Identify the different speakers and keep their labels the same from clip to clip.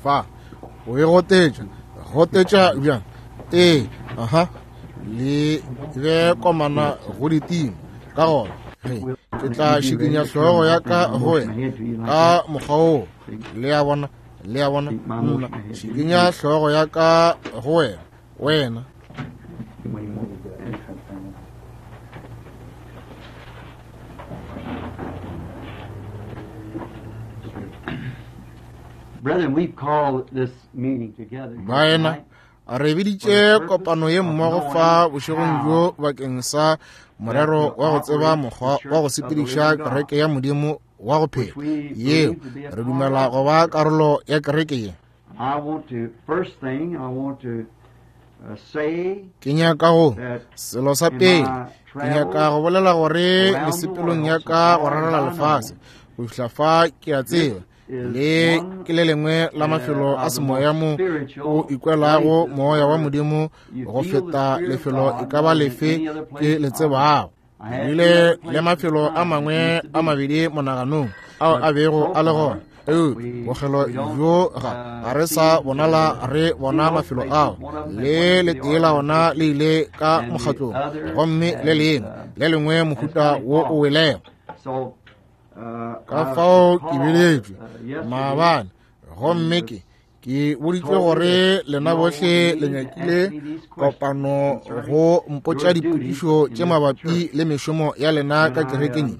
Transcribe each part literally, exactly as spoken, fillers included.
Speaker 1: Fa o e gotetša, gotetša bjang? Ee, aha, le be komana go ditima. Ka gona ge ke tla šikinya hlogo ya ka go wena ka mokgwa wo. Le a bona, le a bona, nna šikinya hlogo ya ka go wena, wena.
Speaker 2: Brethren, we've called this meeting together
Speaker 1: Baena, re biditše kopano ye mmogo fa bošegong bjo bakeng sa morero wa go tseba mokgwa wa go sepediša kereke ya Modimo wa go phela, yeo re dumela go ba karolo ya kereke ye.
Speaker 2: I want to, first thing, I want to uh, say
Speaker 1: Ke nyaka go
Speaker 2: that
Speaker 1: selo sa pele, ke nyaka go bolela gore mesepelong ya ka go rarela lefase go fihla fa ke a tseba le ke le lengwe la mafelo a semoya mo o ikwelago moya wa Modimo go feta lefelo e ka ba lefe ke le tsebago. Ke bile le mafelo a mangwe a mabedi monaganong ao a bego a le gona, eupša bokgelo bjo ga ga re sa bonala re bona mafelo ao. Le letee la ona le ile ka mokgatlong, gomme le lengwe le lengwe mohuta wo o welego.
Speaker 2: So, uh,
Speaker 1: Ka
Speaker 2: I
Speaker 1: fao ke
Speaker 2: called,
Speaker 1: biletšwe
Speaker 2: uh, yesterday
Speaker 1: maabane, gomme ke ke boditšwe gore lena bohle le nyakile kopano go mpotša dipotšišo tše mabapi le mešomo ya lena ka kerekeng ye.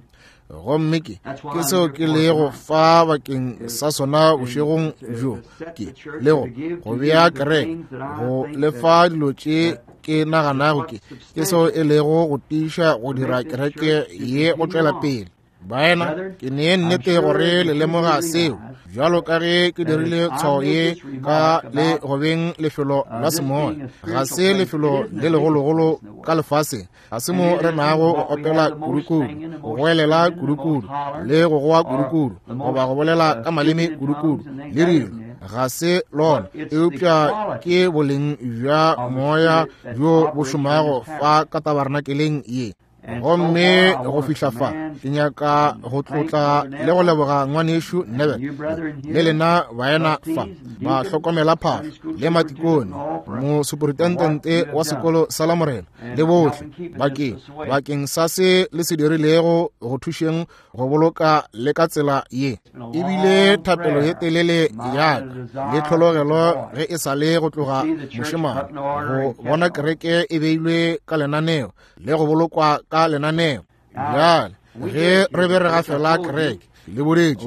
Speaker 1: Gomme ke ke seo ke lego fa bakeng sa sona bošegong bjo, ke le go go bea kereke, go lefa dilo tše ke naganago ke ke seo e lego go tiiša go dira kereke ye go tšwela pele. Baena, ke nee nnete gore le lemoga seo, bjalo ka ge ke dirile tshwao ye ka le go beng lefelo la semoya. Ga se lefelo le legologolo ka lefaseng, ga se mo re nago go opela kudukudu, go goelela kudukudu, le go goa kudukudu, goba go bolela ka maleme kudukudu, le dilo. Ga se lona, eupša ke boleng bja moya bjo bo šomago fa ka tabernakeleng ye. Gomme go fihla fa ke nyaka go tlotla le go leboga ngwanešu Neville le lena baena fa ba hlokomela phahlo le matikone, mosuperintendente wa sekolo sa Lamorena le bohle bakeng bakeng sa se le se dirilego go thušeng go boloka le ka tsela ye. Ebile thapelo ye telele ya ka le tlhologelo ge e sa le go tloga mošemane go bona kereke e beilwe ka lenaneo le go bolokwa ka lenaneo. Bjale ge re be re gafela kereke le boletše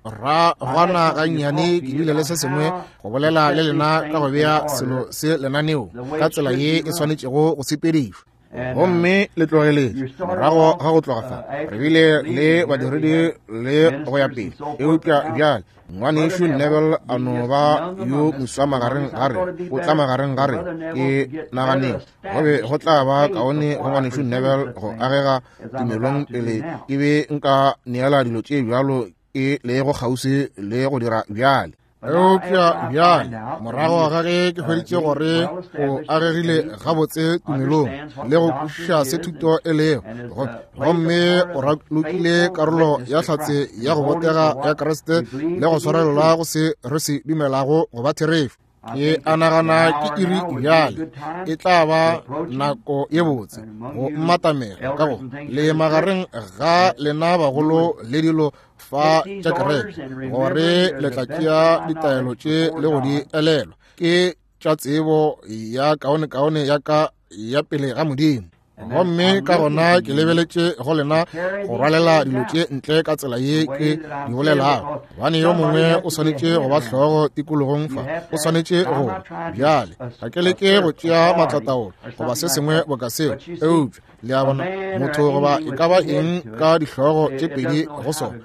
Speaker 1: moragwana gannyane, ke bile le se sengwe go bolela le lena ka go bea selo se lenaneo ka tsela ye e swanetšego go sepedišwa. Gomme le tlogeletše morago ga go tloga fa re bile le badiredi le go ya pele, eupša bjale ngwanešu Neville a no ba yo moswa magareng ga re, o tla magareng ga re. Ke naganeng go be go tla ba kaone go ngwanešu Neville go agega tumelong pele ke be nka neela dilo tše bjalo ke lego kgauswi le go dira bjale. Eupša bjale morago ga ge ke hweditše gore o agegile gabotse tumelong le go kwešiša se thuto e lego, gomme o ralokile karolo ya hlatse ya go botega ya Kriste le go swarelela go se re se dumelago go ba therešo, ke a nagana ke iri bjale e tla ba nako ye botse go mmatamela ka go le magareng ga lena bagolo le dilo fa tša kereke, gore le tla tšea ditaelo tše le go di elelwa ke tša tsebo ya kaonekaone ya ka ya pele ga Modimo. Gomme ka gona ke lebeletše go lena go rwalela dilo tše ntle ka tsela ye ke di bolelago, gobane yo mongwe o swanetše go ba hlogo tikologong fa, o swanetše go bjale. Ga ke leke go tšea maatlataolo goba se sengwe boka seo, eupša le a bona motho goba e ka ba eng ka dihlogo tše pedi go sona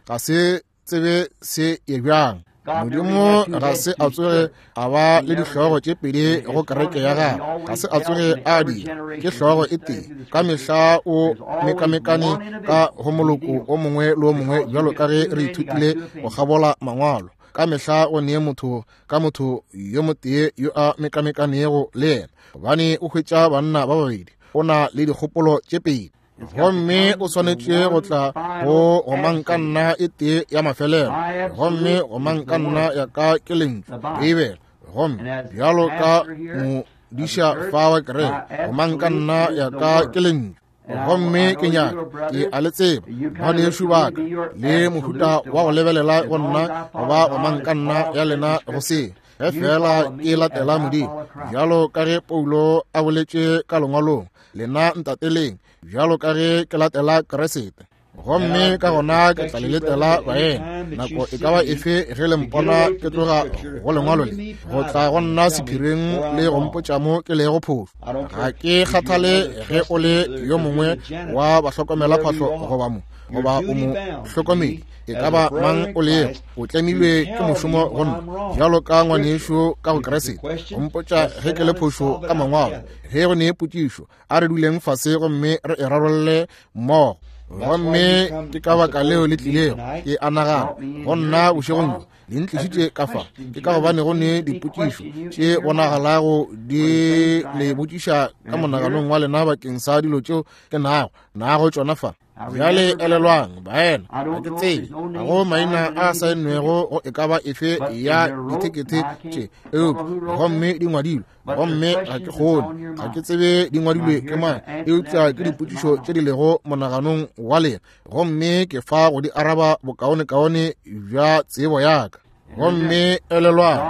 Speaker 1: ga se tsebe se ye bjang. Modimo ga se a tsoge a ba le dihlogo tše pedi go kereke ya gagwe, ga se a tsoge a dira, ke hlogo e tee. Ka mehla o mekamekane ka go moloko o mongwe le o mongwe, bjalo ka ge re ithutile go kgabola mangwalo. Ka mehla o nee motho ka motho yo motee yo a mekamekanego le yena, gobane o hwetša banna ba babedi, o na le dikgopolo tše pedi. Gomme o swanetše go tla go gomangkanna e tee ya mafelelo, gomme gomangkanna ya ka ke lentšu Beibele. Gomme bjalo ka modiša fa wa kereke, gomangkanna ya ka ke lentšu. Gomme ke nyaka ke a le tseba ngwanešu ba ka le mohuta wa go lebelela go nna goba gomangkanna ya lena go se ge fela ke latela Modimo, bjalo ka ge Paulo a boletše ka lengwalong, lena ntateleng bjalo ka ge ke latela Kriste. Gomme ka gona ke tla le letela baena nako e ka ba efe ge le mpona ke tloga go lengwalo le go tla go nna sephiring le go mpotša mo ke lego phošo. Ga ke kgathale ge o le yo mongwe wa bahlokomela phahlo goba mo goba o mo hlokomedi, e ka ba mang o lego, o tlemilwe ke mošomo go nna bjalo ka ngwanešu ka go Kriste go mpotša ge ke le phošo ka mangwalo. Ge go ne potšišo, a re duleng fase gomme re e rarolle mmogo. Gomme ke ka baka leo le tlilego ke a nagana go nna bošegong bjo le ntlišitše ka fa, ke ka gobane go ne dipotšišo tše bonagalago di le botšiša ka monaganong wa lena bakeng sa dilo tšeo ke nago nago tšona fa. Bjale elelwang baena, ga ke tsebe ga go maina a saennwego go e ka ba efe ya dithekethe tše, eupša gomme di ngwadilwe, gomme ga ke kgone, ga ke tsebe di ngwadilwe ke mang, eupša ke dipotšišo tše di lego monaganong wa lena, gomme ke fa go di araba bokaonekaone bja tsebo ya ka. Gomme elelwang,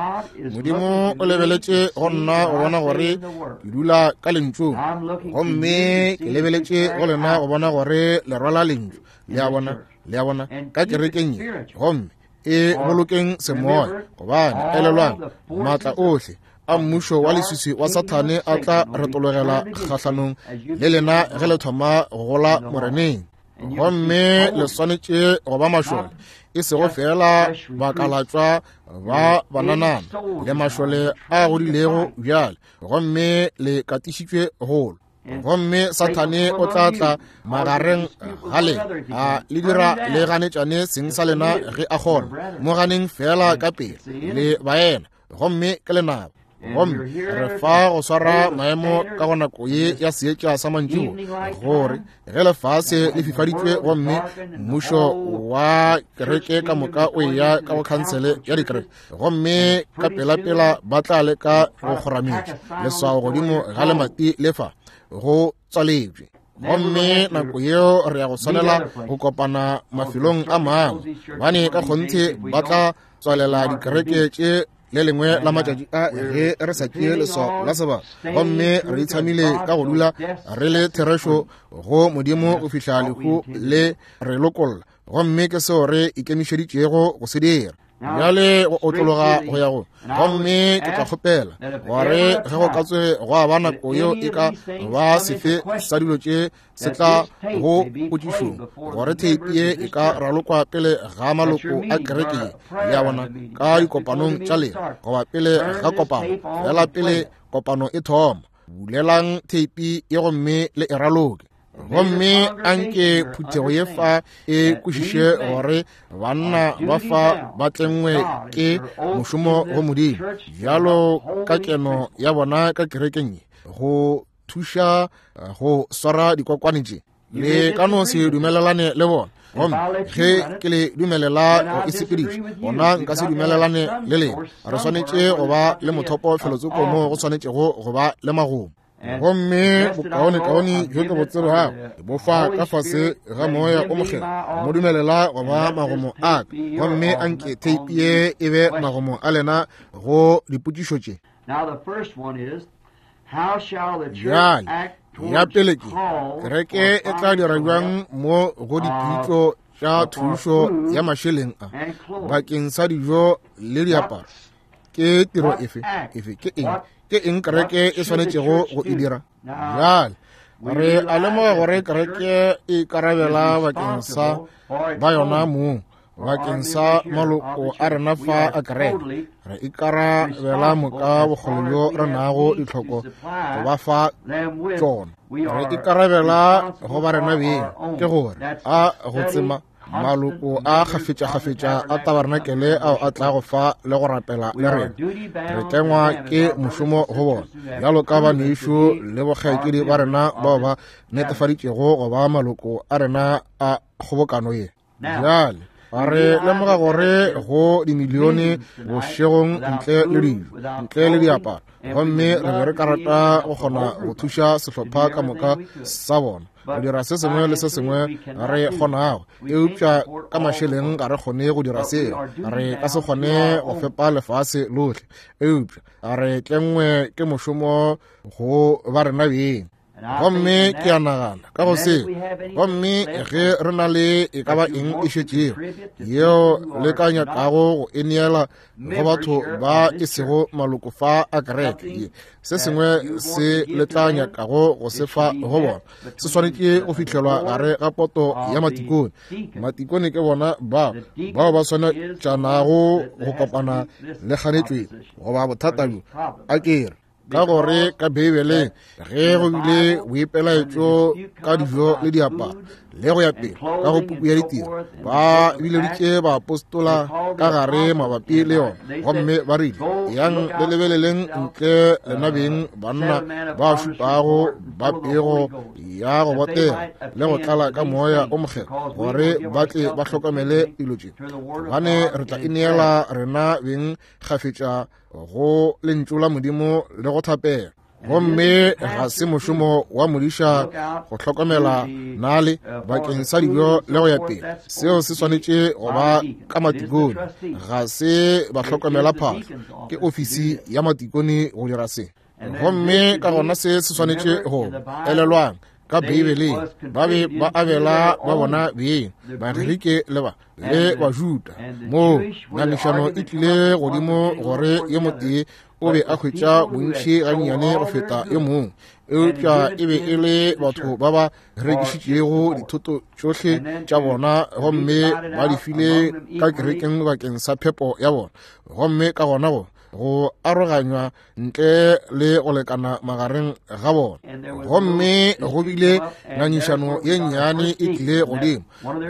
Speaker 1: Modimo o lebeletše go nna go bona gore ke dula ka lentšung, gomme ke lebeletše go lena go bona gore le rwala lentšu. Le a bona, le a bona, ka kerekeng ye, gomme e bolokeng semoya, gobane elelwang, maatla ohle a mmušo wa leswiswi wa Sathane a tla retologela kgahlanong le lena ge le thoma go gola Moreneng. Gomme le swanetše go ba mašole, e sego fela bakalatšwa ba bananana, le mašole a godilego bjale, gomme le katišitšwe golo. Gomme Sathane o tla tla magareng ga lena a le dira le ganetšane seng sa lena ge a kgona. Mo ganeng fela ka pele le baena, gomme ke lenaba. Gomme re fa go swara maemo ka go nako ye ya seetša sa mantšiboa, gore ge lefase le fifaditšwe gomme mmušo wa kereke ka moka o eya ka go khansele ya dikereke, gomme ka pelapela ba tla leka go kgorametša leswao godimo ga lemati le fa go tswaletšwe. Gomme nako yeo re ya go swanela go kopana mafelong a mangwe, gobane ka kgonthe ba tla tswalela dikereke tše le lengwe la matšatši a ge re sa tšee leswao la sebaka. Gomme re itshamile ka go dula re le therešo go Modimo go fihla lehu le re lokolla, gomme ke seo re ikemišeditšego go se dira. Bjale go otlologa go ya go, gomme ke tla kgopela gore ge go ka tsoge gwa ba nako yeo e ka ba sefe sa dilo tše se tla go potšišong, gore theipi ye e ka ralokwa pele ga maloko a kereke ye, le a bona, ka dikopanong tša lena, goba pele ga kopano, fela pele kopano e thoma, bulelang theipi ye gomme le e raloke. Gomme anke phuthego ye fa e kwešiše gore banna ba fa ba tlengwe ke mošomo go Modimo, bjalo ka keno ya bona ka kerekeng ye, go thuša go swara dikokwane tše. Le ka no se dumelelane le bona, gomme ge ke le dumelela go e sepediša, gona nka se dumelelane le lena. Re swanetše go ba le mothopo felotsoko mo go swanetšego go ba le magomo. Gomme bokaonekaone bjo ke bo tsebago bo fa ka fase ga moya o mokgethwa, mo dumelela go ba magomo a ka, gomme anke theipi ye e be magomo a lena go dipotšišo tše. Bjale ya pele ke kereke e tla dira bjang mo go dipitšo tša thušo ya mašeleng a bakeng sa dijo le diaparo? Ke tiro efe efe ke eng ke eng kereke e swanetšego go e dira? Bjale re a lemoga gore kereke e ikarabela bakeng sa ba yona mong, bakeng sa maloko a rena fa a kereke. Re ikarabela moka bokgole bjo re nago ditlhoko go ba fa tšona. Re ikarabela go ba rena beng, ke gore a go tsema Maloko a kgafetšakgafetša a tabarenakele ao a tlago fa le go rapela le rena, re tlengwa ke mošomo go bona bjalo ka banešu le bokgaetšedi ba rena bao ba netefaditšego go ba maloko a rena a kgobokano ye. Bjale re lemoga gore go dimilione bošegong ntle le dijo, ntle le diaparo, gomme re be re ka rata go kgona go thuša sehlopha ka moka sa bona go dira se sengwe le se sengwe re kgonago, eupša ka mašeleng ga re kgone go dira seo. Re ka se kgone go fepa lefase lohle, eupša re tlengwe ke mošomo go ba rena beng. Gomme ke a nagana ka go se, gomme ge re na le e ka ba eng e šetšego yeo le ka nyakago go e neela go batho ba e sego maloko fa a kereke ye, se sengwe se le tla nyakago go se fa go bona se swanetše go fihlelwa gare ga poto ya matikone. Matikone ke bona ba bao ba swanetšanago go kopana le kganetšo goba bothata bjo a kere ka gore ka Beibeleng ge go bile boipelaetšo ka dijo le diaparo le go ya pele ka go puku ya ditiro, ba bileditše baapostola ka gare mabapi le yona, gomme ba rile, yang le lebeleleng ntle lena beng banna ba šupago ba pego ya go botega le go tlala ka moya o mokgethwa, gore ba tle ba hlokomele dilo tše, gobane re tla ineela rena beng kgafetša go lentšu la Modimo le go thapela. Gomme ga se mošomo wa modiša go hlokomela nale bakeng sa dijo le go ya pele, seo se swanetše go ba ka matikone. Ga se ba hlokomela phahlo, ke ofisi ya matikone go dira se. Gomme ka gona se se swanetše go elelwang ka Beibeleng, ba be ba abela ba bona beng, Bagerike le ba le Bajuda. Moo ngangišano e tlile godimo gore yo motee o be a hwetša bontši gannyane go feta yo mongwe, eupša e be e le batho ba ba rekišitšego dithoto tšohle tša bona gomme ba di file ka kerekeng bakeng sa phepo ya bona. Gomme ka gona go go aroganywa ntle le go lekana magareng ga bona. Gomme go bile ngangišano ye nnyane e tlile godimo,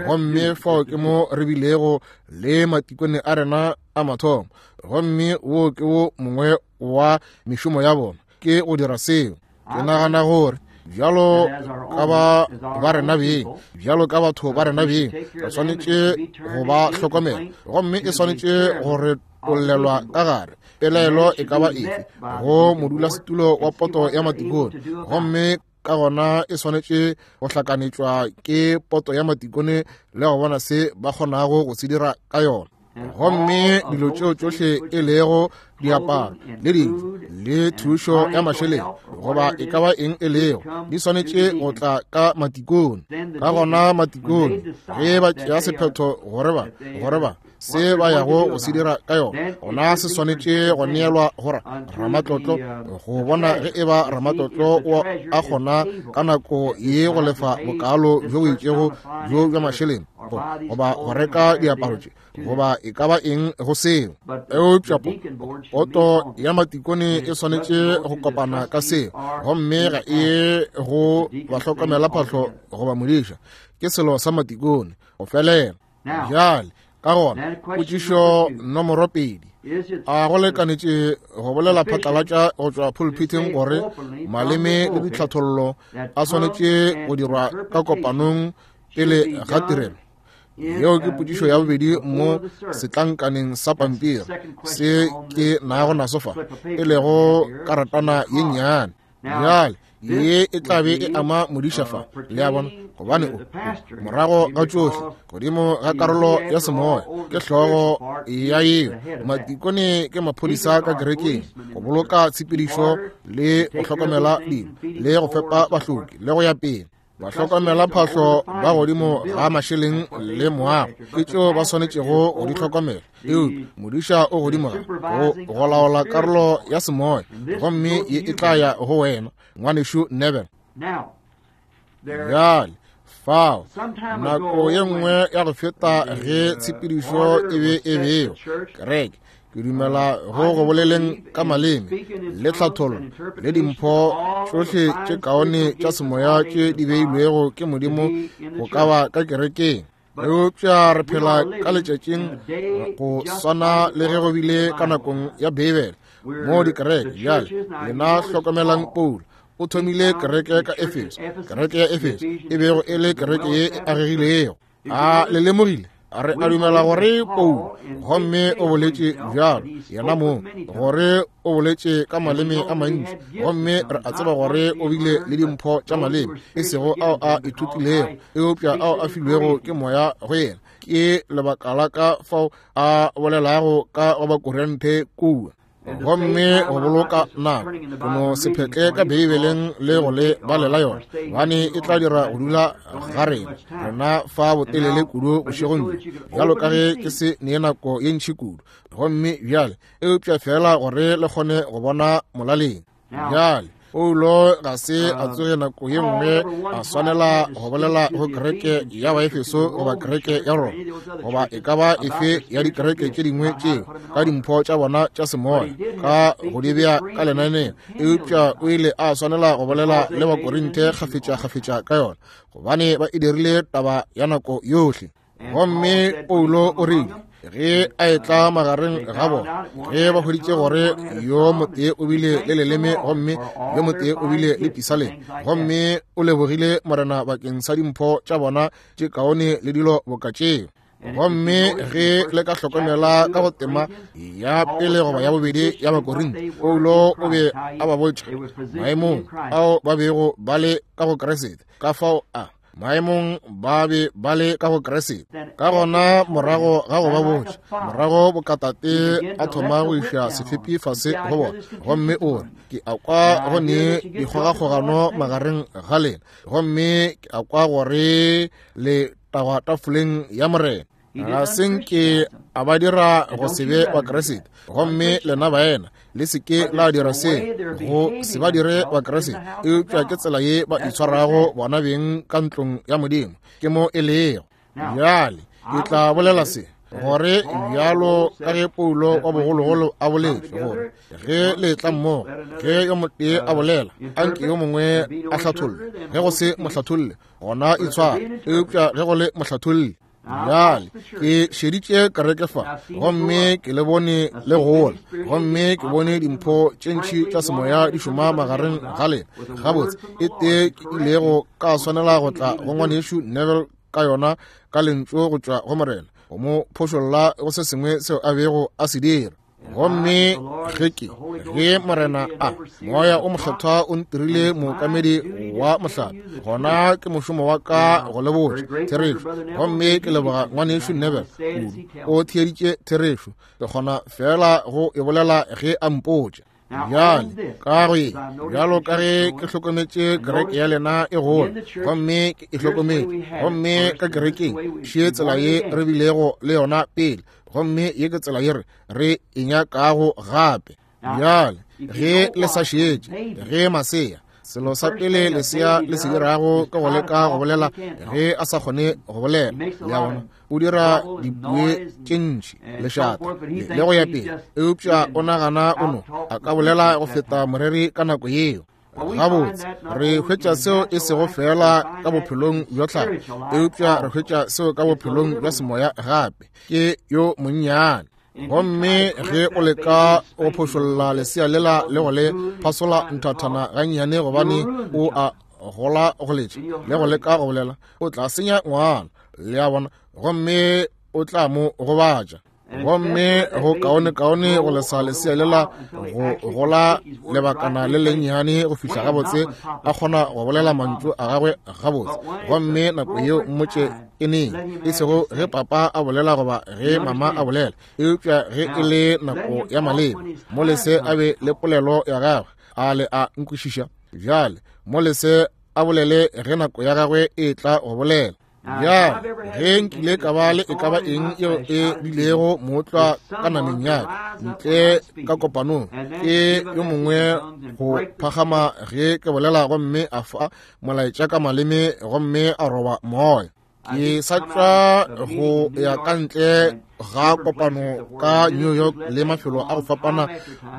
Speaker 1: gomme fao ke mo re bilego le matikone a rena a mathomo, gomme wo ke wo mongwe wa mešomo ya bona ke go dira seo. Ke nagana gore bjalo ka ba ba rena beng, bjalo ka batho ba rena beng, re swanetše go ba hlokomela, gomme e swanetše gore tollelwa ka gare pelaelo e ka ba efe go modulasetulo wa poto ya matikone, gomme ka gona e swanetše go hlakanetšwa ke poto ya matikone le go bona se ba kgonago go se dira ka yona. Gomme dilo tšeo tšohle e lego diaparo le dijo le thušo ya mašeleng goba e ka ba eng e lego, di swanetše go tla ka matikone. Ka gona matikone ge ba tšea sephetho gore ba gore ba se ba yago go se dira ka yona, gona se swanetše go neelwa go ramatlotlo go bona ge e ba ramatlotlo o a kgona ka nako ye go lefa bokalo bjo bo itšego bjo bja mašeleng goba go reka diaparo tše goba e ka ba eng go seo. Eupša poto ya matikone e swanetše go kopana ka seo, gomme ga e go bahlokomela phahlo goba modiša, ke selo sa matikone go felela. Bjale ka gona potšišo nomoro pedi, a go lekanetše go bolela phatlalatša go tšwa pulpiteng gore maleme le ditlhathollo a swanetše go dirwa ka kopanong pele ga tirelo? Yeo ke potšišo ya bobedi mo setlankaneng sa pampiri se ke nago naso fa, e lego karatana ye nnyane. Bjale ye e tla be e ama modiša fa, le a bona, gobane o morago ga tšohle godimo ga karolo ya semoya ke hlogo ya yeo. Matikone ke maphodisa ka kerekeng go boloka tshepedišo le go hlokomela dilo le go fepa bahloki le go ya pele. Bahlokomela phahlo ba godimo ga mašeleng le moago ke tšeo ba swanetšego go di hlokomela, eupša modiša o godimo ga go go laola karolo ya semoya, gomme ye e tla ya go wena ngwanešu Neville. Bjale fao nako ye nngwe ya go feta ge tshepedišo e be e bewa kereke, ke dumela go go boleleng ka maleme le tlhathollo le dimpho tšohle tše kaone tša semoya tše di beilwego ke Modimo go ka ba ka kerekeng. Eupša re phela ka letšatšing go swana le ge go bile ka nakong ya Beibele mo dikereke. Bjale lena hlokomelang Paulo o thomile kereke ka Efeso, kereke ya Efeso e bego e le kereke ye e agegilego. A le lemogile? Re a dumela gore Paulo, gomme o boletše bjalo yena mong, gore o boletše ka maleme a mantši, gomme re a tseba gore o bile le dimpho tša maleme, e sego ao a ithutilego, eupša ao a filwego ke moya go yena. Ke lebaka la ka fao a bolelago ka go Bakorinthe kua. Gomme go boloka nako, go no se phetle ka Beibeleng le go le balela yona, gobane e tla dira go dula ga rena rena fa botelele kudu bošegong bjo, bjalo ka ge ke se nee nako ye ntši kudu. Gomme bjale, eupša fela gore le kgone go bona molaleng. Bjale Paulo ga se a tsoge nako ye nngwe a swanela go bolela go kereke ya Baefeso goba kereke ya Roma goba e ka ba efe ya dikereke tše dingwe tšeo ka dimpho tša bona tša semoya ka go di bea ka lenaneo, eupša o ile a swanela go bolela le Bakorinthe kgafetša-kgafetša ka yona, gobane ba e dirile taba ya nako yohle. Gomme Paulo o rile ge a etla magareng ga bona, ge ba hweditše gore yo motee o bile le leleme gomme yo motee o bile le pisaleng, gomme o lebogile Morena bakeng sa dimpho tša bona tše kaone le dilo boka tšeo. Gomme ge le ka hlokomela ka go tema ya pele goba ya bobedi ya Bakorinthe, Paulo o be a ba botša maemong ao ba bego ba le ka go Kriste, ka fao a maemong ba be ba le ka go Kriste. Ka gona morago ga go ba botša, morago bokatate a thoma go iša sefepi fase go bona, gomme o re, ke a kwa go ne dikgogakgogano magareng ga lena, gomme ke a kwa gore le tagwa tafoleng ya Morena. Ga se nke a ba dira go se be wa Kriste, gomme lena baena le se ke la dira se go se ba dire wa Kriste, eupša ke tsela ye ba itshwarago bona beng ka ntlong ya Modimo, ke mo e lego. Bjale ke tla bolela se gore bjalo ka ge Paulo wa bogologolo a boletše gore ge le tla mmogo, ge yo motee a bolela, anke yo mongwe a hlatholle, ge go se mohlatholle gona itshware, eupša ge go le mohlatholle. Bjale ke šeditše kereke fa, gomme ke le bone le gola, gomme ke bone dimpho tše ntši tša semoya di šoma magareng ga lena. Gabotse e tee ke ilego ka swanela go tla go ngwanešu Neville ka yona ka lentšu go tšwa go Morena, go mo phošolla go se sengwe seo a bego a se dira. Gomme ge ke ge Morena a moya o mokgethwa o ntirile mookamedi wa mohlape, gona ke mošomo wa ka go le botša therešo. Gomme ke leboga ngwanešu Neville kudu, o theeditše therešo, ke kgona fela go e bolela ge a mpotša. Bjale ka go ye, bjalo ka ge ke hlokometše kereke ya lena e gola, gomme ke e hlokometše, gomme ka kerekeng še tsela ye re bilego le yona pele, gomme ye ke tsela ye re re e nyakago gape. Bjale ge le sa šetše, ge masea, selo sa pele lesea le se dirago ke go leka go bolela ge a sa kgone go bolela, le a bona, o dira dipue tše ntši, lešata le go ya pele, eupša o nagana o no a ka bolela go feta moreri ka nako yeo. Gabotse re hwetša seo e sego fela ka bophelong bja tlhago, eupša re hwetša seo ka bophelong bja semoya gape. Ke yo monnyane. Gomme ge o leka go phošolla lesea lela le go le phasola nthathana gannyane gobane o a gola go letša le go leka go bolela, o tla senya ngwana, le a bona, gomme o tla mo gobatša. Gomme go kaone-kaone go lesa lesea lela go gola lebakana le lennyane go fihla gabotse a kgona go bolela mantšu a gagwe gabotse, gomme nako yeo mmotše e neng, e sego ge papa a bolela goba ge mama a bolela, eupša ge e le nako ya maleba, mo lese a be le polelo ya gagwe, a le a nkwešiša. Bjale mo lese a bolele ge nako ya gagwe e tla go bolela. Bjale ge nkile ka ba le e ka ba eng yeo e bilego mootlwa ka nameng ya ka ntle ka kopanong, ke yo mongwe go phagama ge ke bolela gomme a fa molaetša ka maleme gomme a roba moya. Ke sa tšwa go ya ka ntle ga kopano ka New York le mafelo a go fapana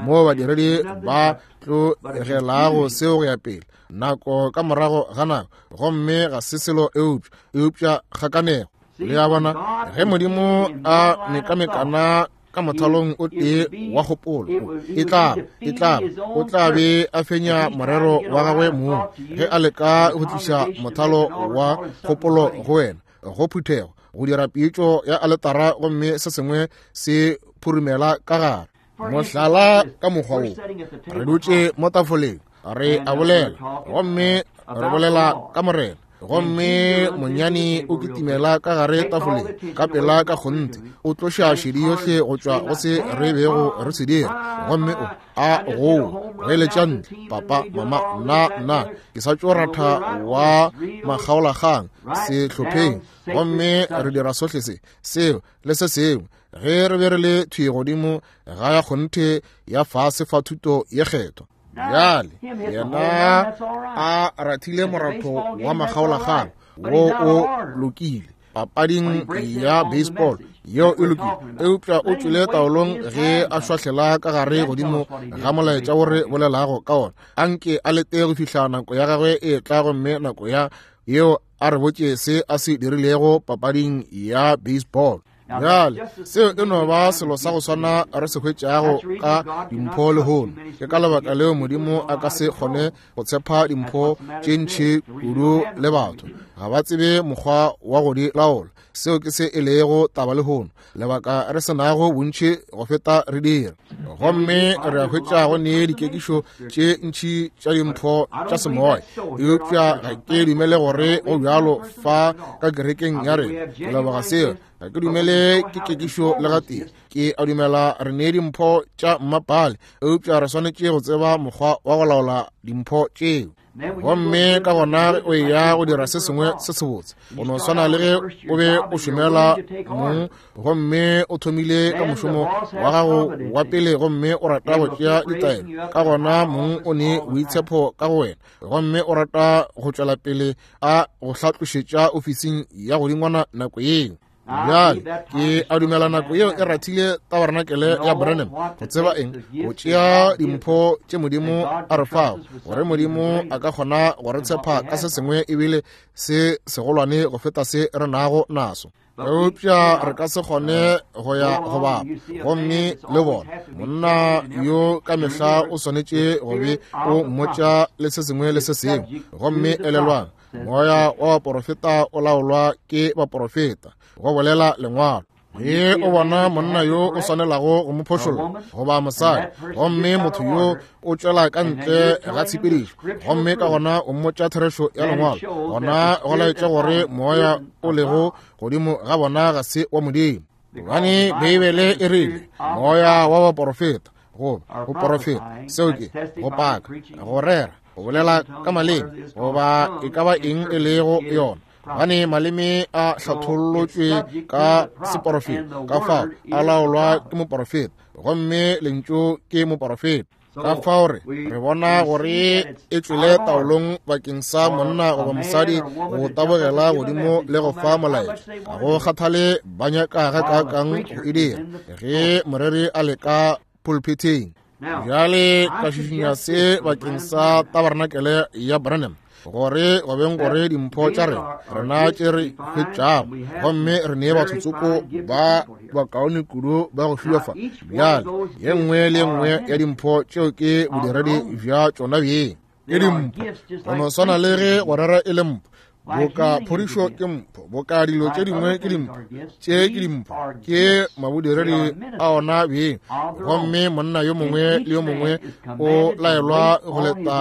Speaker 1: mo badiredi ba tlogelago seo go ya pele nako ka morago ga nako, gomme ga se selo eupša eupša kgakanego. Le a bona, ge Modimo a mekamekana ka mothalong o tee wa kgopolo, e tla e tla o tla be a fenya morero wa gagwe mong ge a leka go tliša mothalo wa kgopolo go wena, go phuthego, go dira pitšo ya aletara gomme se sengwe se phurumela ka gare. Mohlala ka mokgwa wo, re dutše mo tafoleng, re a bolela gomme re bolela ka Morena, gomme monyane o kitimela ka gare tafoleng ka pela ka kgonthe, o tloša šedi yohle go tšwa go se re bego re se dira, gomme o a go goeletša ntle, papa, mama, nna nna ke sa tšo ratha wa makgaolakgang sehlopheng, gomme re dira sohle se seo le se sengwe. Ge re be re le thwi godimo ga ya kgonthe ya fase fa thuto ye kgethwa. Bjale yena a rathile moratho wa makgaolakgang wo o lokile papading ya baseball yeo e lokile, eupša o tšwele taolong ge a šwahlela ka gare godimo ga molaetša wo re bolelago ka ona. Anke a lete go fihla nako ya gagwe e tla, gomme nako ya yeo a re botše se a se dirilego papading ya baseball. Bjale seo e no ba selo sa go swana re se hwetšago ka dimpho lehono. Ke ka lebaka leo Modimo a ka se kgone go tshepa dimpho tše ntši kudu le batho ga ba tsebe mokgwa wa go di laola. Seo ke se e lego taba lehono, lebaka re se nago bontši go feta re dira. Gomme re a hwetša go ne dikekišo tše ntši tša dimpho tša semoya, eupša ga ke dumele gore go bjalo fa ka kerekeng ya rena. Ke leboga seo, ga ke dumele ke kekišo le gatee. Ke a dumela re ne dimpho tša mmapale, eupša re swanetše go tseba mokgwa wa go laola dimpho tšeo. Gomme ka gona o ya go dira se sengwe se sebotse, go no swana le ge o be o šomela mong gomme o thomile ka mošomo wa gago wa pele gomme o rata go tšea ditaelo, ka gona mong o ne boitshepo ka go wena gomme o rata go tšwela pele a go hlatlošetša ofising ya godingwana nako yeo. Bjale ke a dumela nako yeo e rathile tabarenakele ya Branham go tseba eng, go tšea dimpho tše Modimo a re fago, gore Modimo a ka kgona go re tshepa ka se sengwe ebile se segolwane go feta se re nago naso. Eupša re ka se kgone go ya go bapa gomme le bona monna yo ka mehla o swanetše go be o mmotša le se sengwe le se sengwe. Gomme elelwang, moya wa baporofeta o laolwa ke baporofeta, go bolela lengwalo. Ge o bona monna yo o swanelago go mo phošolla goba mosadi, gomme motho yo o tšwela ka ntle ga tshepedišo, gomme ka gona o mmotša therešo ya lengwalo, gona go laetša gore moya o lego godimo ga bona ga se wa Modimo. Gobane Beibele e rile moya wa baporofeta, goba go porofeta, seo ke go paka, go rera, go bolela ka maleme, goba e ka ba eng e lego yona. Gobane maleme a hlathollotšwe ka seporofeta, ka fao a laolwa ke moporofeta, gomme lentšu ke moporofeta. Ka fao re re bona gore e tšwele taolong bakeng sa monna goba mosadi go tabogela godimo le go fa molaetša. Ga go kgathale ba nyaka gakaakang go e dira ge moreri a leka pulpiteng. Bjale ka šišinya se bakeng sa tabarenakele ya Branham, gore go beng gore dimpho tša rena rena tše re hwetšago, gomme re nee batho tsoko ba bakaone kudu ba go fiwa fa. Bjale ye nngwe le ye nngwe ya dimpho tšeo ke bodiredi bja tšona bjeng, ke dimpho go no swana le ge go rera e le mpho, boka phodišo ke mpho, boka dilo tše dingwe ke dimpho, tše ke dimpho, ke mabodiredi a ona bjeng. Gomme monna yo mongwe le yo mongwe o laelwa go leta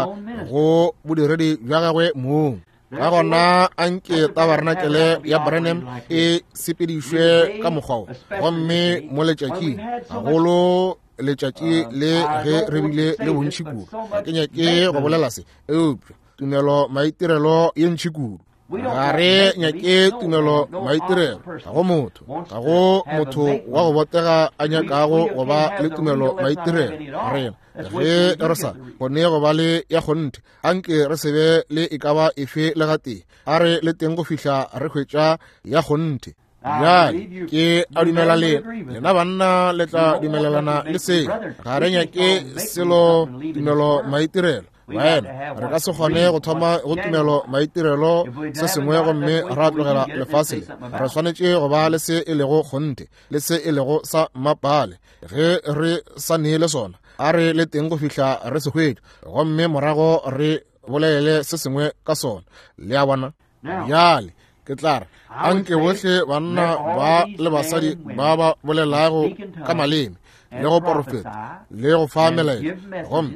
Speaker 1: go bodiredi bja gagwe mong. Ka gona anke tabarenakele ya Branham e sepedišwe ka mokgwa wo, gomme mo letšatšing gagolo letšatši le ge re bile le bontši kudu. Ga ke nyake go bolela se, eupša tumelo maitirelo ye ntši kudu. Ga re nyake tumelo maitirelo, ga go motho, ga go motho wa go botega a nyakago go ba le tumelo maitirelo. Rena ge re sa kgone go ba le ya kgonthe, anke re se be le e ka ba efe le gatee, a re le teng go fihla re hwetša ya kgonthe. Bjale ke a dumela lena, lena banna le tla dumelelana le seo. Ga re nyake selo tumelo maitirelo, Baena, re ka se kgone go thoma go tumelo maitirelo se sengwe gomme ra tlogela lefase le. Re swanetše go ba le se e lego kgonthe le se e lego sa mmapale. Ge re sa neele sona, a re le teng go fihla re se hwetša, gomme morago re bolele se sengwe ka sona. Le a bona? Bjale ke tla re anke bohle banna ba le basadi ba ba bolelago ka maleme le go porofeta le go fa melaetša, gomme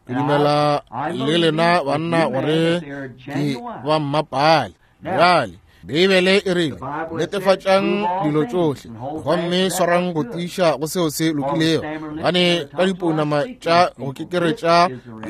Speaker 1: ke dumela le lena banna gore ke ba mmapale. Bjale Beibele e rile, netefatšang dilo tšohle gomme swarang go tiiša go seo se lokilego, gobane ka dipounama tša go kekeretša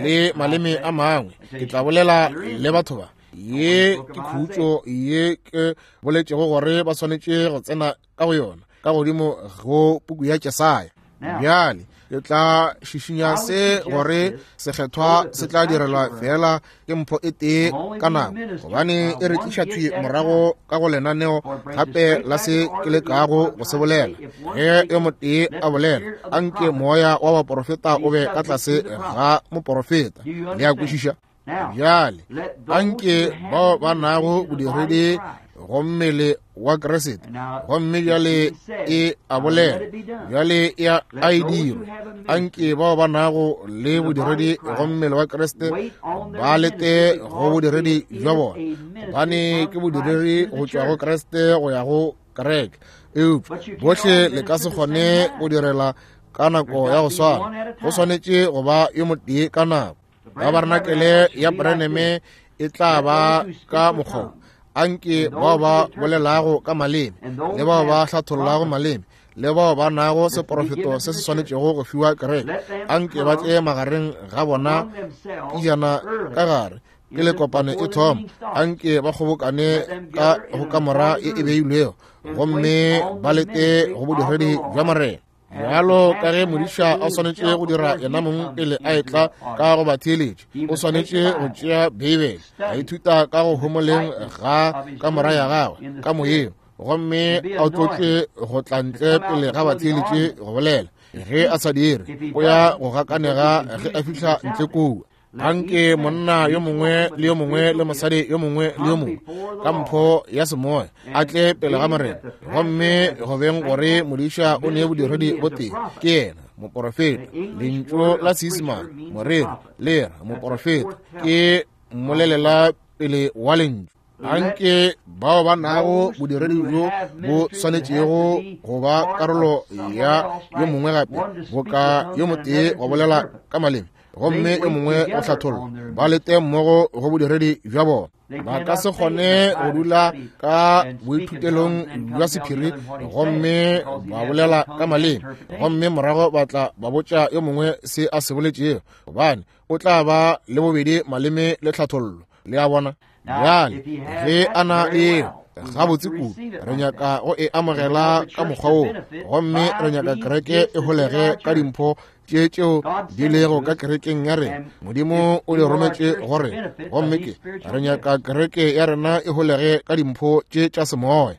Speaker 1: le maleme a mangwe ke tla bolela le batho ba. Ye ke khutšo ye ke boletšego gore ba swanetše go tsena ka go yona ka godimo go puku ya Jesaya. Bjale ke tla šišinya se gore sekgethwa se tla direlwa fela ke mpho e tee ka nako, gobane e re tliša thwi morago ka go lenaneo gape la se ke lekago go se bolela. Ge yo motee a bolela, anke moya wa baporofeta o be ka tlase ga moporofeta. Le a kwešiša? Bjale anke bao ba nago bodiredi go mmele wa Kriste, gomme bjale e a bolela, bjale e a e dirwe. Anke bao ba nago le bodiredi go mmele wa Kriste ba lete go bodiredi bja bona, gobane ke bodiredi go tšwa go Kriste go ya go kereke. Eupša bohle le ka se kgone go direla ka nako ya go swana, go swanetše go ba yo motee ka nako. Tabarenakele ya Branham e tla ba ka mokgwa. Anke bao ba bolelago ka maleme le bao ba hlathollago maleme le bao ba nago seporofeto se se swanetšego go fiwa kereke, anke ba tle magareng ga bona pejana ka gare pele kopano e thoma. Anke ba kgobokane ka go kamora e e beilwego gomme ba lete go bodiredi bja Morena. Bjalo ka ge modiša a swanetše go dira yena mong pele a etla ka go ba theeletša, o swanetše go tšea Beibele, a ithuta ka go homoleng ga kamora ya gagwe ka moyeng, gomme a tlotšwe go tla ntle pele ga ba theeletše go bolela. Ge a sa dire, o ya go gakanega ge a fihla ntle kua. Anke monna yo mongwe le yo mongwe le mosadi yo mongwe le yo mongwe ka mpho ya semoya a tle pele ga Morena, gomme go beng gore modiša o ne bodiredi bo tee, ke yena moporofeta. Lentšu la Seisemane moreri le ra moporofeta, ke mmolelela pele wa lentšu. Anke bao ba nago bodiredi bjo bo swanetšego go ba karolo ya yo mongwe gape, boka yo motee wa bolela ka maleme gomme yo mongwe o hlatholla, ba lete mmogo go bodiredi bja bona. Ba ka se kgone go dula ka boithutelong bja sephiri gomme ba bolela ka maleme gomme morago ba tla ba botša yo mongwe se a se boletšego, gobane o tla ba le bobedi maleme le tlhathollo. Le a bona? Bjale ge a na le gabotse kudu, re nyaka go e amogela ka mokgwa wo, gomme re nyaka kereke e holege ka dimpho tše tšeo di lego ka kerekeng ya rena. Modimo o di rometše go rena, gomme ke re nyaka kereke ya rena e holege ka dimpho tše tša semoya.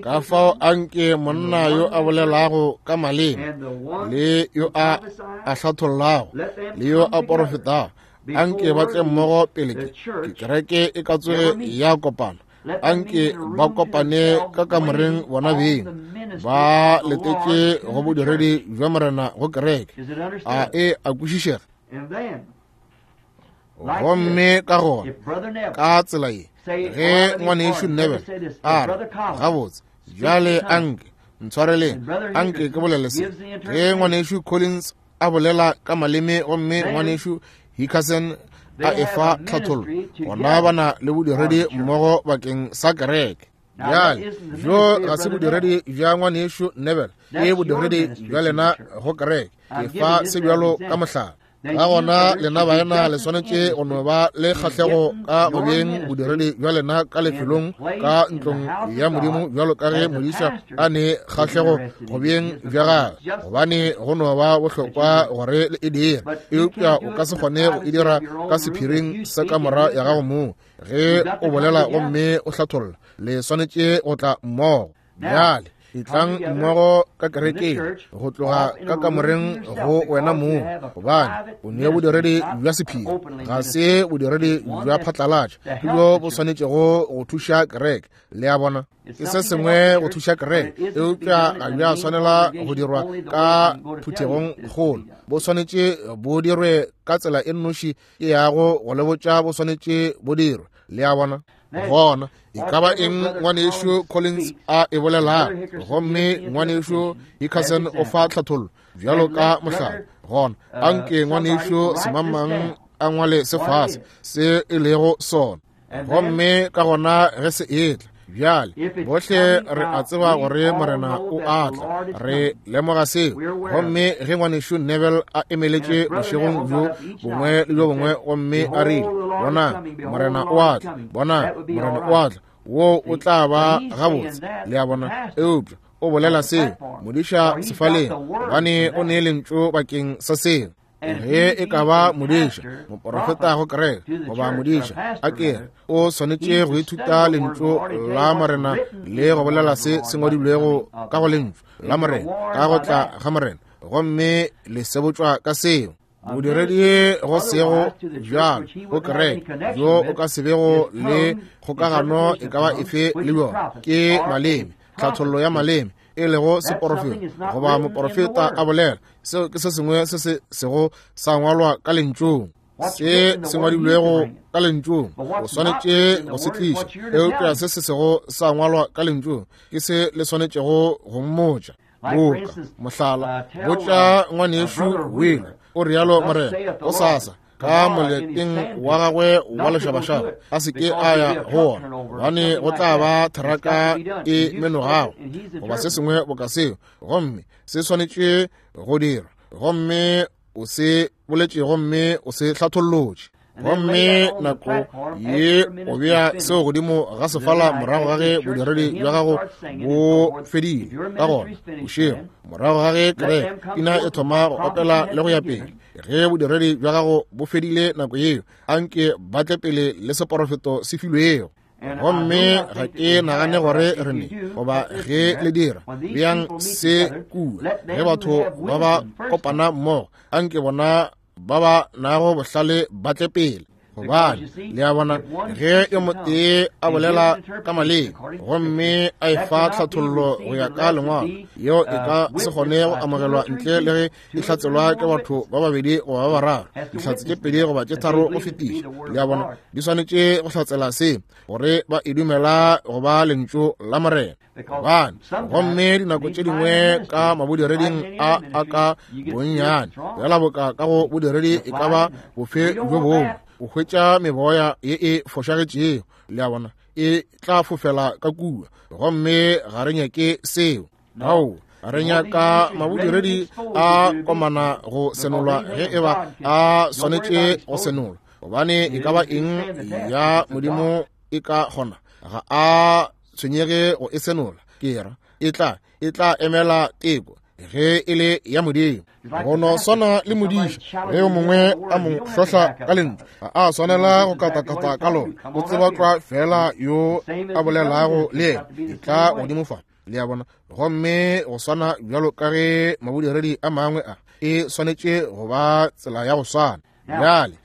Speaker 1: Ka fao anke monna yo a bolelago ka maleme le yo a a hlathollago le yo a porofetago, anke ba tle mmogo pele ke kereke e ka tsoge ya kopana. Anke ba kopane ka kamoreng bona beng, ba letetše go bodiredi bja Morena go kereke. A e a kwešišega? Gomme ka gona ka tsela ye, ge ngwanešu Neville a re, gabotse bjale anke ntshwareleng, anke ke bolele se. Ge ngwanešu Collins a bolela ka maleme gomme ngwanešu Hickerson a efa tlhathollo, gona ba na le bodiredi mmogo bakeng sa kereke. Bjale bjo ga se bodiredi bja ngwanešu Neville, ke bodiredi bja lena go kereke. Ke fa se bjalo ka mohlala. Ka gona lena baena le swanetše go no ba le kgahlego ka go beng bodiredi bja lena ka lefelong ka ntlong ya Modimo, bjalo ka ge modiša a ne kgahlego go beng bja gagwe, gobane go no ba bohlokwa gore le e dire. Eupša o ka se kgone go e dira ka sephiring sa kamora ya gago mong. Ge o bolela gomme o hlatholla, le swanetše go tla mmogo. Bjale Etlang mmogo ka kerekeng, go tloga ka kamoreng go wena mong, gobane o ne bodiredi bja sephiri, ga se bodiredi bja phatlalatša, ke bjo bo swanetšego go thuša kereke. Le a bona, ke se sengwe go thuša kereke, eupša ga bja swanela go dirwa ka phuthegong kgolo. Bo swanetše bo dirwe ka tsela e nnoši e yago go le botša bo swanetše bo dirwe. Le a bona? Gona e ka ba eng ngwanešu Collins a e bolelago, gomme ngwanešu Hickerson o fa tlhathollo bjalo ka mohlala, gona anke ngwanešu semangmang a ngwale se fase se e lego sona. Gomme ka gona ge se etla bjale, bohle re a tseba gore Morena o a tla, re lemoga seo. Gomme ge ngwanešu Neville a emeletše bošegong bjo bongwe le bjo bongwe gomme a rile, bonang Morena o a tla, bonang Morena o a tla, wo o tla ba gabotse. Le a bona? Eupša o bolela seo modiša sefaleng, gobane o ne lentšu bakeng sa seo. Ge e ka ba modiša, moporofeta go kereke, goba modiša, a ke re, o swanetše go ithuta lentšu la Morena le go bolela se se ngwadilwego ka go lentšu la Morena, ka go tla ga Morena, gomme le sebotšwa ka seo. Bodiredi go sego bjalo go kereke bjo o ka se bego le kgokagano e ka ba efe le bjona ke maleme, tlhathollo ya maleme, e lego seporofeta goba moporofeta a bolela. Seo ke se sengwe se se sego sa ngwalwa ka lentšung. Se se ngwadilwego ka lentšung o swanetše go se tliša, eupša se se sego sa ngwalwa ka lentšung ke se le swanetšego go mmotša. Boka mohlala, botša ngwanešu Wheeler, o rialo Morena, o sasa ka moleteng wa gagwe wa lešabašaba a se ke a ya go ona, gobane go tla ba theraka e menogago goba se sengwe boka seo, gomme se swanetše go dirwa, gomme o se boletše gomme o se hlathollotše. Gomme nako ye o bea seo godimo ga sefala morago ga ge bodiredi bja gago bo fedile. Ka gona bošego morago ga ge kereke pina e thoma go opela le go ya pele, ge bodiredi bja gago bo fedile nako yeo, anke ba tle pele le seporofeto se filwego. Gomme ga ke nagane gore re ne, goba ge le dira, beang se kua. Ge batho ba ba kopana mmogo, anke bona ba ba nago bohlale ba tle pele. Gobane le a bona, ge yo motee a bolela ka maleme gomme a e fa tlhathollo go ya ka lengwalo, yeo e ka se kgone go amogelwa ntle le ge e hlatselwa ke batho ba babedi goba ba bararo, dihlatse tše pedi goba tše tharo go fetiša. Le a bona, di swanetše go hlatsela se gore ba e dumela go ba lentšu la Morena. Gobane gomme dinako tše dingwe ka mabodireding a a ka bonnyane, bjala boka ka go bodiredi e ka ba bofe bjo bongwe, o hwetša meboya ye e fošagetšego. Le a bona, e tla fofela ka kua, gomme ga re nyake seo. Ao, re nyaka mabodiredi a komana go senolwa ge e ba a swanetše go senolwa, gobane e ka ba eng ya Modimo e ka kgona, ga a tshwenyege go e senola. Ke ra e tla e tla emela teko ge e le ya Modimo. Go no swana le modiša, ge yo mongwe a mo hlohla ka lentšu, ga a swanela go katakata ka lona, o tseba tlwa fela yo a bolelago le yena. E tla godimo fa. Le a bona? Gomme go swana bjalo ka ge mabodiredi a mangwe a, e swanetše go ba tsela ya go swana. Bjale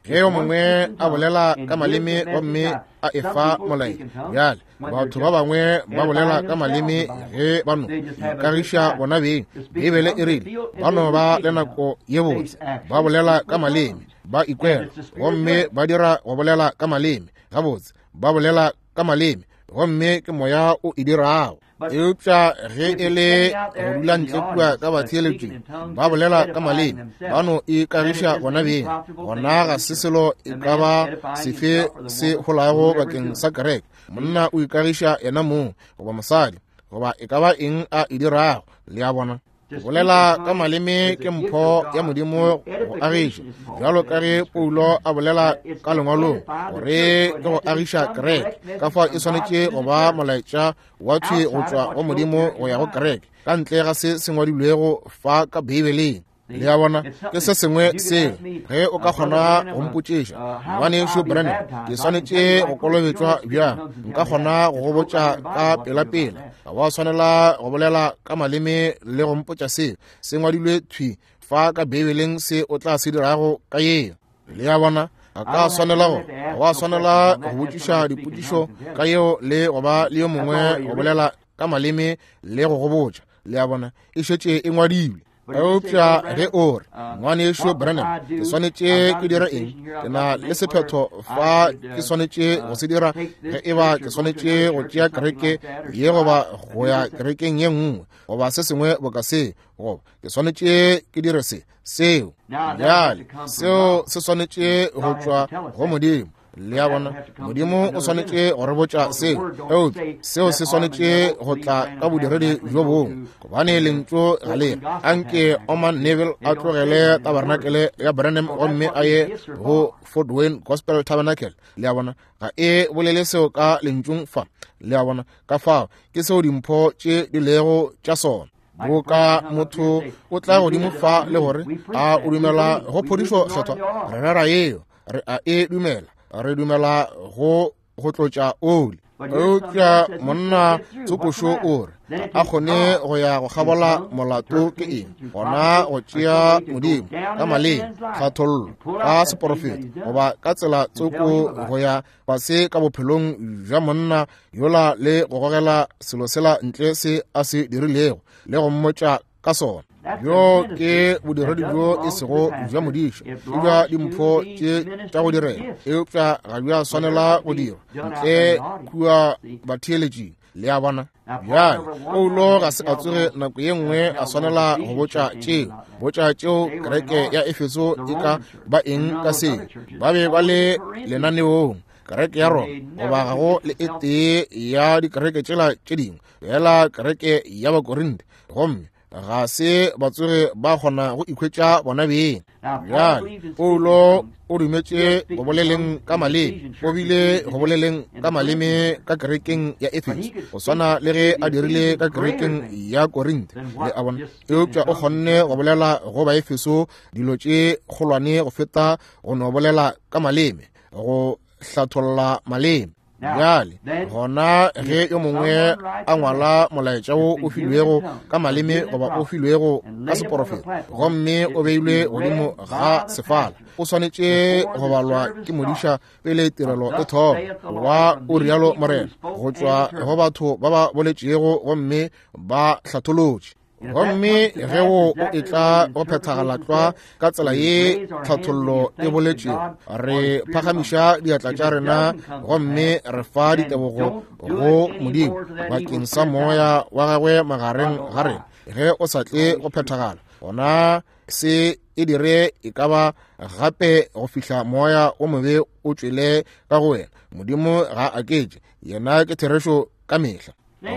Speaker 1: ge yo mongwe a bolela ka maleme gomme a e fa molaetša, bjale batho ba bangwe ba bolela ka maleme ge ba no ikagiša bona beng. Beibele e rile ba no ba le nako ye botse, ba bolela ka maleme, ba ikwela, gomme ba dira go bolela ka maleme gabotse, ba bolela ka maleme, gomme ke moya o e dirago. Eupša ge e le go dula ntle kua ka batheeletšing ba bolela ka maleme, ba no ikagiša bona beng, gona ga se selo e ka ba sefe se holago bakeng sa kereke. Monna o ikagiša yena mong, goba mosadi, goba e ka ba eng a e dirago. Le a bona? Bolela ka maleme ke mpho ya Modimo go agiša, bjalo ka ge Paulo a bolela ka lengwalong gore ke go agiša kereke. Ka fao e swanetše go ba molaetša wa thwi go tšwa go Modimo go ya go kereke, ka ntle ga se se ngwadilwego fa ka Beibeleng. Le a bona, ke se sengwe seo ge o ka kgona go mpotšiša, ngwanešu Branham, ke swanetše go kolobetšwa bjang, nka kgona go go botša ka pelapela. Ga wa swanela go bolela ka maleme le go mpotša seo se ngwadilwe thwi fa ka Beibeleng se o tla se dirago ka yeo. Le a bona, a ka swanela go ga wa swanela go botšiša dipotšišo ka yeo le go ba le yo mongwe go bolela ka maleme le go go botša. Le a bona, e šetše e ngwadilwe. Eupša ge o re, ngwanešu Branham, ke swanetše ke dire eng? Ke na le sephetho fa ke swanetše go se dira, ge e ba ke swanetše go tšea kereke ye goba go ya kerekeng ye nngwe goba se sengwe boka se, goba ke swanetše ke dire se seo. Bjale seo se swanetše go tšwa go Modimo. Le a bona, Modimo o swanetše go re botša seo, eupša seo se swanetše go tla ka bodiredi bjo bongwe, gobane lentšu ga le re anke Orman Neville a tlogele tabernacle ya Branham gomme a ye go Fort Wayne Gospel Tabernacle. Le a bona, ga e bolele seo ka lentšung fa. Le a bona, ka fao ke seo dimpho tše di lego tša sona. Boka motho o tla godimo fa le gore a o dumela go phodišo kgethwa, re rera yeo, re a e dumela, re dumela go go tlotša oli. Eupša monna tsokošo o re a kgone go ya go kgabola molato ke eng? Gona go tšea Modimo ka maleme, tlhathollo ka seporofeto, goba ka tsela tsoko go ya fase ka bophelong bja monna yola le go gogela selo sela ntle se a se dirilego le go mmotša ka sona. Bjo ke bodiredi bjo e sego bja modiša, ke bja dimpho tše tša go direla, eupša ga bja swanela go dirwa ntle kua batheeletšing. Le a bona? Bjale Paulo ga se a tsoge nako ye nngwe a swanela go botša tšeo, botša tšeo kereke ya Efeso e ka ba eng ka seo. Ba be ba le lenaneong, kereke ya Roma, goba ga go le e tee ya dikereke tšela tše dingwe, fela kereke ya Bakorinte, gomme ga se ba tsoge ba kgona go ikhwetša bona beng. Bjale Paulo o dumetše go boleleng ka maleme, o bile go boleleng ka maleme ka kerekeng ya Efeso, go swana le ge a dirile ka kerekeng ya Korinthe. Le a bona, eupša o kgonne go bolela go Baefeso dilo tše kgolwane go feta go no bolela ka maleme, go hlatholla maleme. Bjale gona ge yo mongwe a ngwala molaetša wo o filwego ka maleme goba o filwego ka seporofeto, gomme o beilwe godimo ga sefala, o swanetše go balwa ke modiša pele tirelo e thoma, wa o rialo Morena, go tšwa go batho ba ba boletšego gomme ba hlatholotše. Gomme ge wo o etla go phethagala tlwa ka tsela ye tlhathollo e boletšego, re phagamiša diatla tša rena gomme re fa ditebogo go Modimo bakeng sa moya wa gagwe magareng ga rena. Ge o sa tle go phethagala, gona se e dire e ka ba gape go fihla moya o mobe o tšwele ka go wena. Modimo ga a aketše, yena ke therešo ka mehla.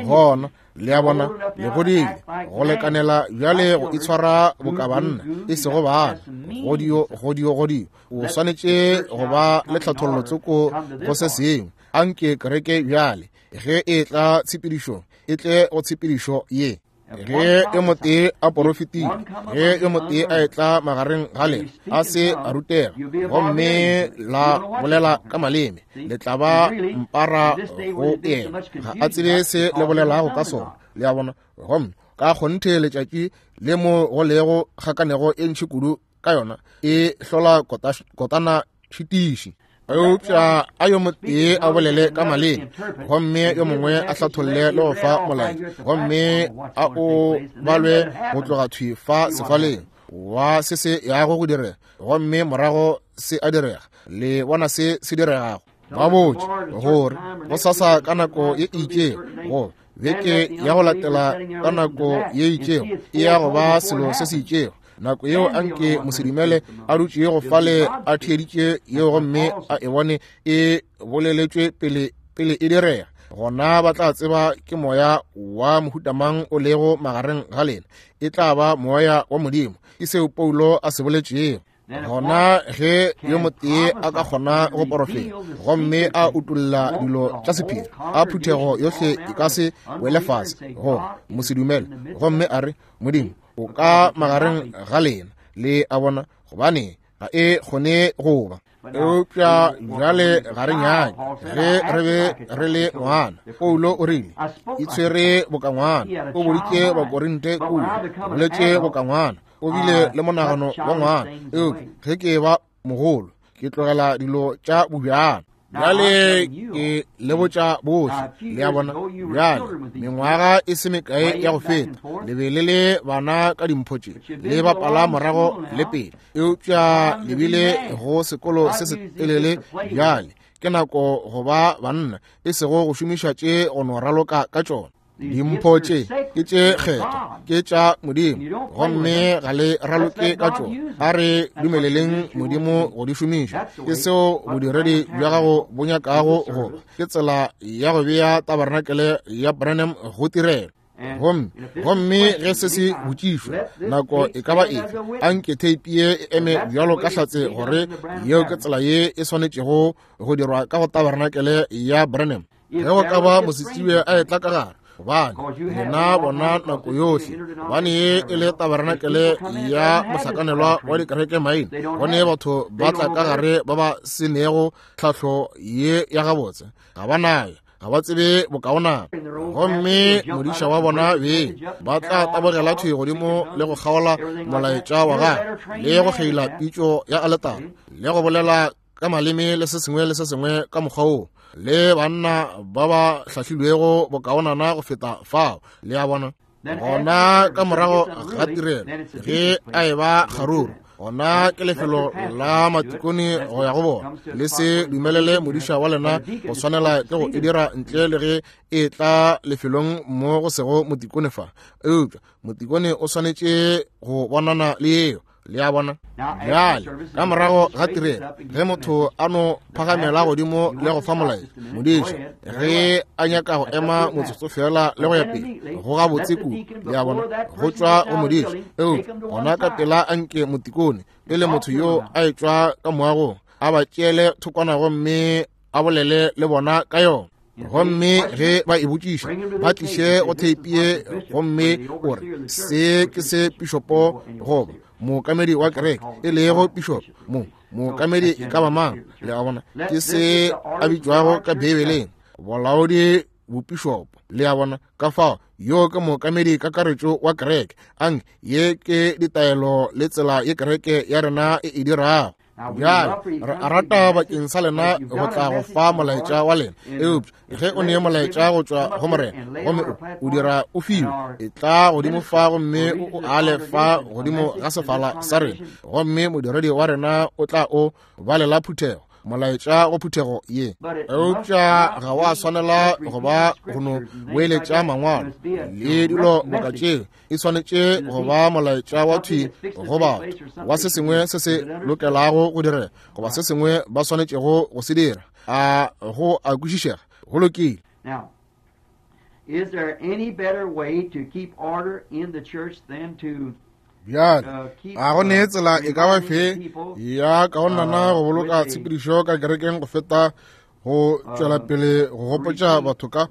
Speaker 1: Gona le a bona, le godile go lekanela bjale go itshwara boka banna, e sego bana. Godio, godio, godio. O swanetše go ba le tlhathollo tsoko go se sengwe. Anke kereke bjale ge e tla tshepedišong, e tle go tshepedišo ye. Ge yo motee a porofetile, ge yo motee a etla magareng ga lena a se a rutega gomme la bolela ka maleme, le tla ba mpara go yena, ga a tsebe se le bolelago ka sona. Le a bona? Gomme ka kgonthe letšatši le mo go lego kgakanego e ntši kudu ka yona e hlola kotana šitiši. Eupša a yo motee a bolele ka maleme, gomme yo mongwe a hlatholle le go fa molaetša, gomme a o balwe go tloga thwi fa sefaleng wa se se yago go direga, gomme morago se a direga. Le bona se se diregago? Ba botše gore go sasa ka nako ye e itšego, go beke ya go latela ka nako ye itšego, e ya go ba selo se se itšego. Nako yeo anke mosedumele a dutšego fale a theeditše yeo gomme a e bone e boleletšwe pele pele e direga, gona ba tla tseba ke moya wa mohutamang o lego magareng ga lena. E tla ba moya wa Modimo. Ke seo Paulo a se boletšego. Gona ge yo motee a ka kgona go porofeta gomme a utolla dilo tša sephiri, a phuthego yohle e ka se wele fase go mosedumele gomme a re, Modimo o ka magareng ga lena, Le a bona, gobane ga e kgone go ba. Eupša bjale ga re nyake ge re be re le ngwana. Paulo o rile, itshwere boka ngwana. O boditše Bakorinte kua, o boletše boka ngwana, o bile le monagano wa ngwana. Eupša ge ke ba mogolo, ke tlogela dilo tša bobjana. Bjale ke le botša bohle, le a bona. Bjale mengwaga e se mekae ya go feta, le be le le bana ka dimpho tše, le bapala morago le pele, eupša le bile go sekolo se se telele. Bjale ke nako go ba banna, e sego go šomiša tše go no raloka ka tšona. Dimpho tše ke tše kgethwa, ke tša Modimo, gomme ga le raloke ka tšona. A re dumeleleng Modimo go di šomiša. Ke seo bodiredi bja gago bo nyakago go ba. Ke tsela ya go bea tabarenakele ya Branham go tirelo. Gomme gomme ge se se botšišwa nako e ka ba efe, anke theipi ye e eme bjalo ka hlatse gore yeo ke tsela ye e swanetšego go dirwa ka go tabarenakele ya Branham. Ge go ka ba mosetsebje a etla ka gare, gobane lena bona nako yohle, gobane ye e le tabarenakele ya mohlakanelwa wa dikereke maina, gone batho ba tla ka gare ba ba senego tlhahlo ye ya gabotse, ga ba nayo, ga ba tsebe bokaonana. Gomme modiša wa bona beng ba tla tabogela thwi godimo le go kgaola molaetša wa gagwe, le go kgeila pitšo ya aletara, le go bolela ka maleme le se sengwe le se sengwe ka mokgwa woo, le banna ba ba hlahlilwego bokaonana go feta fao. Le a bona. Gona ka morago ga tirelo, ge a e ba kgaruru, gona ke lefelo la matikone go ya go bona. Le se dumelele modiša wa lena go swanela ke go e dira ntle le ge e tla lefelong mo go sego motikone fa. Eupša motikone o swanetše go bonana le yeo. Le a bona. Bjale ka morago ga tirelo, ge motho a no phagamela godimo le go fa molaetša, modiša ge a nyaka go ema motsotso fela le go ya pele, go gabotse kudu. Le a bona, go tšwa go modiša. Eupša gona ka pela anke motikone pele motho yo a etšwa ka moagong, a ba tšeele thokwana gomme a bolele le bona ka yona. Gomme ge ba e botšiša, ba tliše go theipi ye, gomme o re se ke se pišopo goba mookamedi wa kereke, e lego pišopo mo mookamedi e ka ba mang. Le a bona, ke se a bitšwago ka Beibeleng bolaodi bopišopo. Le a bona, ka fao yo ke mookamedi kakaretšo wa kereke. Anke ye ke ditaelo le tsela ye kereke ya rena e e dirago. Bjale re a rata bakeng sa lena go tla go fa molaetša wa lena, eupša ge o nee molaetša go tšwa go Morena gomme o o dira o fiwe, e tla godimo fa gomme o o ale fa godimo ga sefala sa rena, gomme modiredi wa rena o tla o balela phuthego molaetša go phuthego ye. Eupša ga wa swanela go ba go no boeletša mangwalo le dilo boka tšeo. E swanetše go ba molaetša wa thwi go batho, wa se sengwe se se lokelago go direga, goba se sengwe ba swanetšego go se dira. A go a kwešišega? Go lokile.
Speaker 2: Now, is there any better way to keep order in the church than to
Speaker 1: Bjale a go nee tsela e ka ba fe ya kaonana go boloka tshepedišo ka kerekeng go feta go tšwela pele go gopotša batho ka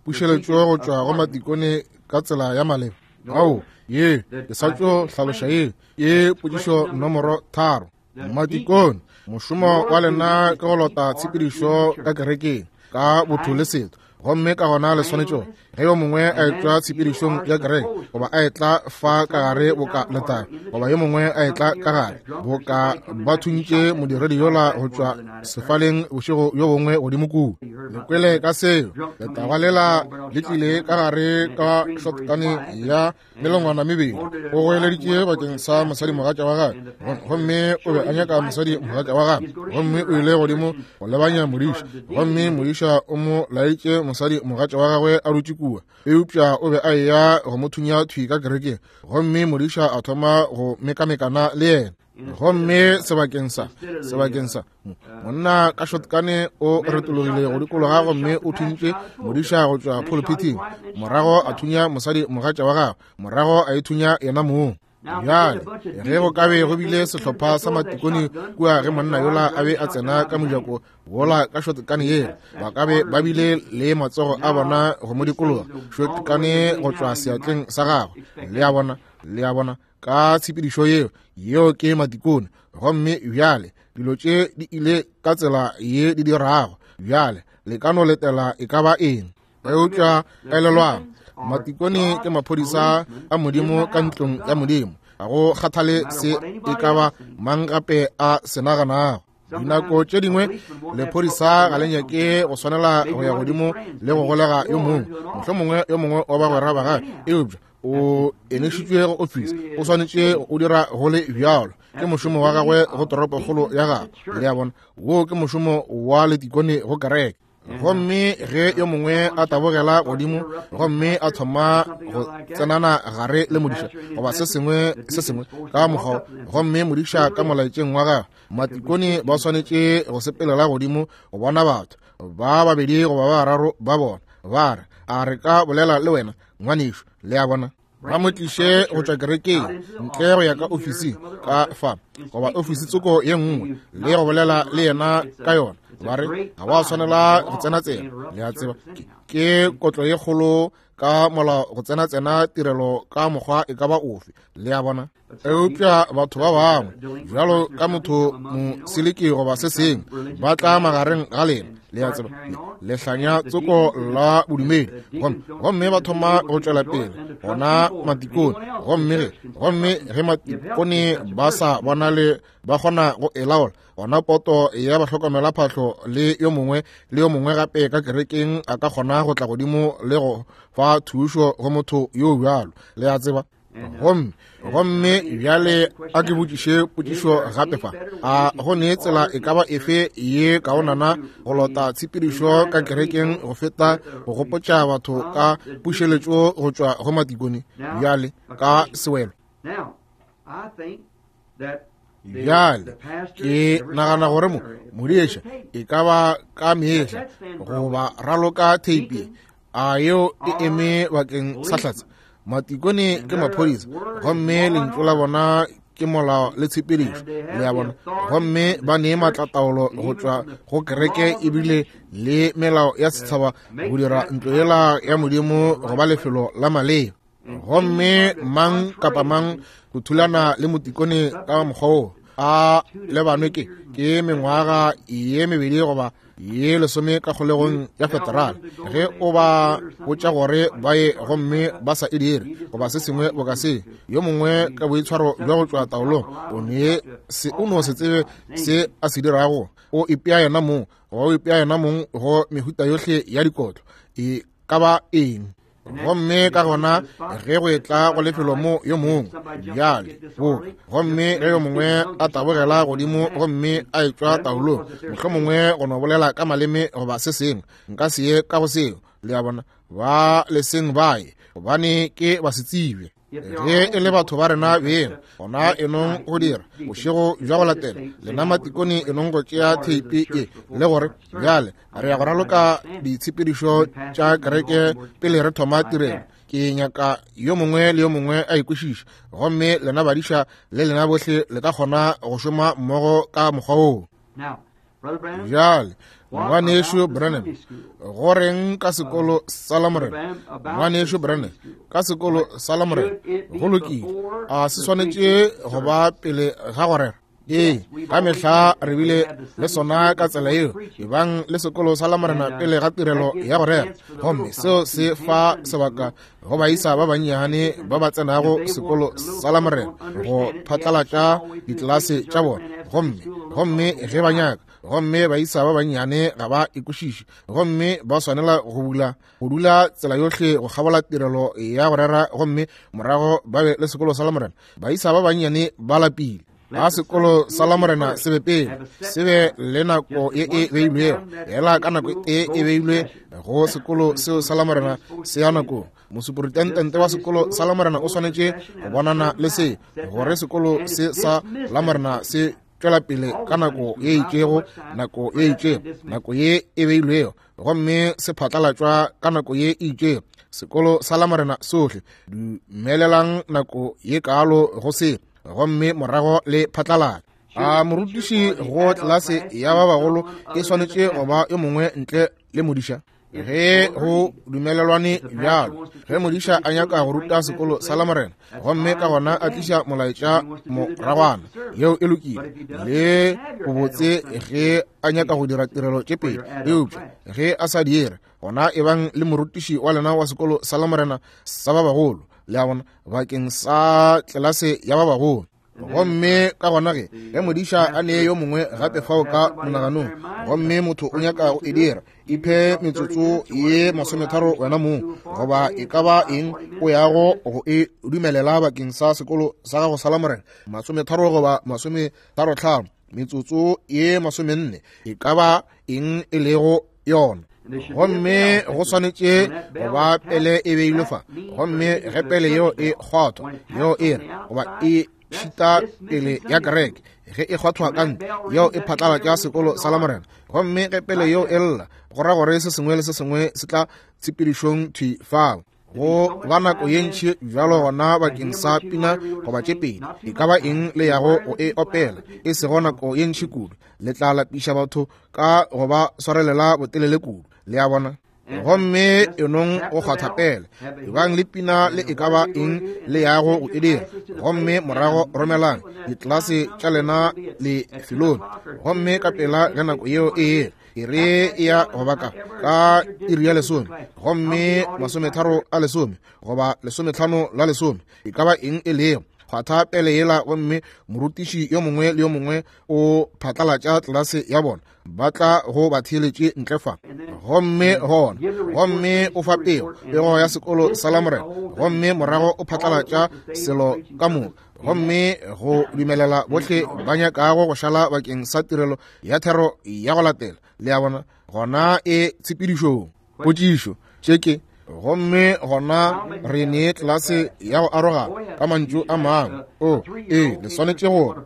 Speaker 1: pušeletšo go tšwa go matikone ka tsela ya maleba? Ao, ye ke sa tšo hlaloša ye ye potšišo nomoro tharo. Matikone, mošomo wa lena ke go lota tshepedišo ka kerekeng ka botho le setho, gomme ka gona le swanetše gore ge yo mongwe a etšwa tshepedišong ya kereke, goba a etla fa ka gare boka letaba, goba yo mongwe a etla ka gare boka ba thuntše modiredi yola go tšwa sefaleng bošego bjo bongwe godimo kua. Le kwele ka seo, letaba lela le tlile ka gare ka shotgun ya melongwana mebedi. O goeleditše bakeng sa mosadimogatša wa gagwe, gomme o be a nyaka mosadimogatša wa gagwe, gomme o ile godimo go lebanya modiša, gomme modiša o mo laetše mosadimogatša wa gagwe a dutše kua, eupša o be a eya go mo thunya thwi ka kerekeng, gomme modiša a thoma go mekamekana le yena. Gomme sebakeng sa sebakeng sa monna ka shotgun o retologile go dikologa gomme o thuntše modiša go tšwa pulpiting, morago a thunya mosadi mogatša wa gagwe, morago a ithunya yena mong. Bjale ge go ka be go bile sehlopha sa matikone kua ge monna yola a be a tsena ka mojako wola ka shotgun yela, ba ka be ba bile le matsogo a bona go mo dikologa, shotgun go tšwa seatleng sa gagwe. Le a bona, le a bona. Ka tshepedišo yeo, yeo ke matikone. Gomme bjale dilo tše di ile ka tsela ye di dirago. Bjale le ka no letela e ka ba eng. Eupša elelwang, matikone ke maphodisa a Modimo ka ntlong ya Modimo. Ga go kgathale se e ka ba mang gape a se naganago. Dinako tše dingwe lephodisa ga le nyake go swanela go ya godimo le go golega yo mongwe, mohlomongwe yo mongwe wa bagwera ba gagwe, eupša o enešitšwe go ofisi, o swanetše go dira go le bjalo. Ke mošomo wa gagwe go toropokgolo ya gagwe. Le a bona, wo ke mošomo wa letikone go kereke. Gomme ge yo mongwe a tabogela godimo gomme a thoma go tsenana gare le modiša goba se sengwe se sengwe ka mokgwa, gomme modiša ka molaetšeng wa gagwe, matikone ba swanetše go sepelela godimo go bona batho ba babedi goba ba bararo ba bona, ba re, a re ka bolela le wena ngwanešu? Le a bona, ba mo tliše go tšwa kerekeng ntle go ya ka ofising ka fa goba ofisi tsoko ye nngwe le go bolela le yena ka yona. Ba re ga ba swanela go tsena tsena. Le a tseba, ke kotlo ye kgolo ka molao go tsena tsena tirelo ka mokgwa e ka ba ofe. Le a bona. Eupša batho ba bangwe bjalo ka motho moseleke goba se sengwe ba tla magareng ga lena, le a tseba, le hlanya tsoko la bodumedi, gomme gomme ba thoma go tšwela pele gona matikone. Gomme ge gomme ge matikone ba sa bonale ba kgona go e laola, gona poto ya bahlokomela phahlo le yo mongwe le yo mongwe gape ka kerekeng a ka kgona go tla godimo le go fa thušo go motho yo bjalo. Le a tseba. Gomme gomme bjale a ke botšiše potšišo gape fa. A go ne tsela e ka ba efe ye kaonana go lota tshepedišo ka kerekeng go feta go gopotša batho ka pušeletšo go tšwa go matikone? Bjale ka sewelo. Bjale ke nagana gore mo modiša e ka ba ka mehla goba raloka theipi, a yeo e eme bakeng sa hlatse. Matikone ke maphodisa, gomme lentšu la bona ke molao le tshepedišo. Le a bona, gomme ba ne maatlataolo go tšwa go kereke ebile le melao ya setšhaba go dira ntlo yela ya Modimo go ba lefelo la maleba. Gomme mang kapa mang go thulana le motikone ka mokgwa wo a lebanwe ke ke mengwaga ye mebedi goba ye lesome ka kgolegong ya federal ge o ba botša gore ba ye gomme ba sa e dire goba se sengwe boka se. Yo mongwe ka boitshwaro bja go tšwa taolong o ne se o no se tsebe se a se dirago, o ipea yena mong goba o ipea yena mong go mehuta yohle ya dikotlo e ka ba eng. Gomme ka gona ge go etla go lefelo mo yo mongwe bjale bo, gomme ge yo mongwe a tabogela godimo gomme a etšwa taolong, mohlomongwe go no bolela ka maleme goba se sengwe, nka se ye ka go seo. Le a bona, ba leseng baye gobane ke ba se tsebe. Ge e le batho ba rena beng, gona enong go dira bošego bja go latela lena matikone enong go tšea theipi e le gore bjale re ya go raloka ditshepedišo tša kereke pele re thoma tirelo. Ke nyaka yo mongwe le yo mongwe a ikwešiše, gomme lena badiša le lena bohle le ka kgona go šoma mmogo ka mokgwa woo. Bjale ngwanešu Branham, go reng ka sekolo sa Lamorena? Ngwanešu Branham, ka sekolo sa Lamorena, go lokile, a se swanetše go ba pele ga go rera? Ee, ka mehla re bile le sona ka tsela yeo, ebang le sekolo sa Lamorena pele ga tirelo ya go rera, gomme seo se fa sebaka go baisa ba bannyane ba ba tsenago sekolo sa Lamorena go phatlalatša ditlelase tša bona. Gomme gomme ge ba nyaka, gomme baisa ba bannyane ga ba ikwešiše, gomme ba swanela go bula go dula tsela yohle go kgabola tirelo ya go rera, gomme morago ba be le sekolo sa Lamorena. Baisa ba bannyane ba lapile. A sekolo sa Lamorena se be pele, se be le nako ye e beilwego, ela ka nako e e beilwe go sekolo seo sa Lamorena se ya nakong. Mosuperintendente wa sekolo sa Lamorena o swanetše go bonana le se gore sekolo se sa Lamorena se tšwela pele ka nako ye itšego, nako ye itšego, nako ye e beilwego, gomme se phatlalatšwa ka nako ye e itšego. Sekolo sa Lamorena sohle dumelelang nako ye kaalo go se, gomme morago le phatlalatša. A morutiši go tlelase ya ba bagolo e swanetše go ba yo mongwe ntle le modiša? Ge go dumelelwane bjalo, ge modiša a nyaka go ruta sekolo sa Lamorena, gomme ka gona a tliša molaetša moragwana, yeo e lokile le bobotse ge a nyaka go dira tirelo tše pedi. Eupša ge a sa dire, gona e bang le morutiši wa lena wa sekolo sa Lamorena sa ba bagolo, le a bona, bakeng sa tlelase ya ba bagolo. Gomme ka gona ge ge modiša a nee yo mongwe gape fao ka monaganong, gomme motho o nyaka go e dira, iphe metsotso ye masometharo wena mong, goba e ka ba eng o yago go e dumelela bakeng sa sekolo sa gago sa Lamorena, masometharo goba masometharotlhano, metsotso ye masomenne, e ka ba eng e lego yona. Gomme go swanetše go ba pele e beilwe fa, gomme ge pele yeo e kgwathwa, yeo e re goba e šita pele ya kereke, ge e kgwathwa ka ntle, yeo e phatlalatša sekolo sa Lamorena. Gomme ge pele yeo e lla, go ra gore se sengwe le se sengwe se tla tshepedišong thwi fao. Go ba nako ye ntši bjalo gona bakeng sa pina goba tše pedi, e ka ba eng le yago go e opela, e sego nako ye ntši kudu, le tla lapiša batho ka go ba swarelela botelele kudu, le a bona. Gomme enong go kgwatha pele, ebang le pina le e ka ba eng le yago go e dira, gomme morago romelang ditlelase tša lena lefelong. Gomme ka pela ge nako yeo e ela, e re e ya go baka ka iri ya lesome, gomme masometharo a lesome goba lesometlhano la lesome, e ka ba eng e lego, kgwatha pele yela, gomme morutiši yo mongwe le yo mongwe o phatlalatša tlelase ya bona, ba tla go ba theeletše ntle fa. Gomme gona, gomme o fa pego, pego ya sekolo sa Lamorena, gomme morago o phatlalatša selo ka moka, gomme go dumelela bohle ba nyakago go šala bakeng sa tirelo ya thero ya go latela, le a bona, gona e tshepedišong. Potšišo tše ke, gomme gona re nee tlelase ya go arogana ka mantšu a mangwe. O ee, le swanetše gore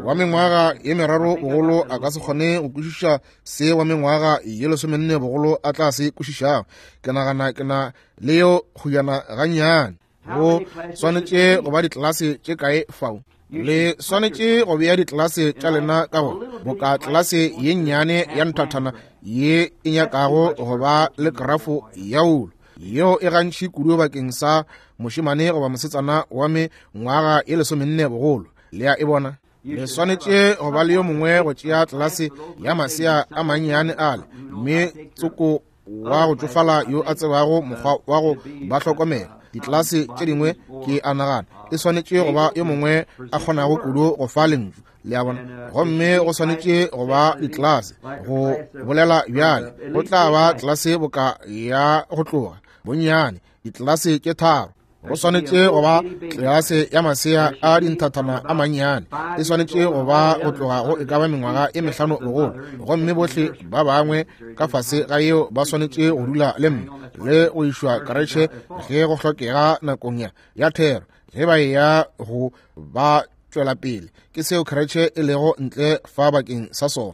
Speaker 1: wa mengwaga ye meraro bogolo a ka se kgone go kwešiša se wa mengwaga ye lesomenne bogolo a tla se kwešišago. Ke nagana ke na le yo kgojana gannyane. Go swanetše go ba ditlelase tše kae fao? Le swanetše go bea ditlelase tša lena ka go boka tlelase ye nnyane ya nthathana ye e nyakago go ba le krafo ya wulu, yeo e gantši kudu bakeng sa mošemane goba mosetsana wa mengwaga ye lesomenne bogolo, le a e bona. Le swanetše go ba le yo mongwe go tšea tlelase ya masea a mannyane ale, mme tsoko wa go tšofala yo a tsebago mokgwa wa go ba hlokomela. Ditlelase tše dingwe ke a nagana e swanetše go ba yo mongwe a kgonago kudu go fa lentšu, le a bona. Gomme go swanetše go ba ditlelase go bolela bjale, go tla ba tlelase boka ya go tloga bonnyane ditlelase tše tharo. Go swanetše go ba tlelase ya masea a dinthathana a mannyane, e swanetše go ba go tloga go e ka ba mengwaga e mehlano bogolo, gomme bohle ba bangwe ka fase ga yeo ba swanetše go dula le mme le go išwa karetšhe ge go hlokega nakong ya ya thero, ge ba eya go ba tšwela pele. Ke seo karetšhe e lego ntle fa bakeng sa sona.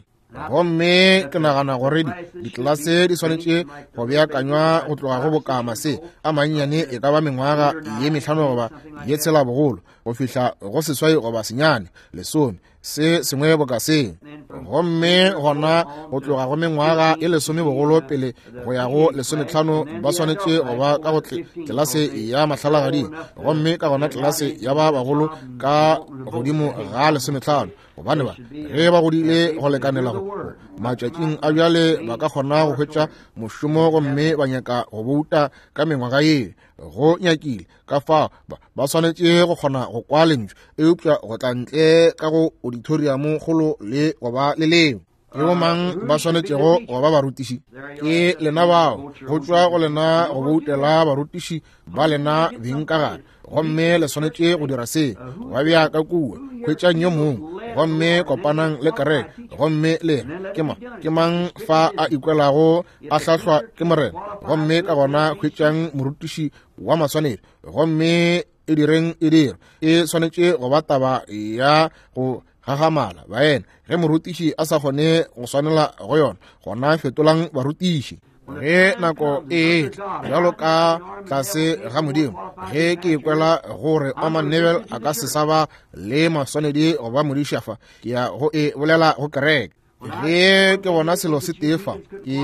Speaker 1: Gomme ke nagana gore ditlelase di swanetše go beakanywa go tloga go boka mase a mannyane e ka ba mengwaga ye mehlano goba ye tshela bogolo, go fihla go seswai goba senyane lesome, se sengwe boka se. Gomme gona go tloga go mengwaga e lesome bogolo pele go ya go lesometlhano ba swanetše go ba ka go tlelase ya mahlalagading, gomme ka gona tlelase ya ba bagolo ka godimo ga lesometlhano, gobane ba ge ba godile go lekanela go matšatšing a bjale ba ka kgona go hwetša mošomo, gomme ba nyaka go bouta ka mengwaga ye go nyakile. Ka fao ba swanetše go kgona go kwa lentšu, eupša go tla ntle ka go auditorium kgolo le go ba le leo. Ke bomang ba swanetšego go ba barutiši? Ke lena bao, go tšwa go lena go boutela barutiši ba lena beng ka gare, gomme le swanetše go dira se, ba bea ka kua, hwetšang yo mongwe, gomme kopanang le kereke, gomme le re, ke mang, ke mang fa a ikwelago a hlahlwa ke Morena, gomme ka gona hwetšang morutiši wa maswanedi, gomme e direng e dire. E swanetše go ba taba ya go gagamala baena. Ge morutiši a sa kgone go swanela go yona, gona fetolang barutiši. Ge nako e etla bjalo ka tlase ga Modimo, ge ke ikwela gore Orman Neville a ka se sa ba le maswanedi go ba modiša fa, ke ya go e bolela go kereke. Ge ke bona selo se tee fa, ke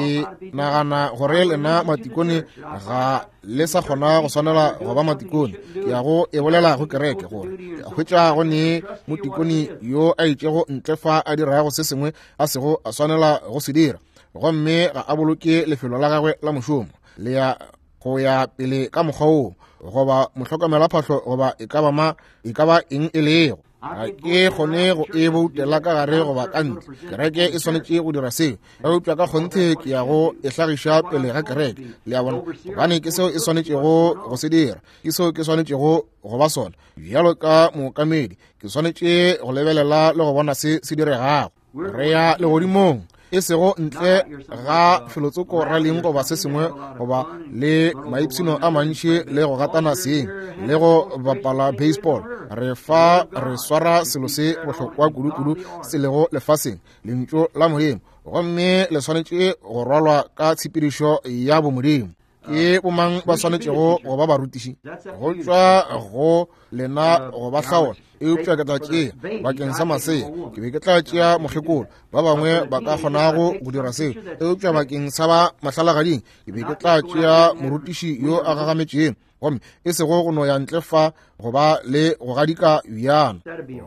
Speaker 1: nagana gore lena matikone ga le sa kgona go swanela go ba matikone. Ke ya go e bolela go kereke gore ke a hwetša go ne motikone yo a itšego ntle fa a dirago se sengwe a sego a swanela go se dira, gomme ga a boloke lefelo la gagwe la mošomo le ya go ya pele ka mokgwa woo, goba mohlokomelaphahlo goba e ka ba ma e ka ba eng e lego. Ga ke kgone go e boutela ka gare goba ka ntle. Kereke e swanetše go dira seo, eupša ka kgonthe ke ya go e hlagiša pele ga kereke, le a bona, gobane ke seo e swanetšego go se dira, ke seo ke swanetšego go ba sona. Bjalo ka mookamedi, ke swanetše go lebelela le go bona se se diregago. Re ya legodimong, e sego ntle ga felotsoko raleng goba se sengwe, goba le maipshino a mantši le go gatana seng le go bapala baseball. Re fa re swara selo se bohlokwa kudu-kudu se lego lefaseng, lentšu la Modimo, gomme le swanetše go rwalwa ka tshepedišo ya bomodimo. Ke bomang ba swanetšego go ba barutiši? Go tšwa go lena go ba hlaola, eupša ke tla tšea bakeng sa masea, ke be ke tla tšea mokgekolo, ba bangwe ba ka kgonago go dira seo, eupša bakeng sa ba mahlalagading ke be ke tla tšea morutiši yo a gagametšego, gomme e sego go no ya ntle fa go ba le go gadika bjana.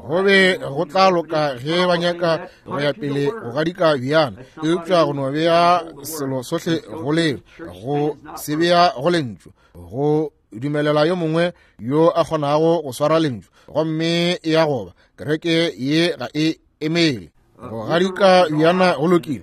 Speaker 1: Go be go tla loka ge ba nyaka go ya pele go gadika bjana, eupša go no bea selo sohle go leo, go se bea go lentšu, go dumelela yo mongwe yo a kgonago go swara lentšu, gomme e ya goba kereke ye ga e emele. Go gadika bjana go lokile,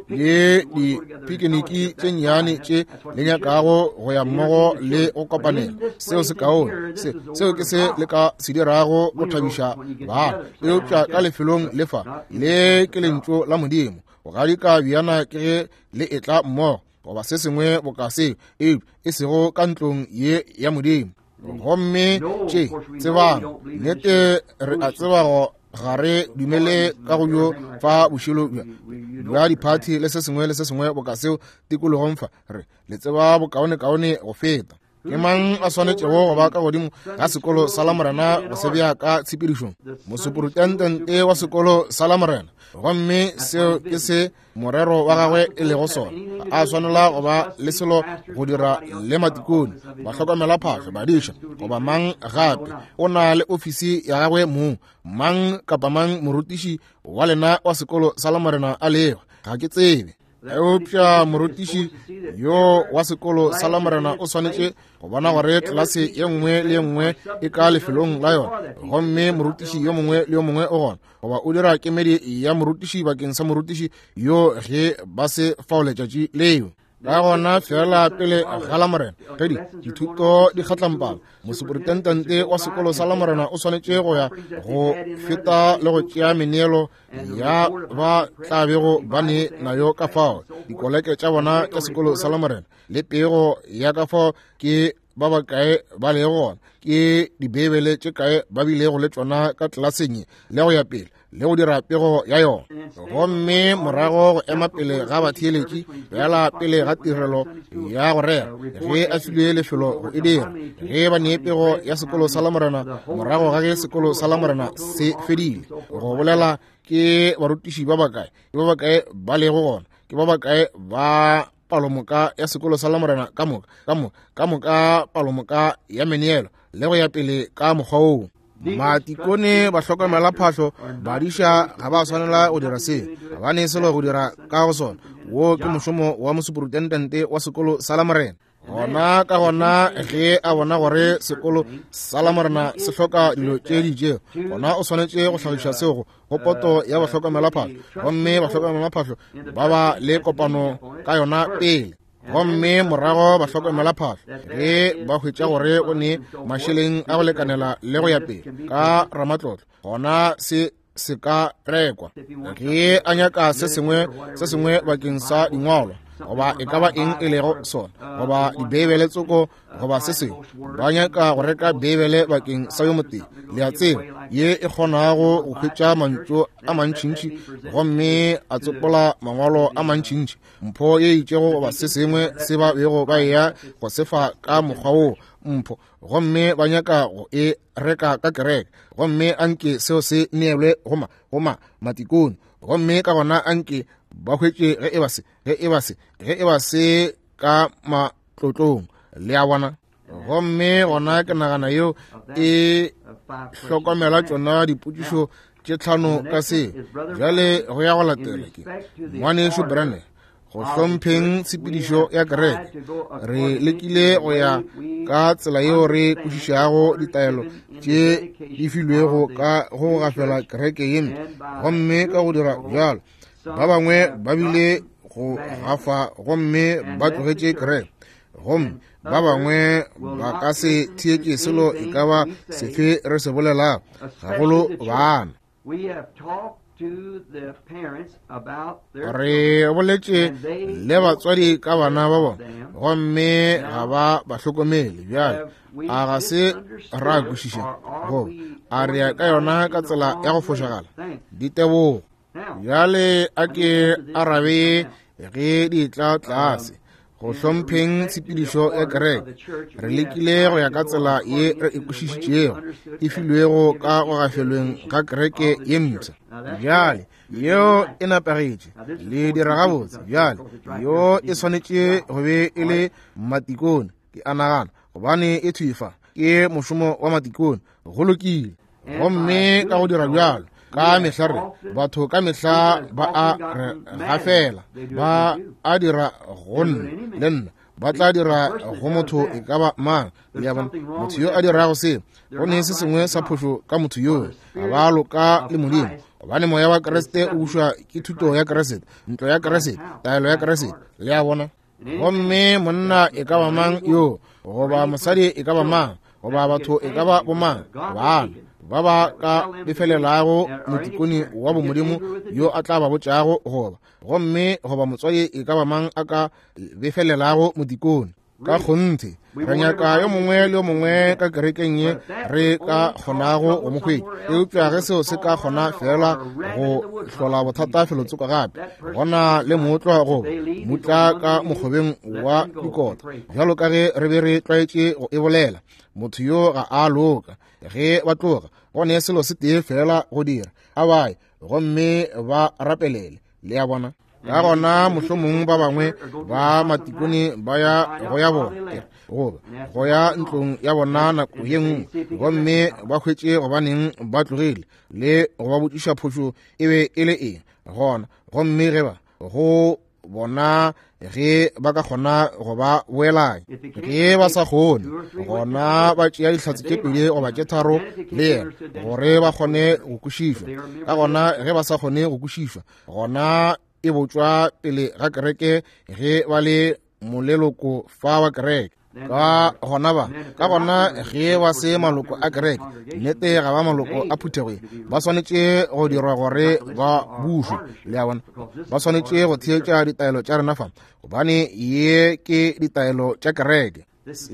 Speaker 1: le dipikiniki tše nnyane tše le nyakago go ya mmogo le go kopanela, seo se kaone, se seo ke se le ka se dirago go thabiša bana, eupša ka lefelong le fa le ke lentšu la Modimo. Go gadika bjana ke ge le etla mmogo goba se sengwe boka seo, eupša e sego ka ntlong ye ya Modimo. Gomme tše tsebang nnete, re a tseba go ga re dumele ka go yo fa bošilo bja diphathi le se sengwe le se sengwe boka seo tikologong fa, re le tseba bokaonekaone go feta. Ke mang a swanetšego go ba ka godimo ga sekolo sa Lamorena go se bea ka tshepedišong? Mosuprintendente wa sekolo sa Lamorena, gomme seo ke se morero wa gagwe e lego sona. A swanela go ba le selo go dira le matikone, bahlokomelaphahlo, badiša goba mang gape. O na le ofisi ya gagwe mong, mang kapa mang morutiši wa lena wa sekolo sa Lamorena a lego, ga ke tsebe. Eupša morutiši yo wa sekolo sa Lamorena o swanetše go bona gore tlelase ye nngwe le ye nngwe e ka lefelong la yona, gomme morutiši yo mongwe le yo mongwe o gona, goba o dira kemedi ya morutiši bakeng sa morutiši yo ge ba se fao letšatši leo. Ka gona fela pele ga Lamorena ge dithuto di kgatlampana, mosuprintendente wa sekolo sa Lamorena o swanetše go ya go feta le go tšea meneelo ya ba tla bego ba ne nayo ka fao dikoleke tša bona tša sekolo sa Lamorena, le pego ya ka fao ke ba bakae ba lego gona, ke dibeibele tše kae ba bilego le tšona ka tlelaseng, le go ya pele le go dira pego ya yona. Gomme morago go ema pele ga batheeletši fela pele ga tirelo ya go rera ge a filwe lefelo go e dira, ge ba nee pego ya sekolo sa Lamorena morago ga ge sekolo sa Lamorena se fedile, go bolela ke barutiši ba bakae, ke ba bakae ba lego gona, ke ba bakae ba palomoka ya sekolo sa Lamorena ka moka, ka moka, ka moka palomoka ya meneelo, le go ya pele ka mokgwa woo. Matikone, bahlokomelaphahlo, badiša ga ba swanela go dira seo, ga ba ne selo go dira ka go sona. Wo ke mošomo wa mosuprintendente wa sekolo sa Lamorena. Gona ka gona ge a bona gore sekolo sa Lamorena se hloka dilo tše di itšego, gona o swanetše go hlagiša seo go poto ya bahlokomelaphahlo, gomme bahlokomelaphahlo ba ba le kopano ka yona pele. Gomme morago bahlokomelaphahlo ge ba hwetša gore o ne mašeleng a go lekanela le go ya pele ka ramatlotlo, gona se se ka rekwa. Ge a nyaka se sengwe se sengwe bakeng sa dingwalwa goba e ka ba eng e lego sona, goba dibeibele tsoko goba se sengwe, ba nyaka go reka beibele bakeng sa yo motee, le a tseba, ye e kgonago go hwetša mantšu a mantšintši gomme a tsopola mangwalo a mantšintši, mpho ye itšego goba se sengwe se ba bego ba eya go se fa ka mokgwa woo, mpho gomme ba nyaka go e reka ka kereke, gomme anke seo se neelwe go ma go ma matikone, gomme ka gona anke ba hwetše ge e ba se ge e ba se ge e ba se ka matlotlong, le a bona. Gomme gona ke nagana yeo e hlokomela tšona dipotšišo tše tlhano ka se. Bjale go ya go latela ke ngwanešu Branham go hlompheng tshepedišo ya kereke. Re lekile go ya ka tsela yeo re kwešišago ditaelo tše di filwego ka go gafela kereke ye, gomme ka go dira bjalo ba bangwe ba bile go gafa gomme ba tlogetše kereke, gomme ba bangwe ba ka se theetše selo e ka ba sefe re se bolelago, gagolo bana. Re boletše le batswadi ka bana ba bona, gomme ga ba ba hlokomele. Bjale a ga se ra kwešiša goba a re ya ka yona ka tsela ya go fošagala? Ditebogo. Bjale a ke arabe ge di tla tlase go hlompheng tshepedišo ya kereke. Re lekile go ya ka tsela ye re e kwešišitšego e filwego ka go gafelweng ga kereke ye mpsha. Bjale yeo e nepagetše, le dira gabotse. Bjale yo e swanetše go be e le matikone, ke a nagana, gobane e thwifa ke mošomo wa matikone. Go lokile. Gomme ka go dira bjalo ka mehla re batho ka mehla ba a re gafela, ba a dira go nna le nna, ba tla dira go motho e ka ba mang. Le a bona, motho yo a dirago se, go ne se sengwe sa phošo ka motho yoo, ga ba loka le Modimo, gobane moya wa Kriste o bušwa ke thuto ya Kriste, ntlo ya Kriste, taelo ya Kriste. Le a bona. Gomme monna e ka ba mang yo, goba mosadi e ka ba mang, goba batho e ka ba bomang, bana ba ba ka befelelago motikone wa bomodimo yo a tla ba botšago, goba gomme goba motswadi e ka ba mang a ka befelelago motikone. Ka kgonthe re nyaka yo mongwe le yo mongwe ka kerekeng ye re ka kgonago go mo hwetša, eupša ge seo se ka kgona fela go hlola bothata felotsoko gape, gona le mootlwa goba mutla ka mokgobeng wa dikota, bjalo ka ge re be re tlwaetše go e bolela, motho yo ga a loka. Ge ba tloga, go ne selo se tee fela go dira, a baye gomme ba rapelele. Le a bona. Ka gona mohlomong ba bangwe ba matikone ba ya go ya bona goba go ya ntlong ya bona nako ye nngwe, gomme ba hwetše gobaneng ba tlogile le go ba botšiša phošo e be e le eng gona, gomme ge ba go bona ge ba ka kgona go ba boelanya. Ge ba sa kgone, gona ba tšea dihlatse tše pedi goba tše tharo le yena gore ba kgone go kwešišwa. Ka gona ge ba sa kgone go kwešišwa, gona e botšwa pele ga kereke ge ba le moleloko fa wa kereke. Ka gona ba ka gona ge ba se maloko a kereke, nnete ga ba maloko a phuthego ye, ba swanetše go dirwa gore ba bušwe. Le a bona, ba swanetše go theetša ditaelo tša rena fa, gobane ye ke ditaelo tša kereke.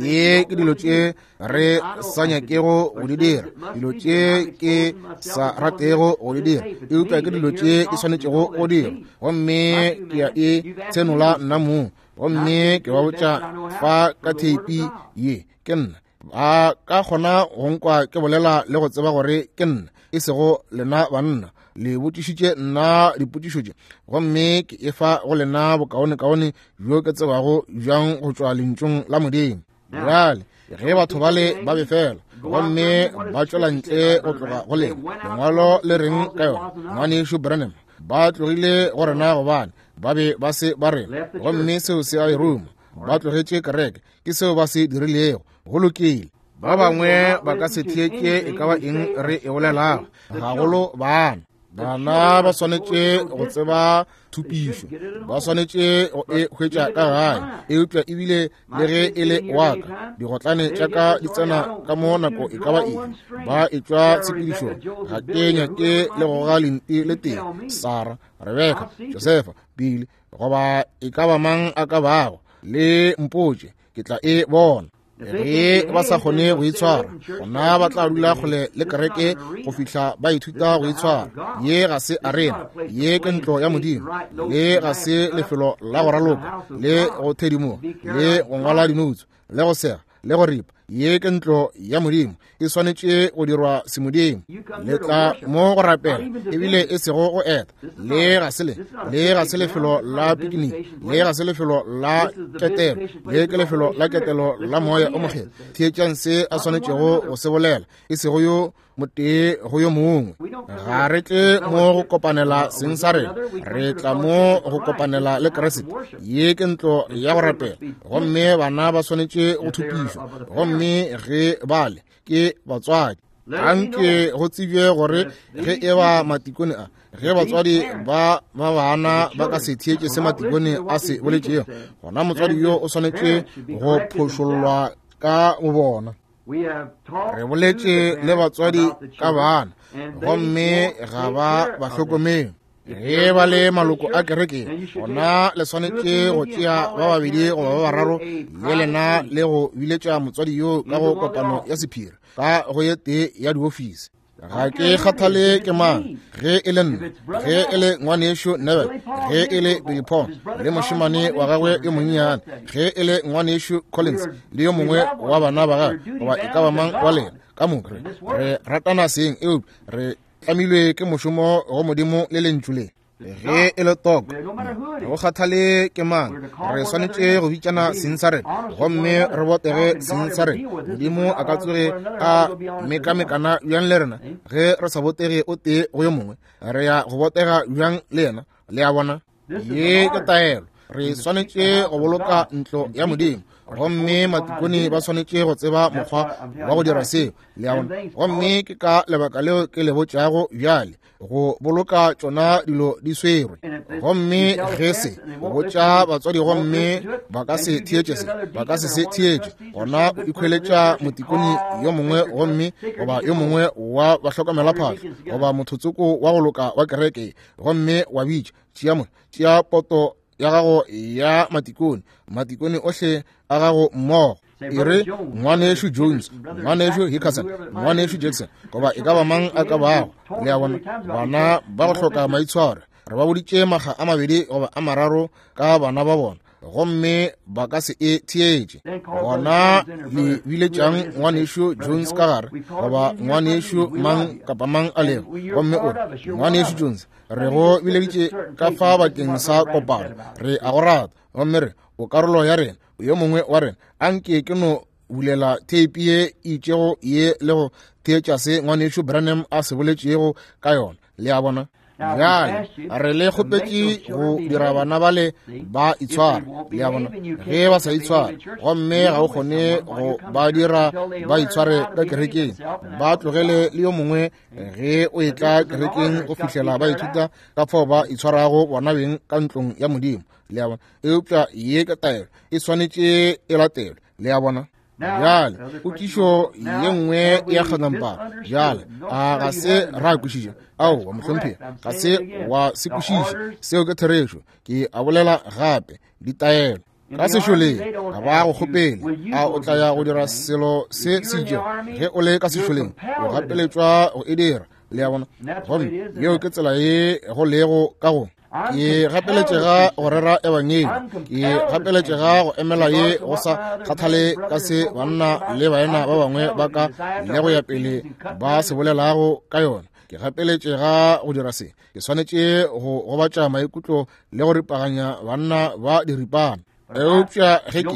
Speaker 1: Ye ke dilo tše re sa nyakego go di dira, dilo tše ke sa ratego go di dira, eupša ke dilo tše di swanetšego go dira. Gomme ke ya e tshenola nna mong, gomme ke ba botša fa ka theipi ye, ke nna. Ba ka kgona go nkwa ke bolela le go tseba gore ke nna, e sego lena banna. Le botšišitše nna dipotšišo tše, gomme ke efa go lena bokaonekaone bjo ke tsebago bjang go tšwa lentšung la Modimo. Bjale ge batho bale ba befela gomme ba tšwela ntle go tloga go lena, lengwalo le reng ka yona? Ngwanešu Branham, ba tlogile go rena gobane ba be ba se ba rena, gomme seo se a e ruma. Ba tlogetše kereke, ke seo ba se dirilego. Go lokile. Ba bangwe ba ka se theetše e ka ba eng re e bolelago, gagolo bana. Bana ba swanetše go tseba thupišo, ba swanetše go e hwetša ka gae, eupša ebile le ge e le wa ka, digotlane tša ka di tsena ka mo nako e ka ba eng, ba etšwa tshepedišong. Ga ke nyake le goga lenti le tee, Sarah, Rebecca, Josefa, Billy, goba e ka ba mang a ka bago, le mpotše, ke tla e bona. Ge ba sa kgone go itshwara, gona ba tla dula kgole le kereke go fihla ba ithuta go itshwara. Ye ga se arena, ye ke ntlo ya Modimo. Le ga se lefelo la go raloka le go thedimoga le go ngwala dinoutso le go sega le go ripa. Ye ke ntlo ya Modimo, e swanetše go dirwa semodimo. Le tla mo go rapela, ebile e sego go eta. Le ga se le, le ga se lefelo la pikiniki, le ga se lefelo la ketelo, le ke lefelo la ketelo la Moya o Mokgethwa. Theetšang se a swanetšego go se bolela, e sego yo motee go yo mongwe. Ga re tle mo go kopanela seng sa rena, re tla mo go kopanela le Kriste. Ye ke ntlo ya go rapela, gomme bana ba swanetše go thupišwa, gomme ge bale ke batswadi. Anke go tsebje gore ge e ba matikone a, ge batswadi ba ba bana ba ka se theetše se matikone a se boletšego, gona motswadi yo o swanetše go phošollwa ka bobona. Re boletše le batswadi ka bana, gomme ga ba ba hlokomele. Ge ba le maloko a kereke, gona le swanetše go tšea ba babedi goba ba bararo le lena le go biletša motswadi yo ka go kopano ya sephiri ka go ye tee ya diofisi. Ga ke kgathale ke mang, ge e le nna, ge e le ngwanešo Neville, ge e le Billy Paul le mošemane wa gagwe yo monnyane, ge e le ngwanešo Collins le yo mongwe wa bana ba gagwe, goba e ka ba mang wa lena, ka moka re re ratana seng, eupša re tlamilwe ke mošomo go Modimo le lentšu le. Ge e le toko, go kgathale ke mang, re swanetše go bitšana seng sa rena, gomme re botege seng sa rena. Modimo a ka tsoge a mekamekana bjang le rena ge re sa botege o tee go yo mongwe? Re ya go botega bjang le yena? Le a bona, ye ke taelo. Re swanetše go boloka ntlo ya Modimo, gomme matikone ba swanetše go tseba mokgwa wa go dira seo. Le a bona, gomme ke ka lebaka leo ke le botšago bjale, go boloka tšona dilo di swerwe. Gomme ge se botša batswadi gomme ba ka se theetše se, ba ka se se theetše, gona o ikhweletša motikone yo mongwe gomme goba yo mongwe wa bahlokomelaphahlo goba mothotsoko wa go loka wa kereke, gomme wa bitša, tšea mo, tšea poto ya gago ya matikone, matikone ohle a gago mmogo. E re ngwanešo Jones, ngwanešo Hickerson, ngwanešo Jackson, goba e ka ba mang a ka bago. Le a bona, bana ba go hloka maitshwaro, re ba boditše makga a mabedi goba a mararo ka bana ba bona, gomme ba ka se e theetše. Gona le biletšang ngwanešo Jones ka gare, goba ngwanešo mang kapa mang a lego, gomme o re, ngwanešo Jones, re go bileditše ka fa bakeng sa kopano, re a go rata, gomme re o karolo ya rena, yo mongwe wa rena. Anke ke no bulela theipi ye itšego ye le go theetša se ngwanešo Branham a se boletšego ka yona. Le a bona, bjale re le kgopetše go dira bana bale ba itshware. Le a bona, ge ba sa itshware, gomme ga o kgone go ba dira ba itshware ka kerekeng, ba tlogele le yo mongwe ge o etla kerekeng go fihlela ba ithuta ka fao ba itshwarago bona beng ka ntlong ya Modimo. Le a bona, eupša ye ke taelo, e swanetše e latelwe. Le a bona, bjale potšišo ye nngwe ya kganampara. Bjale a ga se ra kwešiša? Aowa mohlomphegi, ga se wa se kwešiša. Seo ke therešo. Ke a bolela gape, ditaelo ka sešoleng ga ba go kgopele a o tla ya go dira selo se se itšego. Ge o le ka sešoleng, o gapeletšwa go e dira. Le a bona, gomme yeo ke tsela ye go lego ka go. Ke gapeletšega go rera ebangedi, ke gapeletšega go emela ye go sa kgathale ka se banna le baena ba bangwe ba ka le go ya pele ba se bolelago ka yona. Ke gapeletšega go dira se. Ke swanetše go gobatša maikutlo le go ripaganya banna ba diripana. Eupša ge ke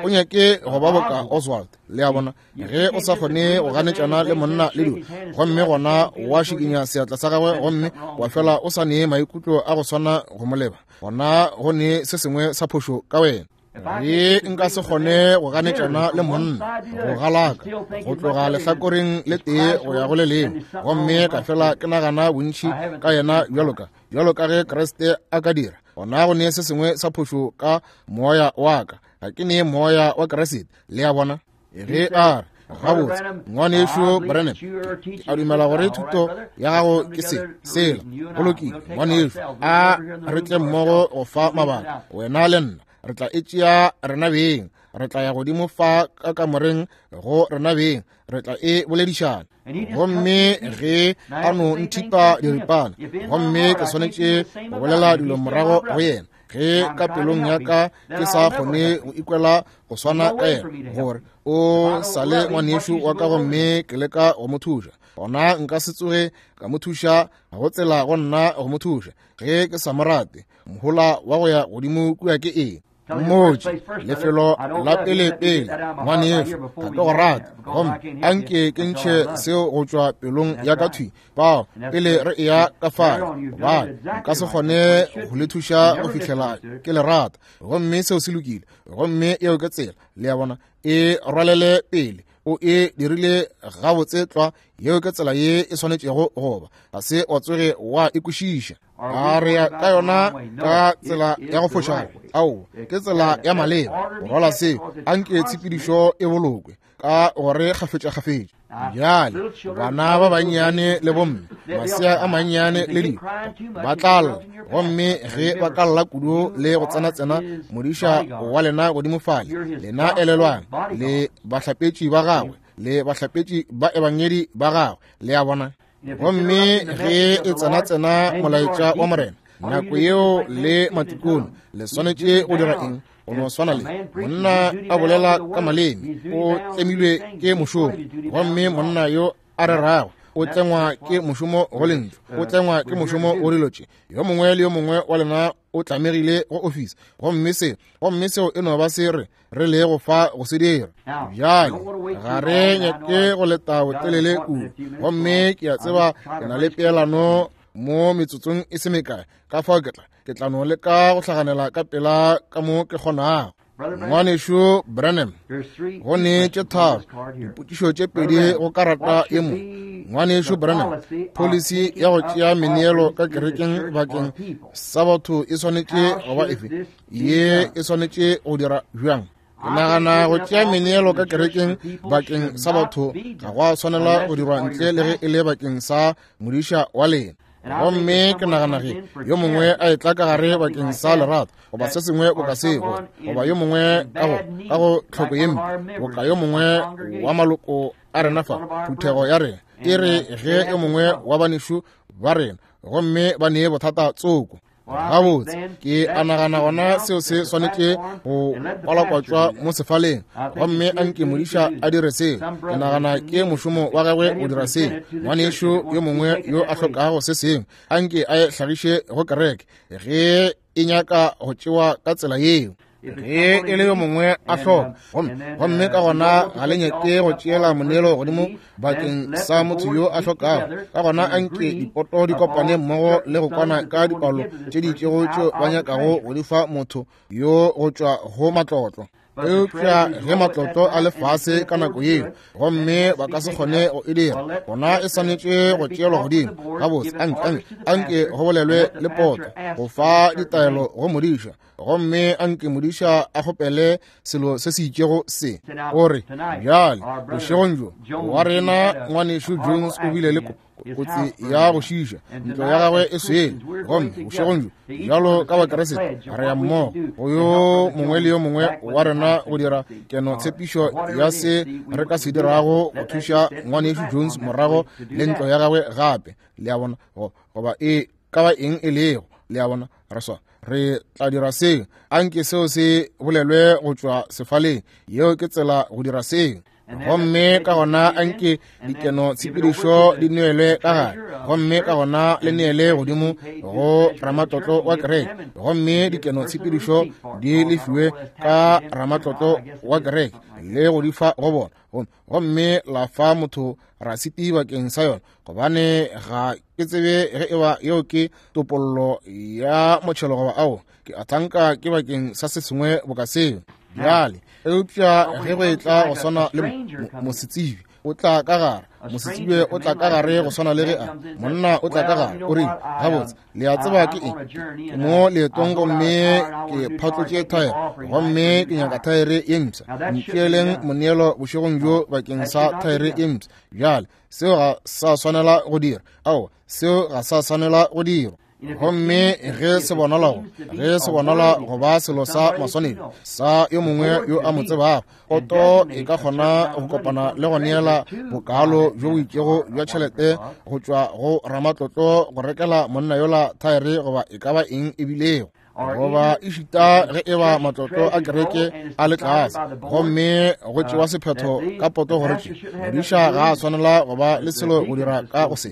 Speaker 1: o nyake go ba boka Oswald. Le a bona, ge o sa kgone go ganetšana le monna le dilo, gomme gona wa šikinya seatla sa gagwe gomme wa fela o sa nee maikutlo a go swana go moleba, gona go ne se sengwe sa phošo ka wena. Ge nka se kgone go ganetšana le monna, go galaka go tloga lehlakoreng le tee go ya go le lengwe, gomme ka fela ke nagana bontši ka yena bjalo ka bjalo ka ge Kriste a ka dira, gona go ne se sengwe sa phošo ka moya wa ka. Ga ke ne moya wa Kriste. Le a bona, ge a re, gabotse ngwanešo Branham, a dumela gore thuto ya gago ke se sela. Go lokile ngwanešo, a re tle mmogo go fa mabaka, wena le nna. Re tla e tšea rena beng, re tla ya godimo fa ka kamoreng go rena beng, re tla e boledišana. Gomme ge a no nthipa diripana, gomme ke swanetše go bolela dilo morago go yena. Ge ka pelong ya ka ke sa kgone go ikwela go swana ka yena, gore o sa le ngwanešu wa ka gomme ke leka go mo thuša, gona nka se tsoge ka mo thuša, ga go tsela go nna go mo thuša ge ke sa mo rate. Mohola wa go ya godimo kua ke eng? Mmotše lefelo la pele-pele, ngwanešu, ga ke go rate, gomme anke ke ntšhe seo go tšwa pelong ya ka thwi bao pele re eya ka fale, gobane nka se kgone go le thuša go fihlela ke le rata. Gomme seo se lokile, gomme eo ke tsela, le a bona, e rwalele pele. O e dirile gabotse tlwa, yeo ke tsela ye e swanetšego go ba. Ga se wa tsoge wa e kwešiša. A re ya ka yona ka tsela ya go fošagala? Aowa, ke tsela ya maleba. Go rwala seo, anke tshepedišo e bolokwe ka gore kgafetša-kgafetša. Bjale bana ba bannyane le bomme, masea a mannyane le dilo, ba tla lla, gomme ge ba ka lla kudu le go tsena-tsena modiša wa lena godimo fale, lena elelwang, le bahlapetši ba gagwe, le bahlapetši ba ebangedi ba gagwe, le a bona. Gomme ge e tsena-tsena molaetša wa Morena, nako yeo le matikone le swanetše go dira eng? Go no swana le monna a bolela ka maleme, o tlemilwe ke mošomo, gomme monna yo a rerago o tlengwa ke mošomo go lentšu, o tlengwa ke mošomo go dilo tše. Yo mongwe le yo mongwe wa lena o tlamegile go ofisi, gomme se gomme seo e no ba se re re le go fa go se dira. Bjale ga re nyake go leta botelele kudu, gomme ke a tseba ke na le peelano mo metsotsong e se mekae, ka fao ke tla ke tla no leka go hlaganela ka pela ka mo ke kgonago. Ngwanešu Branham, go ne tše tharo dipotšišo tše pedi go karata ye mo. Ngwanešu Branham, policy ya go tšea meneelo ka kerekeng bakeng sa batho e swanetše go ba efe? Ye e swanetše go dira bjang? Ke nagana go tšea meneelo ka kerekeng bakeng sa batho ga go a swanela go dirwa ntle le ge e le bakeng sa modiša wa lena. Gomme ke nagana ge yo mongwe a etla ka gare bakeng sa lerato goba se sengwe boka seo, goba yo mongwe ka go ka go tlhoko ye mpe, boka yo mongwe wa maloko a rena fa phuthego ya rena, e re ge yo mongwe wa banešu ba rena gomme ba nee bothata tsoko, gabotse ke a nagana gona seo se swanetše go kwalakwatšwa mo sefaleng, gomme anke modiša a dire seo. Ke nagana ke mošomo wa gagwe go dira seo. Ngwanešu yo mongwe yo a hlokago se sengwe, anke a e hlagiše go kereke ge e nyaka go tšewa ka tsela yeo. Ge e le yo mongwe a hloka, gomme gomme ka gona ga le nyake go tšeela moneelo godimo bakeng sa motho yo a hlokago, ka gona anke dipoto di kopane mmogo le go kwana ka dipalo tše di itšego tšeo ba nyakago go di fa motho yo go tšwa go matlotlo. Eupša ge matlotlo a le fase ka nako yeo, gomme ba ka se kgone go e dira, gona e swanetše go tšeelwa godimo. Gabotse, anke anke anke go bolelwe le poto go fa ditaelo go modiša, gomme anke modiša a kgopele selo se se itšego se. O re, bjale bošegong bjo wa rena ngwanešu Jones o bile le kotsi ya go šiša, ntlo ya gagwe e swele, gomme bošegong bjo bjalo ka Bakeresete re ya mmogo go yo mongwe le yo mongwe wa rena go dira keno tshepišo ya se re ka se dirago go thuša ngwanešu Jones morago le ntlo ya gagwe gape. Le a bona, goba e ka ba eng e lego, le a bona, re swa re tla dira seo. Anke seo se bolelwe go tšwa sefaleng, yeo ke tsela go dira seo. Gomme ka gona anke dikeno tshepedišo di neelwe ka gare, gomme ka gona le neele godimo go ramatlotlo wa kereke, gomme dikeno tshepedišo di lefiwe ka ramatlotlo wa kereke le go di fa go bona, gomme la fa motho rasiti bakeng sa yona, gobane ga ke tsebe ge e ba yeo ke topollo ya motšhelo goba ao, ke a thanka ke bakeng sa se sengwe boka seo. Bjale eupša ge go etla go swana le mosetsebi o tla ka gare, mosetsebi o tla ka gare go swana le ge a monna o tla ka gare, o rile, gabotse le a tseba ke eng, ke mo leetong gomme ke phatlotše thaere, gomme ke nyaka thaere ye mpsha, ntšeeleng moneelo bošegong bjo bakeng sa thaere ye mpsha. Bjale seo ga sa swanela go dira, ao seo ga sa swanela go dirwa. Gomme ge se bonala ge se bonala go ba selo sa maswanedi sa yo mongwe yo a mo tsebago, poto e ka kgona go kopana le go neela bokalo bjo bo itšego bja tšhelete go tšwa go ramatlotlo go rekela monna yola thaere goba e ka ba eng e bilego. Goba ešita ge e ba matlotlo a kereke a le tlase, gomme go tšewa sephetho ka poto gore tše modiša ga a swanela go ba le selo go dira ka go se,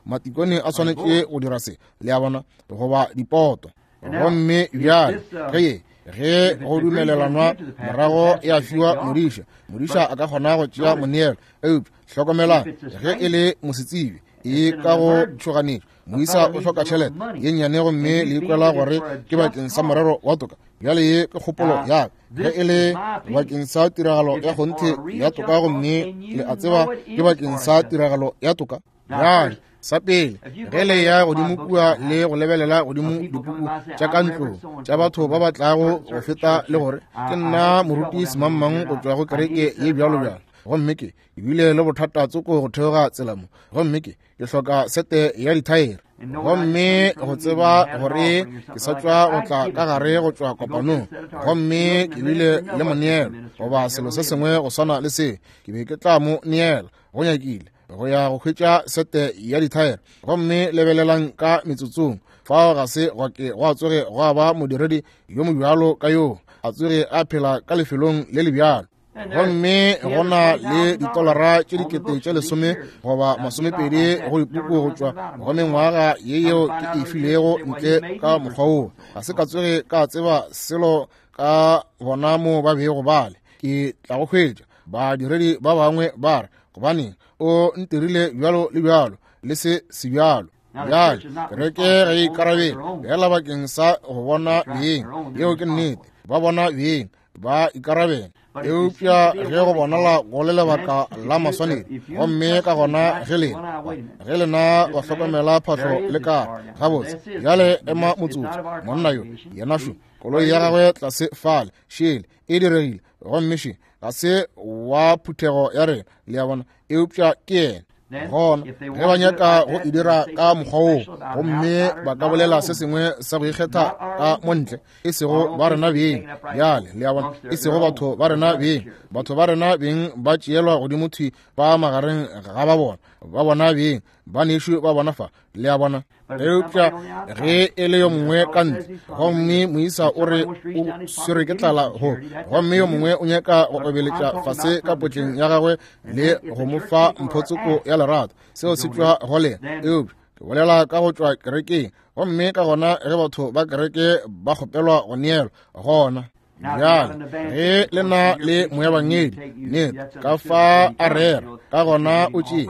Speaker 1: matikone a swanetše go dira se, le a bona, goba dipoto. Gomme bjale ge ge go dumelelanwa morago ya fiwa modiša, modiša a ka kgona go tšea moneelo. Eupša hlokomelang, ge e le mosetsebje e ka go tšhoganetšo, moisa o hloka tšhelete ye nnyane gomme le ikwela gore ke bakeng sa morero wa toka. Bjale ye ke kgopolo ya ka, ge e le bakeng sa tiragalo ya kgonthe ya toka, gomme le a tseba ke bakeng sa tiragalo ya toka. Bjale sa pele, ge le ya godimo kua le go lebelela godimo dipuku tša ka ntlong tša batho ba ba tlago go feta le gore ke nna moruti semangmang go tšwa go kereke ye bjalo bjalo, gomme ke ebile le bothata tsoko go theoga tsela mo, gomme ke ke hloka sete ya dithaere, gomme go tseba gore ke sa tšwa go tla ka gare go tšwa kopanong, gomme ke bile le moneelo goba selo se sengwe go swana le se, ke be ke tla mo neela go nyakile go ya go hwetša sete ya dithaere. Gomme lebelelang ka metsotsong fao ga se gwa ke gwa tsoge gwa ba modiredi yo mobjalo ka yoo a tsoge a phela ka lefelong le le bjalo. Gomme go na le ditolara tše dikete tše lesome goba masomepedi go dipuku go tšwa go mengwaga ye yeo ke e filego ntle ka mokgwa woo. Ga se ka tsoge ka tseba selo ka bona mo ba bego bale. Ke tla go hwetša badiredi ba bangwe ba re, gobaneng o ntirile bjalo le bjalo le se se bjalo. Bjale kereke ga e ikarabele fela bakeng sa go bona beng, yeo ke nnete, ba bona beng ba ikarabela. Eupša ge go bonala go le lebaka la maswanedi, gomme ka gona ge lena ge lena ba hlokomela phahlo le ka gabotse. Bjale ema motsotso, monna yo yena šo koloi ya gagwe tlase fale šele e diregile, gomme še ga se wa phuthego ya rena, le a bona, eupša ke yena. Gona ge ba nyaka go e dira ka mokgwa woo, gomme ba ka bolela se sengwe sa go ikgetha ka montle, e sego ba rena beng. Bjale le a bona, e sego batho ba rena beng. Batho ba rena beng ba tšeelwa godimo thwi ba magareng ga ba bona, ba bona beng, ba nešo ba bona fa, le a bona. Eupša ge e le yo mongwe ka ntle, gomme moisa o re o swere ke tlala go, gomme yo mongwe o nyaka go obeletša fase ka potleng ya gagwe le go mo fa mphotsoko ya lerato, seo se tšwa go lena. Eupša ke bolela ka go tšwa kerekeng, gomme ka gona ge batho ba kereke ba kgopelwa go neelwa, gona bjale ge le na le moebangedi nnete ka fa a rera, ka gona o tšee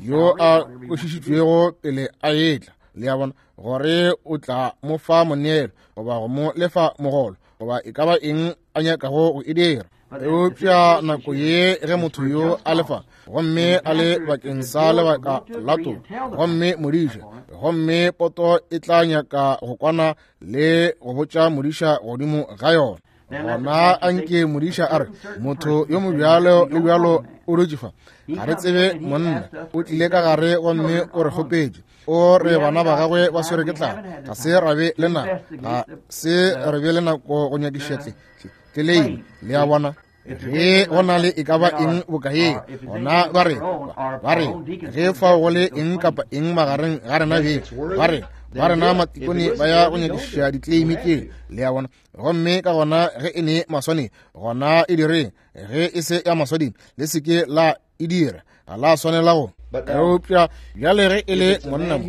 Speaker 1: yo a kwešišitšwego pele a etla, le a bona, gore o tla mo fa moneelo goba go mo lefa mogolo goba e ka ba eng a nyakago go e dira. Eupša nako ye ge motho yo a lefa, gomme a le bakeng sa lebaka la toka, gomme modiša, gomme poto e tla nyaka go kwana le go botša modiša godimo ga yona, gona anke modiša a re, motho yo mobjalo le bjalo o dutše fa, ga re tsebe monna, o tlile ka gare gomme o re kgopetše, o re bana ba gagwe ba swere ke tlala, ga se ra be le nako, ga se re be le nako go nyakiša tle tleleime, le a bona. Ge go na le e ka ba eng bokaeng, gona ba re ba re ge fao go le eng kapa eng magareng ga rena beng, ba re ba rena matikone ba ya go nyakišiša ditleimi tše, le a bona. Gomme ka gona ge e ne maswanedi, gona e direng, ge e se ya maswanedi le se ke la e dira, ga la swanela go. Eupša bjale ge e le monna mo,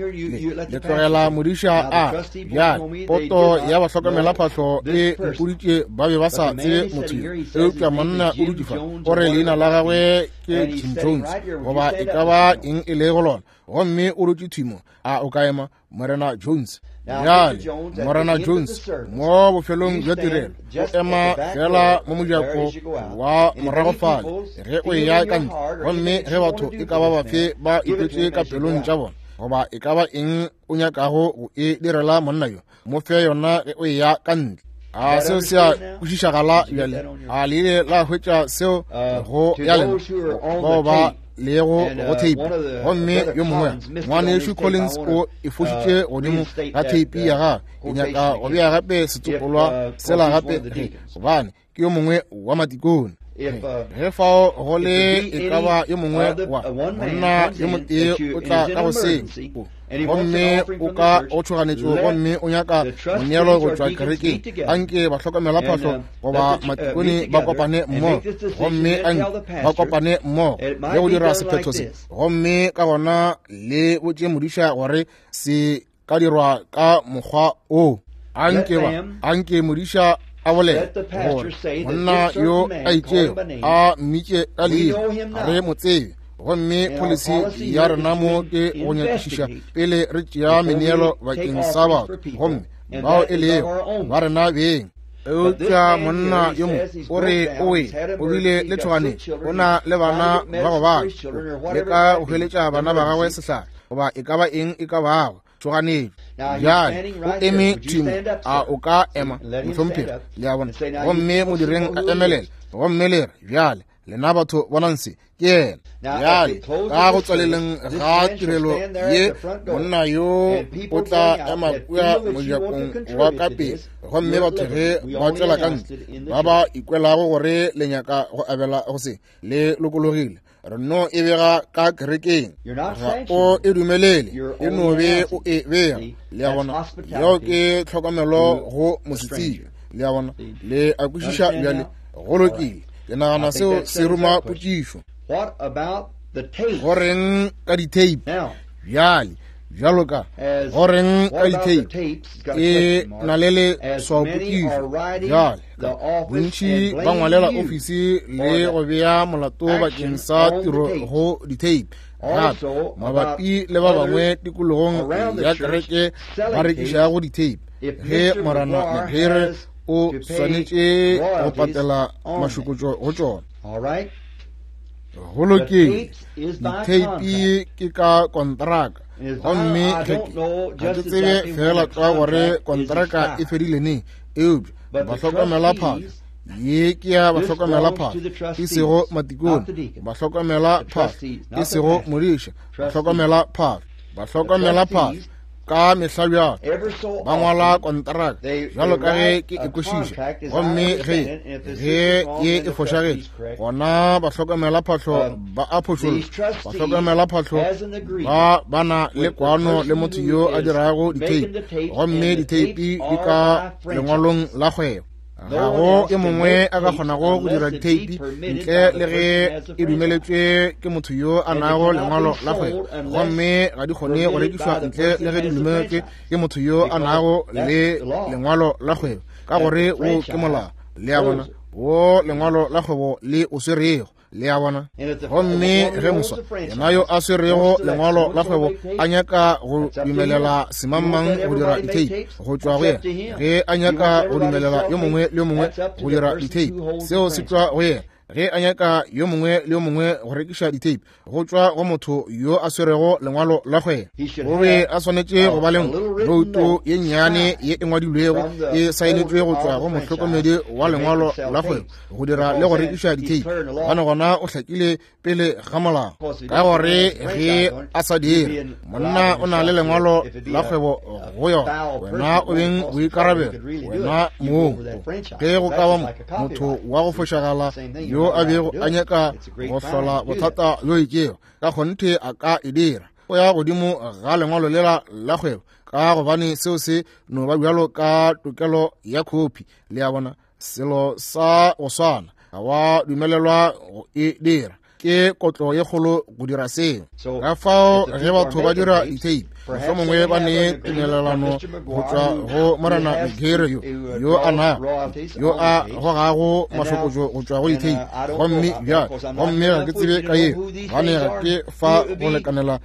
Speaker 1: le tlogela modiša a bjale poto ya bahlokomela phahlo e mpoditše ba be ba sa tsebe motho yo. Eupša monna o dutše fa, o re leina la gagwe ke Jim Jones goba e ka ba eng e le go lona, gomme o dutše thwi mo. A o ka ema, Morena Jones? Bjale Morena Jones mo bofelong bja tirelo o ema fela mo mojako wa morago fale ge o eya ka ntle, gomme ge batho e ka ba bafe ba ikwetše ka pelong tša bona goba e ka ba eng o nyakago go e direla monna yo, mo fe yona ge o eya ka ntle. A seo se a kwešišagala bjale? A le ile la hwetša seo go ya lena bao ba lego go theipi? Gomme yo mongwe ngwanešu Collins o e fošitše godimo ga theipi ya gagwe. Ke nyaka go bea gape setsopolwa sela gape, gobane ke yo mongwe wa matikone. Ge fao go le e ka ba yo mongwe wa monna yo motee o tla ka go seng, gomme o ka o tšhoganetšo, gomme o nyaka moneelo go tšwa kerekeng, anke bahlokomelaphahlo goba matikone ba kopane mmogo, gomme anke ba kopane mmogo le go dira sephetho se, gomme ka gona le botše modiša gore se ka dirwa ka mokgwa o. Anke ba anke modiša a bolela gore monna yo a itšego a mmitše ka leina, ga re mo tsebe, gomme policy ya rena mo ke go nyakišiša pele re tšea meneelo bakeng sa batho, gomme bao e lego ba rena beng. Eupša monna yo mongwe o re o wele, o bile le tšhoganetšo, o na le bana ba go bala, leka go hweletša bana ba gagwe sehlare goba e ka ba eng e ka bago tšhoganetšo. Bjale o eme thimo, a o ka ema, mohlomphegi? Le a bona? Gomme modireng a emelele, gomme le re, bjale lena batho bonang se, ke yena. Bjale ka go tswaleleng ga tirelo ye, monna yo o tla ema kua mojakong wa ka pele, gomme batho ge ba tšwela ka ntle ba ba ikwelago gore le nyaka go abela go se, le lokologile. Re no e bega ka kerekeng, ga o e dumelele, e no be o e bega. Le a bona? Yeo ke tlhokomelo go mosetsebje. Le a bona? Le a kwešiša bjale? Go lokile. Ke nagana seo se ruma potšišo. Go reng ka di-tape? Bjale, bjalo ka go reng ka di-tape, e na le leswaopotšišo. Bjale, bontši ba ngwalela ofisi le go bea molato bakeng sa tiro go di-tape. Gape mabapi le ba bangwe tikologong ya kereke ba rekišago di-tape, ge Morena Mcguire o swanetše go patela mašokotšo go tšona. Go lokile, ditheipi ke ka kontraka, gomme ge ga ke tsebe fela tlwa gore kontraka e fedile neng, eupša bahlokomelaphahlo ye ke ya bahlokomelaphahlo, e sego matikone, bahlokomelaphahlo, e sego modiša, bahlokomelaphahlo, bahlokomelaphahlo ka mehla bjalo ba ngwala kontraka bjalo ka ge ke e kwešiša, gomme ge ge ye e fošagetše, gona bahlokomelaphahlo ba a phošolla. Bahlokomelaphahlo ba ba na le kwano le motho yo a dirago ditheipi, gomme ditheipi di ka lengwalong la kgwebo. Ga go e mongwe a ka kgonago go dira ditheipi ntle le ge e dumeletšwe ke motho yo a nago lengwalo la kgwebo, gomme ga di kgone go rekišwa ntle le ge di dumeletšwe ke motho yo a nago le lengwalo la kgwebo, ka gore wo ke molao. Le a bona? Wo lengwalo la kgwebo le o swerego. Le a bona? Gomme ge moswa yena yo a swerego lengwalo la kgwebo a nyaka go dumelela semangmang go dira ditheipi go tšwa go yena, ge a nyaka go dumelela yo mongwe le yo mongwe go dira ditheipi, seo se tšwa go yena. Ge a nyaka yo mongwe le yo mongwe go rekiša ditheipi, go tšwa go motho yo a swerego lengwalo la kgwebo. O be a swanetše go ba le nouto ye nnyane ye e ngwadilwego e saenetšwe go tšwa go mohlokomedi wa lengwalo la kgwebo go dira le go rekiša ditheipi, gobane gona o hlakile pele ga molao. Ka gore ge a sa dire, monna o na le lengwalo la kgwebo go yona, wena o beng boikarabelo, wena mong. Ge go ka ba motho wa go fošagala yo a bego a nyaka go hlola bothata bjo itšego, ka kgonthe a ka e dira. O ya godimo ga lengwalo lela la kgwebo, ka gobane seo se no ba bjalo ka tokelo ya khopi. Le a bona? Selo sa go swana ga wa dumelelwa go e dira, ke kotlo ye kgolo go dira seo. Ka fao ge batho ba dira ditheipi, mohlomongwe ba ne tumelelano go tšwa go Morena Mcguire yo yo a na yo a gogago mašokotšo go tšwa go ditheipi, gomme bjale gomme ga ke tsebe ka yeo, gobane ga ke fa go lekanela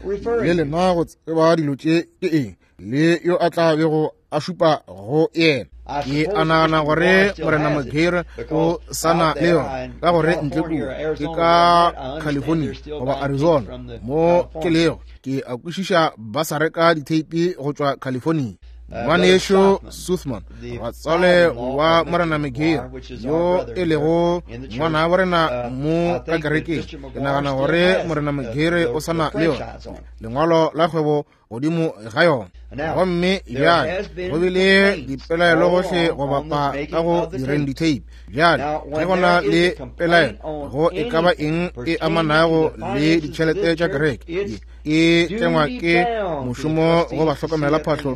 Speaker 1: le lena go tseba dilo tše ke eng le yo a tla bego a šupa go yena. Ke a nagana gore Morena Mcguire o sa na le yona, ka gore ntle kua ke ka California goba Arizona mo ke lego, ke a kwešiša ba sa reka ditheipi go tšwa California. Ngwanešu Suthman, ratswale wa Morena Mcguire, yo e lego ngwana wa rena mo ka kerekeng, ke nagana gore Morena Mcguire o sa na le yona lengwalo la kgwebo godimo ga yona. Gomme bjale go bile dipelaelo gohle go bapa ka go direng ditape. Bjale ge go na le pelaelo go e ka ba eng e amanago le ditšhelete tša kereke, e tlengwa ke mošomo go ba hlokomela phahlo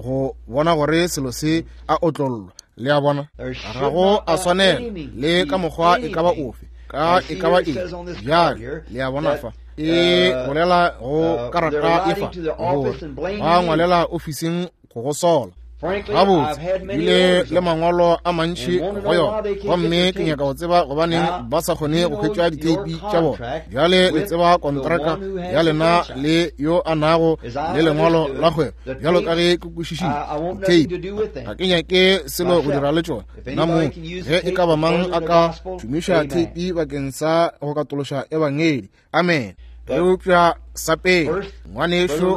Speaker 1: go bona gore selo se a otlollwa. Le a bona, ga go a swanela le ka mokgwa e ka ba ofe, ka e ka ba eng. Bjale le a bona fa e bolela go karata e fa gore ba ngwalela ofising go go sola. Gabotse bile le mangwalo a mantši go yona, gomme ke nyaka go tseba gobaneng ba sa kgone go hwetša diteipi tša bona. Bjale le tseba kontraka ya lena le yo a nago le lengwalo la kgwebo, bjalo ka ge ke kwešišitše diteipi. Ga ke nyake selo go dira le tšona nna mong. Ge e ka ba mang a ka šomiša teipi bakeng sa go katološa ebangedi, amen. Eupša sa pele, ngwanešu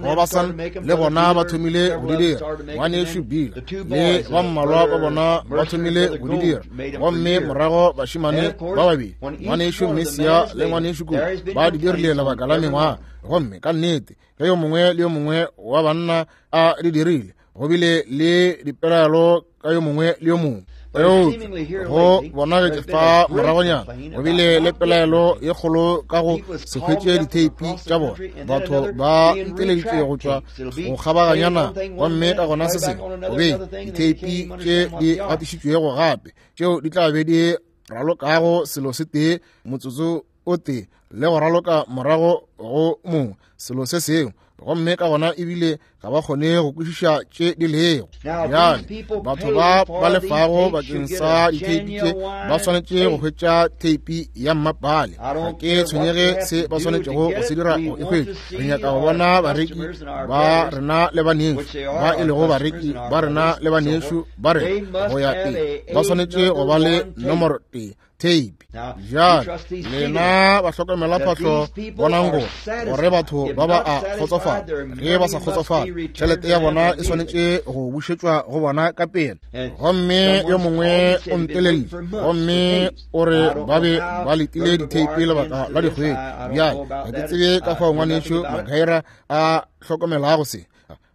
Speaker 1: Robertson le bona ba thomile go di dira, ngwanešu Bill le ba mmalwa ba bona ba thomile go di dira, gomme morago bašemane ba babedi, ngwanešu Messia le ngwanešu Kuku, ba di dirile lebaka la mengwaga. Gomme ka nnete ge yo mongwe le yo mongwe wa banna a di dirile, go bile le dipelaelo ka yo mongwe le yo mongwe. Eupša go bonagetše fa moragonyana go bile le pelaelo ye kgolo ka go se hwetše ditheipi tša bona. Batho ba nteleditše go tšwa go kgabaganyana, gomme ka gona se sengwe go be ditheipi tše di gatišitšwego gape, tšeo di tla be di ralokago selo se tee motsotso o tee le go raloka morago go mongwe selo se sengwe, gomme ka gona ebile ga ba kgone go kwešiša tše di lego. Bjale batho ba ba lefago bakeng sa ditheipi tše ba swanetše go hwetša theipi ya mmapale. Ga ke tshwenyege se ba swanetšego go se dira go e hwetša. Re nyaka go bona bareki ba rena le banešu ba e lego bareki ba rena le banešu ba rena go ya pele, ba swanetše go ba le nomoro tee tape. Bjale lena ba hlokomela phahlo, bonang go gore batho ba ba a kgotsofala. Ge ba sa kgotsofala, tšhelete ya bona e swanetše go bušetšwa go bona ka pele. Gomme yo mongwe o nteleditše gomme o re ba be ba letile ditheipi lebaka la dikgwedi. Bjale ga ke tsebe ka fao ngwanešu Magaira a hlokomelago se,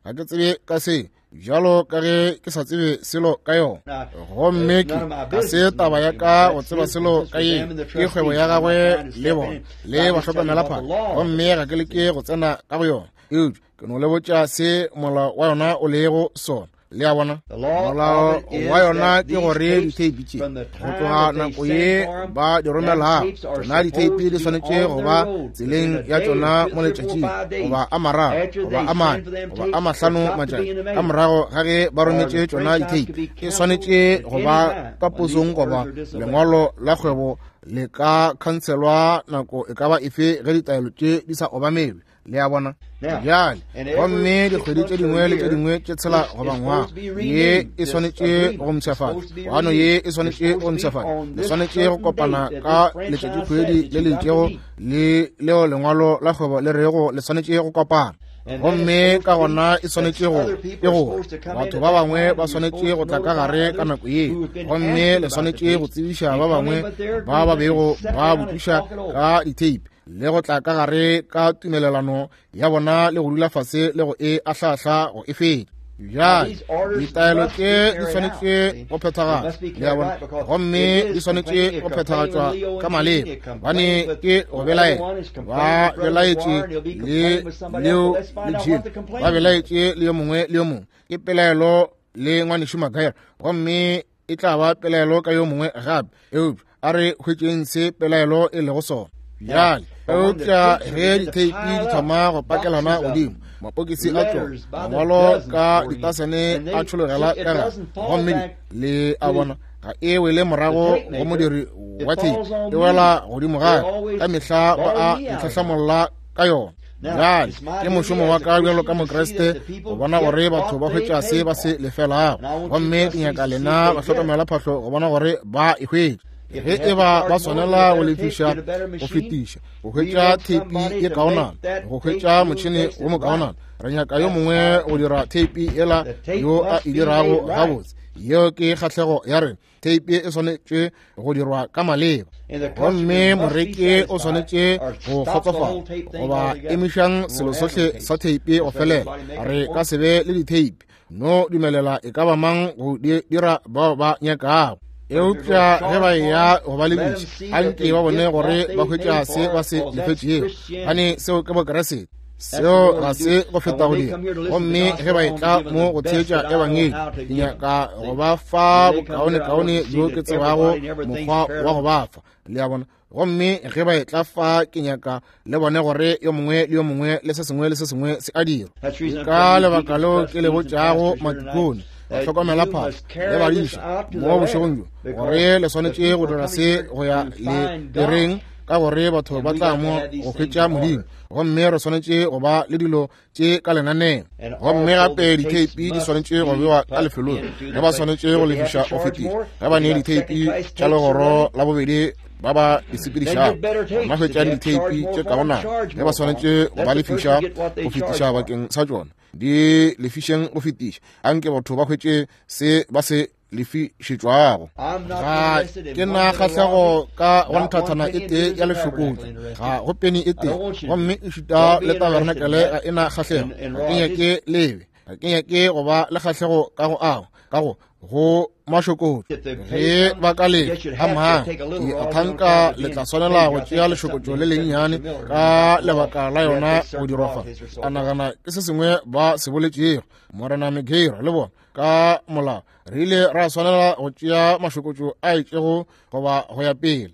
Speaker 1: ga ke tsebe ka se, bjalo ka ge ke sa tsebe selo ka yona. Gomme ke ga se taba ya ka go tseba selo ka ye, ke kgwebo ya gagwe le bona le ba hlokomela phahlo, gomme ga ke leke go tsena ka go yona. Eupša ke no le botša se molao wa yona o lego sona. Le a bona, molao wa yona ke gore ditheipi tše go tloga nako ye ba di romelago tšona ditheipi di swanetše go ba tseleng ya tšona mo letšatšing goba a mararo goba a mane goba a mahlano matšatši ka morago ga ge ba rometše tšona ditheipi. E swanetše go ba ka posong goba lengwalo la kgwebo le ka khanselwa nako e ka ba efe ge ditaelo tše di sa obamelwe. Le a bona. Bjale gomme dikgwedi tše dingwe le tše dingwe tše tshela goba ngwaga, ye e swanetše go mpshafatšwa, kwano ye e swanetše go mpshafatšwa. Le swanetše go kopana ka letšatšikgwedi le le itšego le leo lengwalo la kgwebo le rego le swanetše go kopana. Gomme ka gona e swanetše go ke gore batho ba bangwe ba swanetše go tla ka gare ka nako ye, gomme le swanetše go tsebiša ba bangwe ba ba bego ba botšiša ka ditheipi le go tla ka gare ka tumelelano ya bona le go dula fase le go e ahlahla go e fetša. Bjale ditaelo tše di swanetše go phethagatšwa, le a bona, gomme di swanetše go phethagatšwa ka maleba, bane ke go belaela. Ba belaetše le leo le Jim, ba belaetše le yo mongwe le yo mongwe. Ke pelaelo le ngwanešu Magaira, gomme e tla ba pelaelo ka yo mongwe gape. Eupša a re hwetšeng se pelaelo e lego sona. Bjale eupša ge ditheipi di thoma go pakelana godimo, mapokisi a tšona mangwalo ka ditasene a tšhologela ka gare, gomme le a bona ga e wele morago go modiri wa theipi, e wela godimo gape. Ka mehla ba a ntlhahlamolla ka yona. Bjale ke mošomo wa ka bjalo ka Mokriste go bona gore batho ba hwetša se ba se lefelago, gomme ke nyaka lena ba hlokomela phahlo go bona gore ba e hwetša. Ge e ba ba swanela go lefiša go fetiša go hwetša theipi ye kaonana, go hwetša motšhene wo mokaonana, re nyaka yo mongwe go dira theipi yela yo a e dirago gabotse. Yeo ke kgahlego ya rena. Theipi e swanetše go dirwa ka maleba, gomme moreki o swanetše go kgotsofala goba emišang selo sohle sa theipi go felela. Re ka se be le ditheipi, no dumelela e ka ba mang go di dira bao ba nyakago. Eupša ge ba eya go ba lebiša, anke ba bone gore ba hwetša se ba se lefetšego, gobane seo ke Bokeresete. Seo ga se go feta go dira. Gomme ge ba etla mo go theetša ebangedi, ke nyaka go ba fa bokaonekaone bjo ke tsebago mokgwa wa go ba fa, le a bona. Gomme ge ba etla fa, ke nyaka le bone gore yo mongwe le yo mongwe le se sengwe le se sengwe se a dirwa. Ke ka lebaka leo ke le botšago matikone, hlokomela phahlo le badiša mo bošegong bjo, gore le swanetše go dira se go ya le direng, ka gore batho ba tla mo go hwetša Modimo, gomme re swanetše go ba le dilo tše ka lenaneo. Gomme gape ditheipi di swanetše go bewa ka lefelong ge ba swanetše go lefiša go fetiša. Ge ba ne ditheipi tša legoro la bobedi ba ba di sepedišago, ba hwetšang ditheipi tše kaonana ge ba swanetše go ba lefiša go fetiša bakeng sa tšona, di lefišeng go fetiša. Anke batho ba hwetše se ba se lefišetšwago. Ga ke na kgahlego ka go nthathana e tee ya lešokotšo, ga go peni e tee, gomme e šuta le tabernakele ga e na kgahlego. Ga ke nyake lebe, ga ke nyake go ba le kgahlego ka go ao ka go go mašokotšo. Ge ba ka le amang, ke a thanka le tla swanela go tšea lešokotšo le lennyane ka lebaka la yona go dirwa fa. A nagana ke se sengwe ba se boletšego Morena Megero le bona ka molao, re ile ra swanela go tšea mašokotšo a itšego goba go ya pele.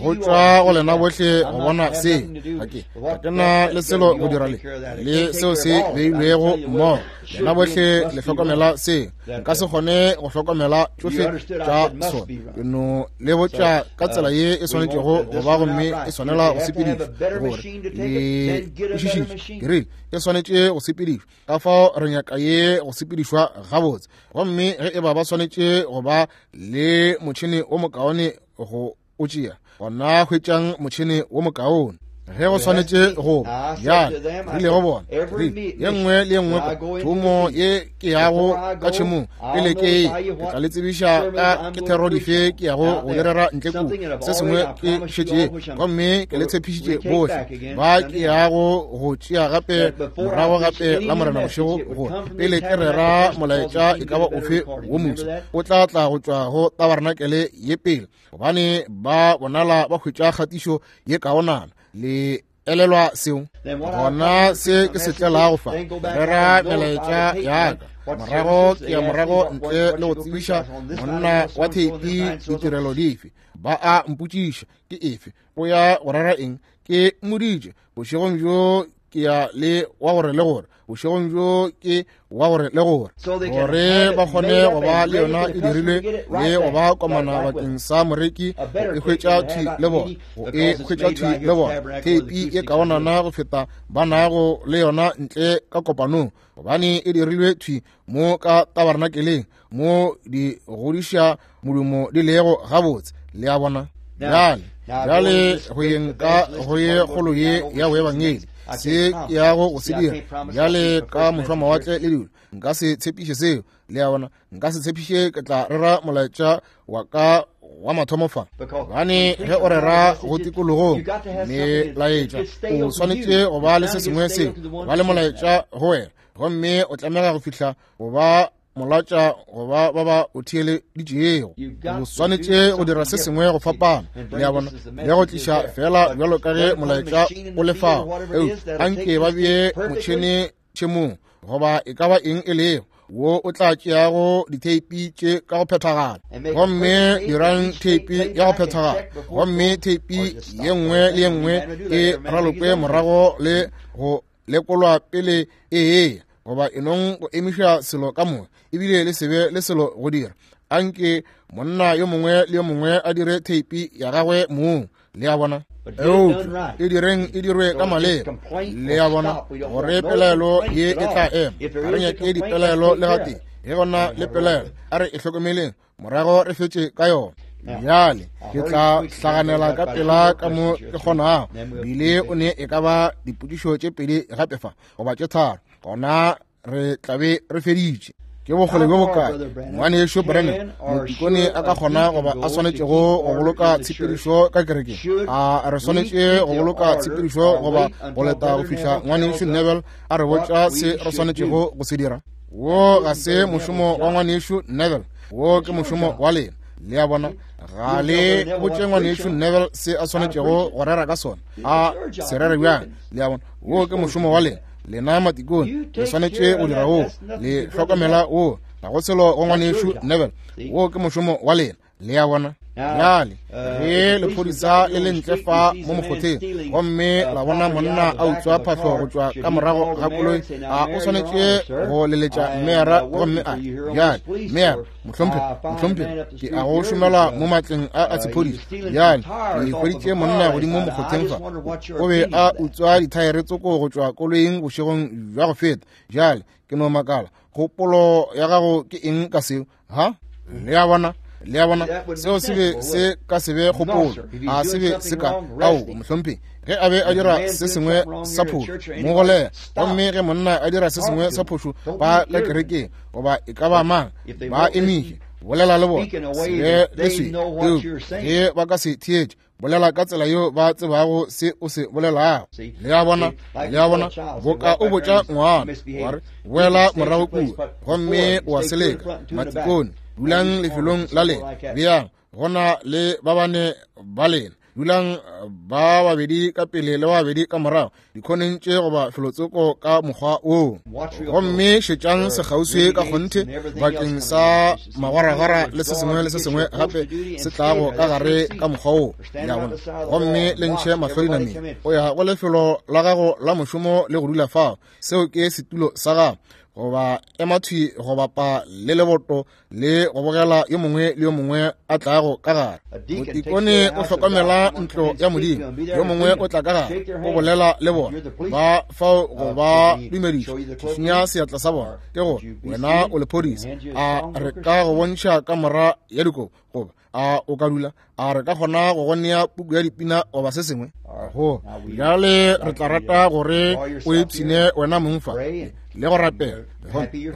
Speaker 1: Go tšwa go lena bohle go bona se. Ga ke ga ke na le selo go dira le le seo se beilwego mmogo. Lena bohle le hlokomela se. Nka se kgone go hlokomela tšohle tša sona. Ke no le botša ka tsela ye e swanetšego go ba, gomme e swanela go sepedišwa gore le kwešišitše. Ke rile e swanetše go sepedišwa, ka fao re nyaka ye go sepedišwa gabotse. Gomme ge e ba ba swanetše go ba le motšhene o mokaone go o tšea, gona hwetšang motšhene wo mokaone. Ge go swanetše go bjale, rile go bona, rile ye nngwe le ye nngwe thomo ye ke yago ka tšhemong pele ke ye, ke tla le tsebiša ka ke thero dife ke yago go direra ntle kua. Se sengwe ke šetše, gomme ke le tshepišitše bohle ba ke yago go tšea gape morago gape la Morena bošego, gore pele ke rera molaetša e ka ba ofe wo moswa, o tla tla go tšwa go tabernakele ye pele, gobane ba bonala ba hwetša kgatišo ye kaonana. Le elelwa seo? Gona se ke se tlelago fa, rera melaetša ya ka morago ke ya morago ntle le go tsebiša monna wa theipi ditirelo dife. Ba a mpotšiša ke efe, o ya go rera eng? Ke mmoditše bošegong bjo ke ya le wa gore le gore, bošegong bjo ke wa gore le gore, gore ba kgone go ba le yona e dirilwe le go ba komana bakeng sa moreki go e hwetša thwi le bona, go e hwetša thwi le bona theipi e kaonana go feta ba nago le yona ntle ka kopanong, gobane e dirilwe thwi mo ka tabernakeleng mo di godiša modumo di lego gabotse. Le a bona? Bjale bjale go yeng ka go ye kgolo ye ya boebangedi, se ke yago go se dira bjale ka mošwamawatle le dilo, nka se tshepiše seo. Le a bona? Nka se tshepiše ke tla rera molaetša wa ka wa mathomo fa, gobane ge o rera go tikologong melaetša, o swanetše go ba le se sengwe seo, ba le molaetša go wena, gomme o tlamega go fihla go ba molatša goba ba ba o theeleditšego. O swanetše go dira se sengwe go fapana, le a bona, le go tliša fela bjalo ka ge molaetša o le fao. Eupša anke ba bee motšhene tšhemong goba e ka ba eng e lego wo o tla tšeago ditheipi tše ka go phethagala, gomme dirang theipi ya go phethagala, gomme theipi ye nngwe le ye nngwe e ralokwe morago le go lekolwa pele e eya, goba enong go emiša selo ka moka, ebile le sebe le selo go dira. Anke monna yo mongwe le yo mongwe a dire theipi ya gagwe mong, le a bona. Eupša e direng e dirwe ka maleba, le a bona, gore pelaelo ye e tla ema. Ga re nyake dipelaelo le gatee. Ge gona le pelaelo, a re e hlokomeleng morago re fetše ka yona. Bjale ke tla hlaganela ka pela ka mo ke kgonago. Bile o ne e ka ba dipotšišo tše pedi gape fa goba tše tharo, gona re tla be re feditše. Ke bokgole bjo bokae ngwanešu Branham motikone a ka kgona goba a swanetšego go boloka tshepedišo ka kerekeng? A re swanetše go boloka tshepedišo goba go leta go fihla ngwanešu Neville a re botša se re swanetšego go se dira? Wo ga se mošomo wa ngwanešu Neville, wo ke mošomo wa lena. Le a bona, ga le botše ngwanešu Neville se a swanetšego go rera ka sona, a se rere bjang. Le a bona, wo ke mošomo wa lena. Lena matikone le swanetše go dira wo, le hlokomela wo, ga go selo go ngwanešu Neville, wo ke mošomo wa lena. Le a bona. Bjale ge lephodisa le le ntle fa mo mokgotheng gomme la bona monna a utswa phahlo go tšwa ka morago ga koloi, a o swanetše go leletša meyara gomme a bjale meyara, mohlomphegi, mohlomphegi, ke a go šomela mo matleng a a sephodisa. Bjale ke hweditše monna godimo mokgotheng fa, o be a utswa dithaere tsoko go tšwa koloing bošegong bja go feta. Bjale ke no makala, kgopolo ya gago ke eng ka seo? Ha? Le a bona? Le a bona, seo se be se ka se be kgopolo, a se be se ka ao mohlomphegi. Ge a be a dira se sengwe sa phošo, mo golega. Gomme ge monna a dira se sengwe sa phošo ba ka kerekeng goba e ka ba mang, ba emiše, bolela le bona, se be le swe. Ge ba ka se theetše, bolela ka tsela yeo ba tsebago se o se bolelago. Le a bona, le a bona, boka o botša ngwana wa re boela morago kua, gomme wa seleka. Matikone, dulang lefelong la lena, bjang gona le ba bane ba lena, dulang ba babedi ka pele le ba babedi ka morago dikhoneng tše goba felotsoko ka mokgwa woo. Gomme šetšang sekgauswi ka kgonthe bakeng sa magwaragwara le se sengwe le se sengwe gape se tlago ka gare ka mokgwa woo. Le a bona? Gomme le ntšhe mahlo dinameng. O ya go lefelo la gago la mošomo le go dula fao, seo ke setulo sa gago, goba ema thwi go bapa le leboto le go bogela yo mongwe le yo mongwe a tlago ka gare. Motikone o hlokomela ntlo ya Modimo, yo mongwe o tla ka gare, o bolela le bona, ba fao go ba dumediša, šišinya seatla sa bona, ke gore wena o lephodisa. A re ka go bontšha kamora ya dikobo, goba a o ka dula? A re ka kgona go go nea puku ya dipina goba se sengwe? Go bjale re tla rata gore o ipshine wena mong fa le go rapela,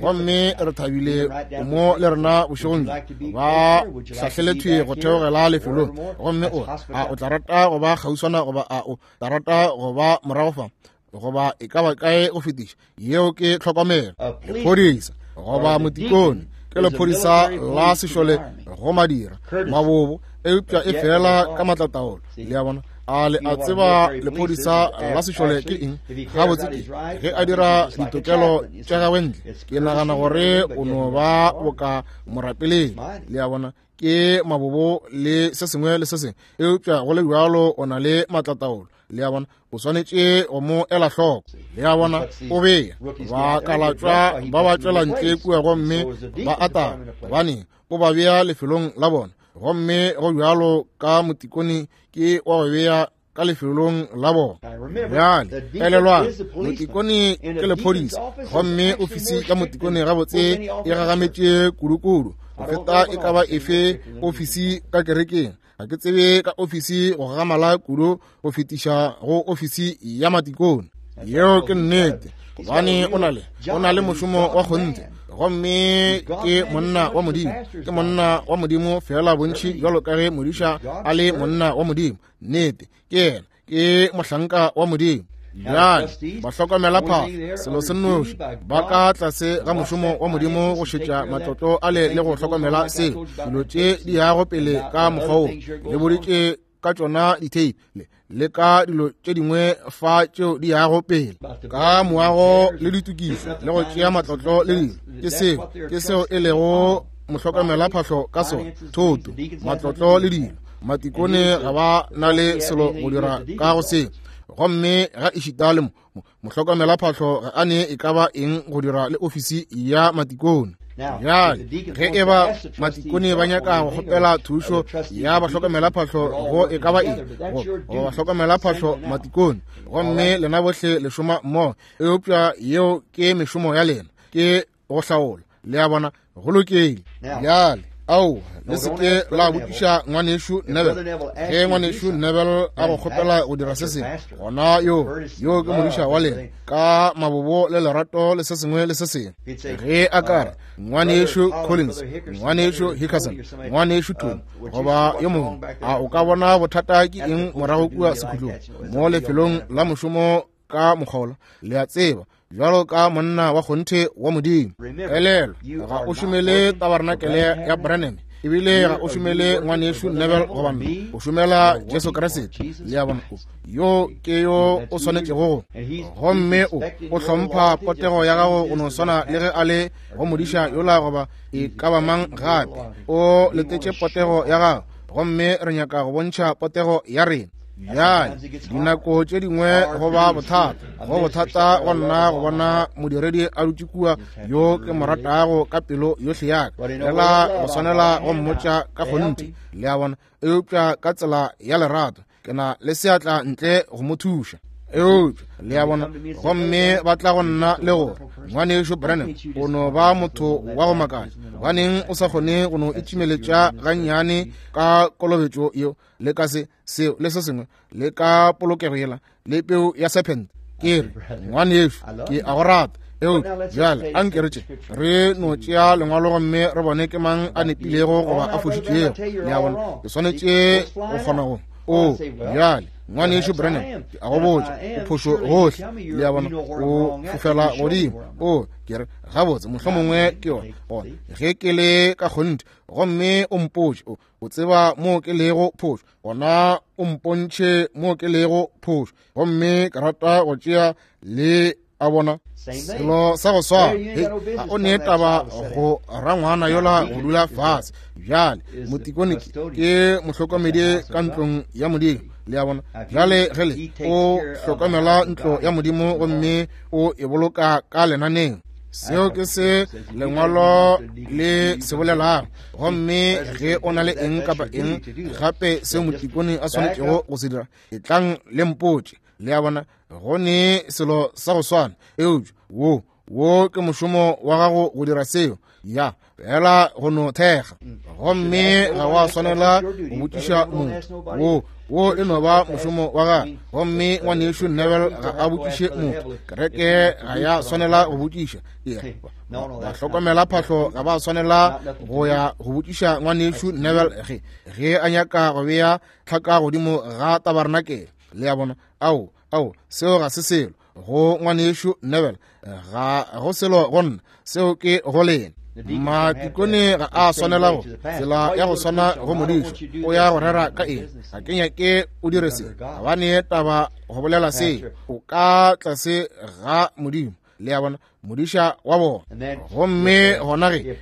Speaker 1: gomme re thabile mo le rena bošegong bjo. Ba hlahlelethwe go theogela lefelong, gomme o a o tla rata go ba kgauswana goba a o tla rata go ba morago fa goba e ka ba kae go fetiša? Yeo ke tlhokomelo. Lephodisa goba motikone ke lephodisa la sešole go madira mabobo, eupša e fela ka matlataolo. Le a bona? A le a tseba lephodisa la sešole ke eng? Gabotse ke ge a dira ditokelo tša gagwe ntle, ke nagana gore o no ba boka morapeleng. Le a bona? Ke mabobo le se sengwe le se sengwe, eupša go le bjalo o na le matlataolo. Le a bona? O swanetše go mo ela hloko. Le a bona? O bea ba kalatšwa ba ba tšwela ntle kua gomme ba ata, gobane o ba bea lefelong la bona. Gomme go bjalo ka motikone ke wa go bea ka lefelong la bona. Bjale elelwang, motikone ke lephodisa, gomme ofisi ya motikone gabotse e gagametše kudukudu go feta e ka ba efe ofisi ka kerekeng. Ga ke tsebe ka ofisi go gagamala kudu go fetiša go ofisi ya matikone. Yeo ke nnete, gobane o na le o na le mošomo wa kgonthe, gomme ke monna wa Modimo. Ke monna wa Modimo fela bontši bjalo ka ge modiša a le monna wa Modimo. Nnete, ke yena, ke mohlanka wa Modimo. Bjale ba hlokomela phahlo, selo se nnoši, ba ka tlase ga mošomo wa Modimo go šetša matlotlo ale le go hlokomela seo. Dilo tše di yago pele ka mokgwa wo, le boditše ka tšona ditheipi le le ka dilo tše dingwe fa tšeo di yago pele ka moago le ditokišo le go tšea matlotlo le dilo. Ke seo, ke seo e lego mohlokomela phahlo ka sona, thoto, matlotlo le dilo. Matikone ga ba na le selo go dira ka go seo, gomme ga ešita le mo mohlokomela phahlo ga a ne e ka ba eng go dira le ofisi ya matikone. Bjale ge e ba matikone ba nyaka go kgopela thušo ya bahlokomela phahlo go e ka ba eng, go bahlokomela phahlo matikone, gomme lena bohle le šoma mmogo, eupša yeo ke mešomo ya lena, ke go hlaola. Le a bona? Go lokile. Bjale Ao, le se ke la botšiša ngwanešu Neville. Ge ngwanešu Neville a go kgopela go dira se sengwe, gona yo yo ke modiša wa lena ka mabobo le lerato le se sengwe le se sengwe. Ge a ka re ngwanešu Collins, ngwanešu Hickerson, ngwanešu Tony, goba yo mongwe, a o ka bona bothata ke eng morago kua sekhutlong mo lefelong la mošomo ka mokgola? Le a tseba, bjalo ka monna wa kgonthe wa Modimo. Elelwa, ga o šomele tabarnakele ya Branham, ebile ga o šomele ngwanešu Neville goba nna, o šomela Jesu Kriste. Le a bona, yo ke yo o swanetšego go. Gomme o o hlompha potego ya gago go no swana le ge a le go modiša yola goba e ka ba mang gape. O letetše potego ya gago, gomme re nyaka go bontšha potego ya rena. Bjale, dinako tše dingwe go ba bothata, go bothata go nna go bona modiredi a dutše kua yo ke mo ratago ka pelo yohle ya ka, fela go swanela go mmotša ka kgonthe, le a bona, eupša ka tsela ya lerato ke na le seatla ntle go mo thuša. Eupša le a bona, gomme ba tla go nna le gore ngwanešu Branham o no ba motho wa go makatša, gobaneng o sa kgone go no itšimeletša gannyane ka kolobetšo yeo le ka se seo le se sengwe le ka polokego yela le peu ya serpent. Ke re, ngwanešu, ke a go rata, eupša bjale a nke re tše re no tšea lengwalo gomme re bone ke mang a nepilego goba a fošitšego. Le a bona, ke swanetše go kgona go o bjale ngwanešu Branham, ke a go botša, o phošo gohle. Le a bona, o fofela godimo. O ke re, gabotse mohlomongwe ke yona gona ge ke le ka kgonthe, gomme o mpotše o o tseba mo ke lego phošo, gona o mpontšhe mo ke lego phošo, gomme ke rata go tšea le a bona selo sa go swana. Ga o ne taba go rangwana yola go dula fase. Bjale motikone ke mohlokomedi ka ntlong ya Modimo, le a bona. Bjale ge le o hlokomela ntlo ya Modimo gomme o e boloka ka lenaneng, seo ke se lengwalo le se bolelago. Gomme ge o na le eng kapa eng gape seo motikone a swanetšego go se dira, e tlang le mpotše. Le a bona, go ne selo sa go swana, eupša wo wo ke mošomo wa gago go dira seo, ya fela go no thekga. Gomme ga wa swanela go botšiša motho, wo wo e no ba mošomo wa gagwe. Gomme ngwanešu Neville ga a botšiše motho, kereke ga ya swanela go botšiša. Ba hlokomela phahlo ga ba swanela go ya go botšiša ngwanešu Neville ge ge a nyaka go bea tlhaka godimo ga tabarnakele. Le a bona, ao ao seo ga se selo go ngwanešu Neville, ga go selo go nna, seo ke go lena. Matikone ga a swanela go tsela ya go swana go modiša o ya go rera ka eng. Ga ke nyake o dire se, gobane taba go bolela se o ka tlase ga Modimo. Le a bona, modiša wa bona. Gomme gona ge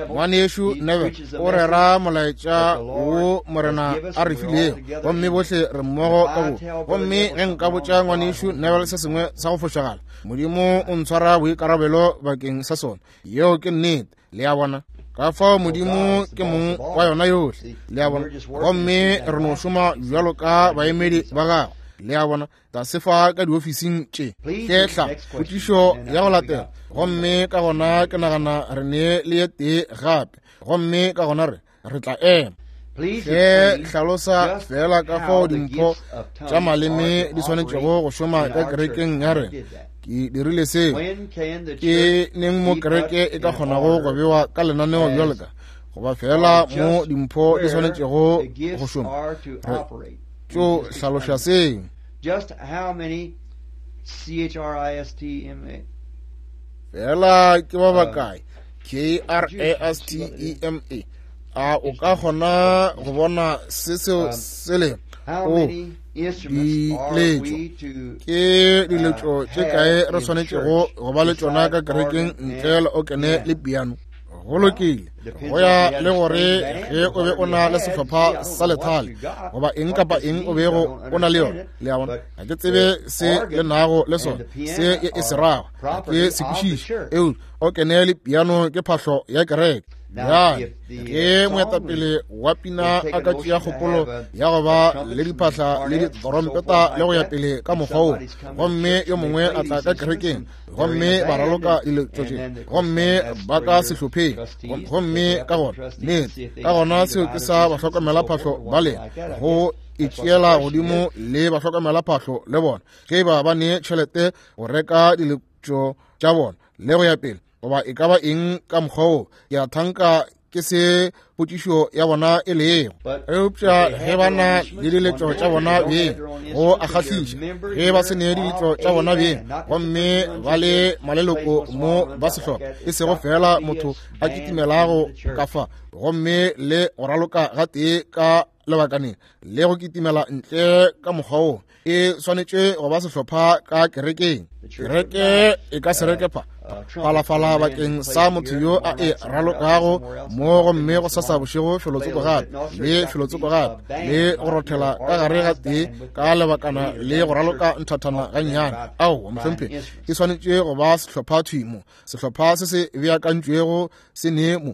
Speaker 1: ngwanešu Neville o rera molaetša wo Morena a re filego, gomme bohle re mmogo ka bo. Gomme ge nka botša ngwanešu Neville se sengwe sa go fošagala, Modimo o ntshwara boikarabelo bakeng sa sona. Yeo ke nnete. Le a bona, ka fao Modimo ke mong wa yona yohle. Le a bona, gomme re no šoma bjalo ka baemedi ba gagwe. Le a bona, tlase fa ka diofising tše. Hlehla potšišo ya go latela, gomme ka gona ke nagana re ne le ye tee gape, gomme ka gona re re tla ema. Hle hlalosa fela ka fao dimpho tša maleme di swanetšego go šoma ka kerekeng ya rena. Ke dirile seo. Ke neng mo kereke e ka kgonago go bewa ka lenaneo bjalo ka goba fela mo dimpho di swanetšego go šoma? Re tšo hlaloša seo.
Speaker 2: Just how many C H R I S T M A
Speaker 1: fela ke ba bakae K R A S T E M A? A o ka kgona go bona se seo se le o diletšo? Ke diletšo tše kae re swanetšego go ba le tšona ka kerekeng ntle le okene le piano? Go lokile, go ya le gore ge o be o na le sehlopha sa lethale goba eng kapa eng o bego o na le yona. Le a bona, ga ke tsebe se le nago le sona, se e se rago, ga ke se kwešiše. Eupša okene le piano ke phahlo ya kereke. Bjale ge moetapele wa pina a ka tšea kgopolo ya go ba le diphahla le ditorompeta le go ya pele ka mokgwa wo, gomme yo mongwe a tla ka kerekeng gomme ba raloka diletšo tše, gomme ba ka sehlopheng, gomme ka gona nnete, ka gona seo ke sa bahlokomelaphahlo ba lena go e tšeela godimo le bahlokomelaphahlo le bona, ge ba ba ne tšhelete go reka diletšo tša bona le go ya pele, goba e ka ba eng ka mokgwa wo. Ke a thanka ke se potšišo ya bona e lego. Eupša ge ba na le diletšo tša bona beng, go a kgahliša. Ge ba se ne diletšo tša bona beng, gomme ba le maleloko mo ba sehlopha, e sego fela motho a kitimelago ka fa gomme le go raloka gatee ka lebakaneng le go kitimela ntle ka mokgwa wo, e swanetše go ba sehlopha ka kerekeng. Kereke e ka se reke pha phalafala bakeng sa motho yo a e ralokago mo, gomme go sasa bošego felotsoko gape le felotsoko gape le go rothela ka gare ga tee ka lebakana le go raloka nthathana gannyane. Aowa mohlomphegi, e swanetše go ba sehlopha thwi mo, sehlopha se se beakantšwego se ne mo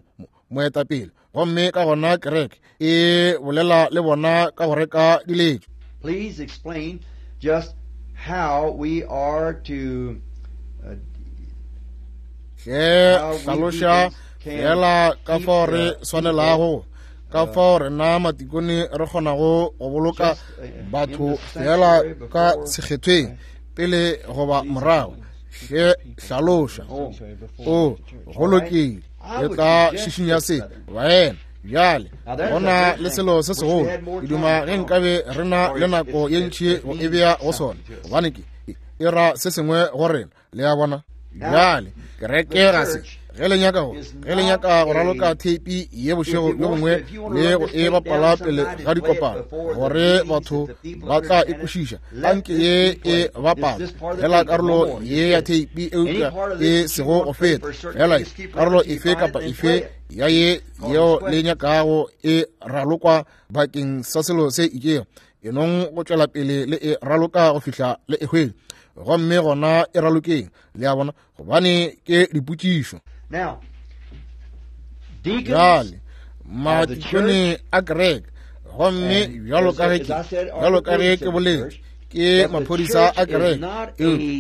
Speaker 1: moetapele, gomme ka gona kereke e bolela le bona ka go reka diletšo.
Speaker 2: Please explain just how we are to
Speaker 1: hle hlaloša fela ka fao re swanelago, ka fao rena matikone re kgonago go boloka batho fela ka sekgethweng pele goba morago. Hle hlaloša. O go lokile, ke tla šišinya se baena. Bjale gona le selo se segolo, ke duma ge nkabe re na le nako ye ntši go e bea go sona, gobane ke e ra se sengwe go rena, le a bona. Bjale kereke ga se ge le nyaka go ge le nyaka go raloka theipi ye bošego bjo bongwe le go e bapala pele ga dikopano, gore batho ba tla e kwešiša, anke ye e bapala fela karolo ye ya theipi, eupša e sego go feta fela karolo efe kapa efe ya ye yeo le nyakago e ralokwa bakeng sa selo se itšego, e nong go tšwela pele le e raloka go fihla le e hwetša, gomme gona e ralokeng, le a bona, gobane ke dipotšišo. Bjale matikone a kereke, gomme bjalo ka ge ke bjalo ka ge ke boletše, ke maphodisa a kereke.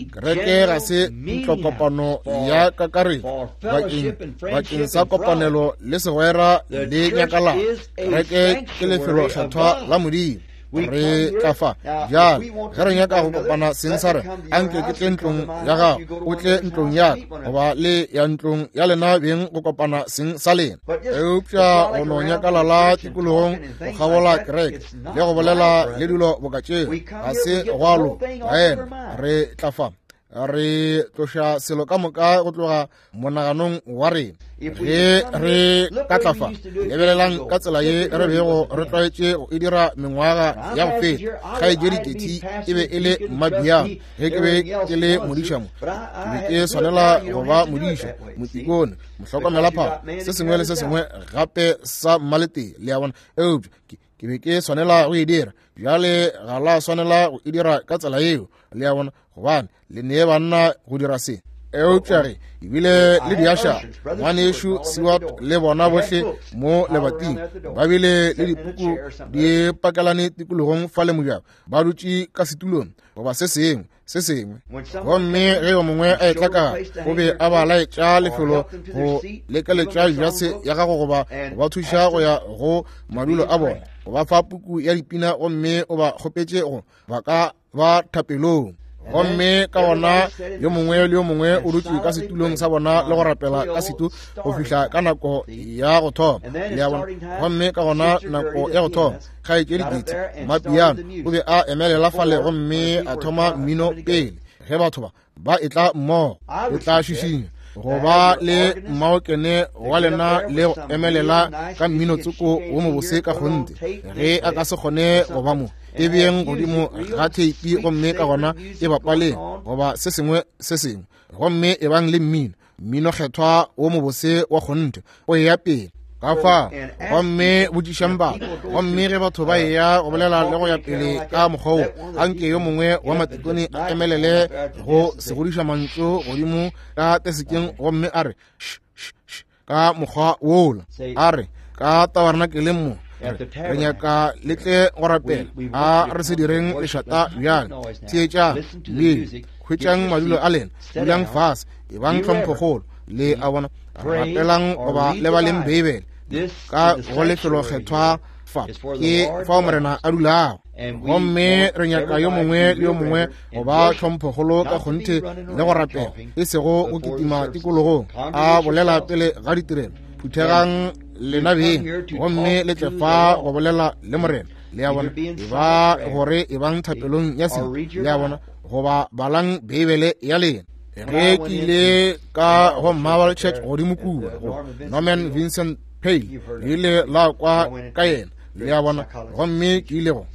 Speaker 1: Kereke ga se ntlokopano ya kakaretšo bakeng bakeng sa kopanelo le segwera le nyakalalo. Kereke ke lefelokgethwa la Modimo. Re tla fa bjale ge re nyaka go kopana seng sa rena, anke ke tle ntlong ya gago, o tle ntlong ya ka, goba le ya ntlong ya lena beng go kopana seng sa lena. Eupša go no nyakalala tikologong go kgabola kereke le go bolela le dilo boka tšeo ga se gwa loka. Baena, re tla fa re tloša selo ka moka go tloga monaganong wa rena. Ge re ka tla fa, lebelelang ka tsela ye re bego re tlwaetše go e dira mengwaga ya go feta. Kgaetšedi Kethi e be e le mmabiang ge ke be ke le modiša mo, ke be ke swanela go ba modiša, motikone, mohlokomelaphahlo, se sengwe le se sengwe gape sa mmaletee, le a bona. Eupša ke be ke swanela go e dira. Bjale ga la swanela go e dira ka tsela yeo, le a bona, gobane le nee banna go dira se. Eupša ge ebile le diaša, ngwanešu Seward le bona bohle mo lebating ba bile le dipuku di pakelane tikologong fa le mojako, ba dutše ka setulong goba se sengwe se sengwe, gomme ge yo mongwe a etla ka o be a ba laetša lefelo go lekeletša jase ya gago goba go ba thuša go ya go madulo a bona, go ba fa puku ya dipina, gomme o ba kgopetše go ba ka ba thapelong. Gomme ka gona yo mongwe le yo mongwe o dutše ka setulong sa bona le go rapela ka setu go fihla ka nako ya go thoma, le a bona. Gomme ka gona nako ya go thoma, kgaetšedi Kethi mmapiano o be a emelela fale gomme a thoma mmino pele ge batho ba ba etla mmogo. O tla šišinya go ba le mmaokene wa lena le go emelela ka mmino tsoko wo mobose ka kgonthe. Ge a ka se kgone go ba mo, e beeng godimo ga theipi gomme ka gona e bapaleng goba se sengwe se sengwe, gomme e bang le mmino, mmino kgethwa wo mobose wa kgonthe o eya pele ka fa. Gomme botšišang batho, gomme ge batho ba eya go bolela le go ya pele ka mokgwa wo, anke yo mongwe wa matikone a emelele go segodiša mantšu godimo ka tesekeng gomme a re sh sh sh ka mokgwa wola. A re ka tabernakeleng mo re nyaka le tle go rapela. A re se direng lešata bjale. Theetšang le hwetšang madulo a lena, dulang fase, ebang tlhomphokgolo. Le a bona, rapelang goba le baleng Beibele ka go lefelokgethwa fa ke fao Morena a dulago. Gomme re nyaka yo mongwe le yo mongwe go ba tlhomphokgolo ka kgonthe le go rapela, e sego go kitima tikologong a bolela pele ga ditirelo. Phuthegang lena beng gomme le tle fa go bolela le Morena. Le a bona, e ba gore e bang thapelong ya se. Le a bona, goba balang Beibele ya lena. Ge ke ile ka go Marble Church godimo kua go Norman Vincent Peale, le ile la kwa ka yena. Le a bona, gomme ke ile go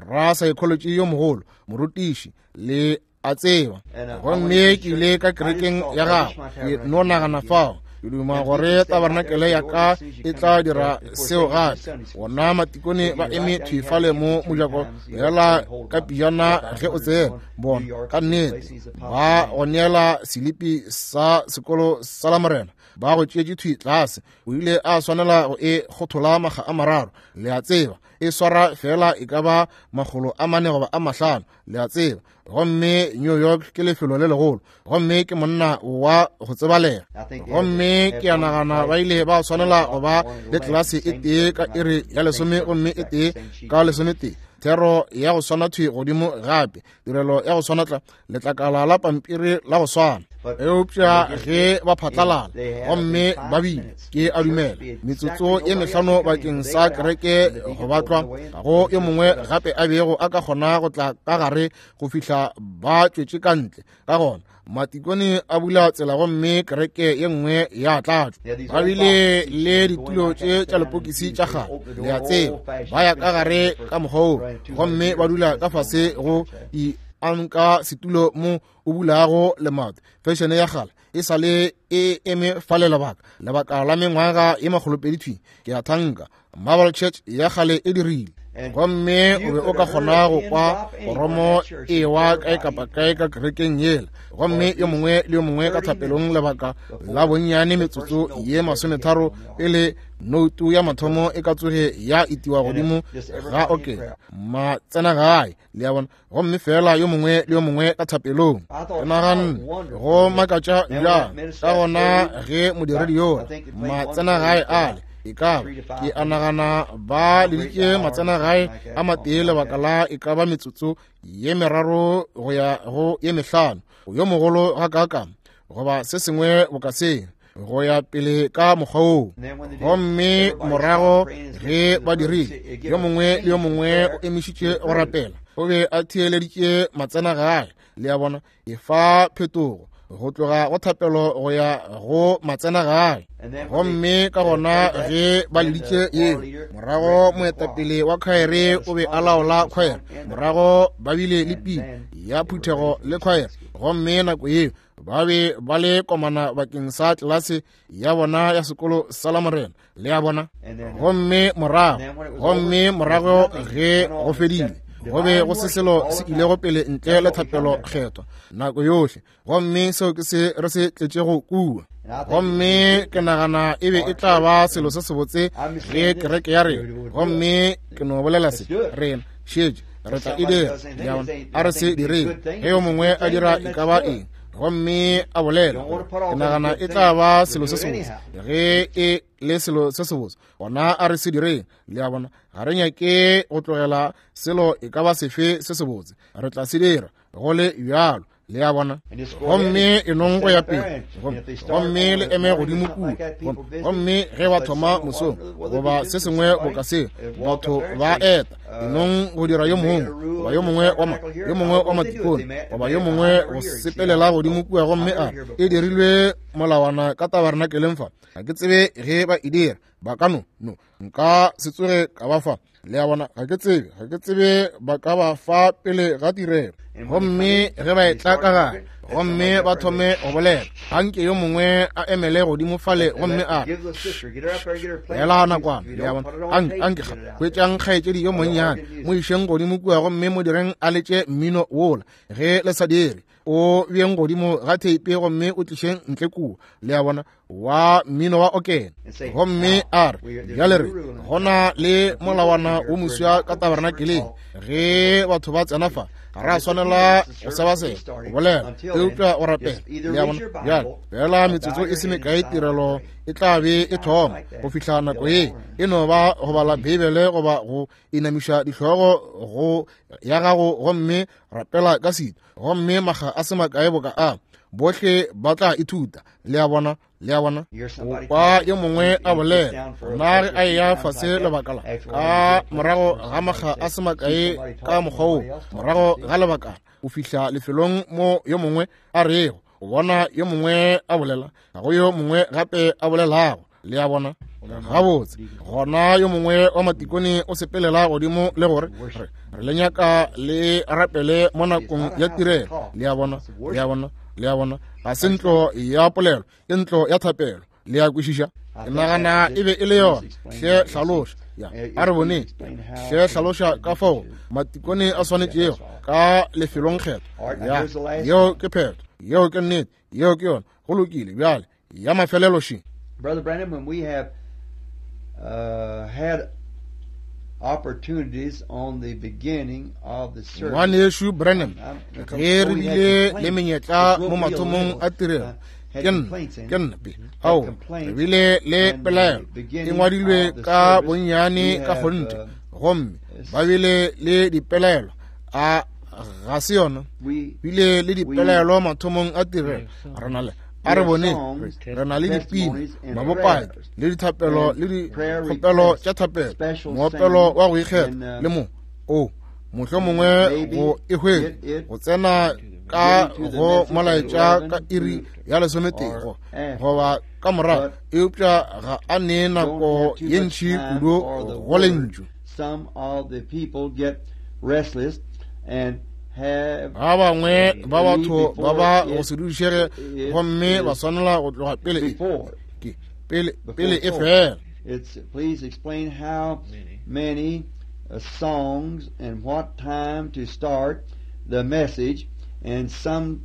Speaker 1: ra psychology yo mogolo, morutiši, le a tseba. Gomme ke ile ka kerekeng ya gagwe, ke no nagana fao. Ke duma gore tabernakele ya ka e tla dira seo gape. Bona matikone ba eme thwi fale mo mojako yela ka pijana ge o tsena. Bona ka nnete ba go neela selipi sa sekolo sa la Morena, ba go tšeetše thwi tlase. O ile a swanela go e kgothola makga a mararo. Le a tseba, e swara fela e ka ba makgolo a mane goba a mahlano. Le a tseba, gomme New York ke lefelo le legolo, gomme ke monna wa go tsebalega. Gomme ke a nagana ba ile ba swanela go ba le tlelase e tee ka iri ya lesome gomme e tee ka lesometee, thero ya go swana thwi godimo gape, tirelo ya go swana tla letlakala la pampiri la go swana. Eupša ge ba phatlalala gomme ba bile, ke a dumela metsotso ye mehlano bakeng sa kereke go batlwa go yo mongwe gape a bego a ka kgona go tla ka gare go fihla ba tšwetše ka ntle. Ka gona matikone a bula tsela gomme kereke ye nngwe ya tlatšwa. Ba bile le ditulo tše tša lepokisi tša kgale, le a tseba, ba ya ka gare ka mokgwa woo gomme ba dula ka fase go i anka setulo mo o bulago lemato. Fešene ya kgale e sa le e eme fale lebaka lebaka la mengwaga ye makgolopedi thwi. Ke a thanka Marble Church ya kgale e dirile. Gomme o be o ka kgona go kwa koromo e wa kae kapa kae ka kerekeng yela, gomme yo mongwe le yo mongwe ka thapelong lebaka la bonnyane metsotso ye masometharo pele noutu ya mathomo e ka tsoge ya itiwa godimo ga okela matsena gae. Le a bona, gomme fela yo mongwe le yo mongwe ka thapelong. Ke naganne go makatša bjang ka gona ge modiredi yola matsena gae ale e ka ba, ke a nagana ba leditše matsena gae a matee lebaka la e ka ba metsotso ye meraro go ya go ye mehlano, yo mogolo ga kaaka goba se sengwe boka se, go ya pele ka mokgwa woo. Gomme morago ge ba dirile, yo mongwe le yo mongwe o emišitše go rapela, o be a theeleditše matsena gae. Le a bona, e fa phetogo go tloga go thapelo go ya go matsena gae. Gomme ka gona ge ba leditše yeo, morago moetapele wa khwaere o be a laola khwaere, morago ba bile le pina ya phuthego le khwaere. Gomme nako yeo ba be ba le komana bakeng sa tlelase ya bona ya sekolo sa la Morena. Le a bona, gomme morago gomme morago ge go fedile, go be go se selo se ilego pele ntle le thapelo kgethwa nako yohle. Gomme seo ke se re se tletšego kua. Gomme ke nagana e be e tla ba selo se sebotse ge kereke ya rena, gomme ke no bolela se, rena šetše re tla e dira. A re se direng ge yo mongwe a dira e ka ba eng gomme a bolela, ke nagana e tla ba selo se sebotse ge e le selo se sebotse, gona a re se direng. Le a bona, ga re nyake go tlogela selo e ka ba sefe se sebotse, re tla se dira go le bjalo. Le a bona, gomme e nong go ya pele, gomme le eme godimo kua. Gomme ge ba thoma mosong goba se sengwe boka se, batho ba eta e nong go dira yo mongwe goba yo mongwe wa ma yo mongwe wa matikone goba yo mongwe go sepelela godimo kua, gomme a e dirilwe molawana ka tabernakeleng fa. Ga ke tsebe ge ba e dira, ba ka no no nka se tsoge ka ba fa. Le a bona, ga ke tsebe ga ke tsebe ba ka ba fa pele ga tirelo. Gomme ge ba etla ka gare gomme ba thome go bolela, anke yo mongwe a emele godimo fale gomme a ela nakwana. Le a bona, anke hwetšang kgaetšedi yo monnyane, mo išeng godimo kua gomme mo direng a letše mmino wola. Ge le sa dire, O beng godimo ga theipe gomme o tlišeng ntle kua, le a bona, wa mmino wa okene. Gomme a re bjale re gona le molawana wo moswa ka tabernakeleng, ge batho ba tsena fa ga ra swanela go sebaseba go bolela eupša o rapela, le a bona. Bjale fela metsotso e se mekae tirelo e tla be e thoma. Go fihla nako ye e no ba go bala Beibele goba go inamiša dihlogo go ya gago gomme rapela ka sito, gomme maga a se makae boka a bohle ba tla ithuta, le a bona, le a bona. O kwa yo mongwe a bolela nna ge a eya fase lebaka la ka morago ga maga a se makae ka mokgwa wo, morago ga lebakana o fihla lefelong mo yo mongwe a rego o bona yo mongwe a bolela, ga go yo mongwe gape a bolelago, le a bona. Gabotse gona yo mongwe wa matikone o sepelela godimo le gore re re le nyaka le rapele mo nakong ya tirelo, le a bona, le a bona, le a bona. Ga se ntlo ya polelo, ke ntlo ya thapelo, le a kwešiša. Ke nagana e be e le yona. Hle hlaloša, ya a re boneng, hle hlaloša ka fao matikone a swanetšego ka lefelongkgetho. Ya yeo ke phetho, yeo ke nnete, yeo ke yona. Go lokile bjale ya mafelelo še.
Speaker 2: Brother Branham, when we have uh, had opportunities on the beginning of the service,
Speaker 1: Ngwanešu Branham, ge re bile le menyetla mo mathomong a tirelo, ke nna ke nna pe ao re bile le pelaelo e ngwadilwe ka bonnyane ka kgonthe, gomme ba bile le dipelaelo a ga se yona, bile le dipelaelo mathomong a tirelo. Re na le a re bone re na le dipina, mabopaki le dithapelo le dikgopelo tša thapelo, moopelo wa go ikgetha le mo o mohlomongwe go e hwetša go tsena ka go molaetša ka iri ya lesometee goba ka morago, eupša ga a nee nako ye ntši kudu go lentšu.
Speaker 2: Some of the people get restless and
Speaker 1: Ba bangwe ba batho ba ba go se dudišege gomme ba swanela go tloga pele ke pele pele e fela.
Speaker 2: It's please explain how many uh, songs and what time to start the message, and some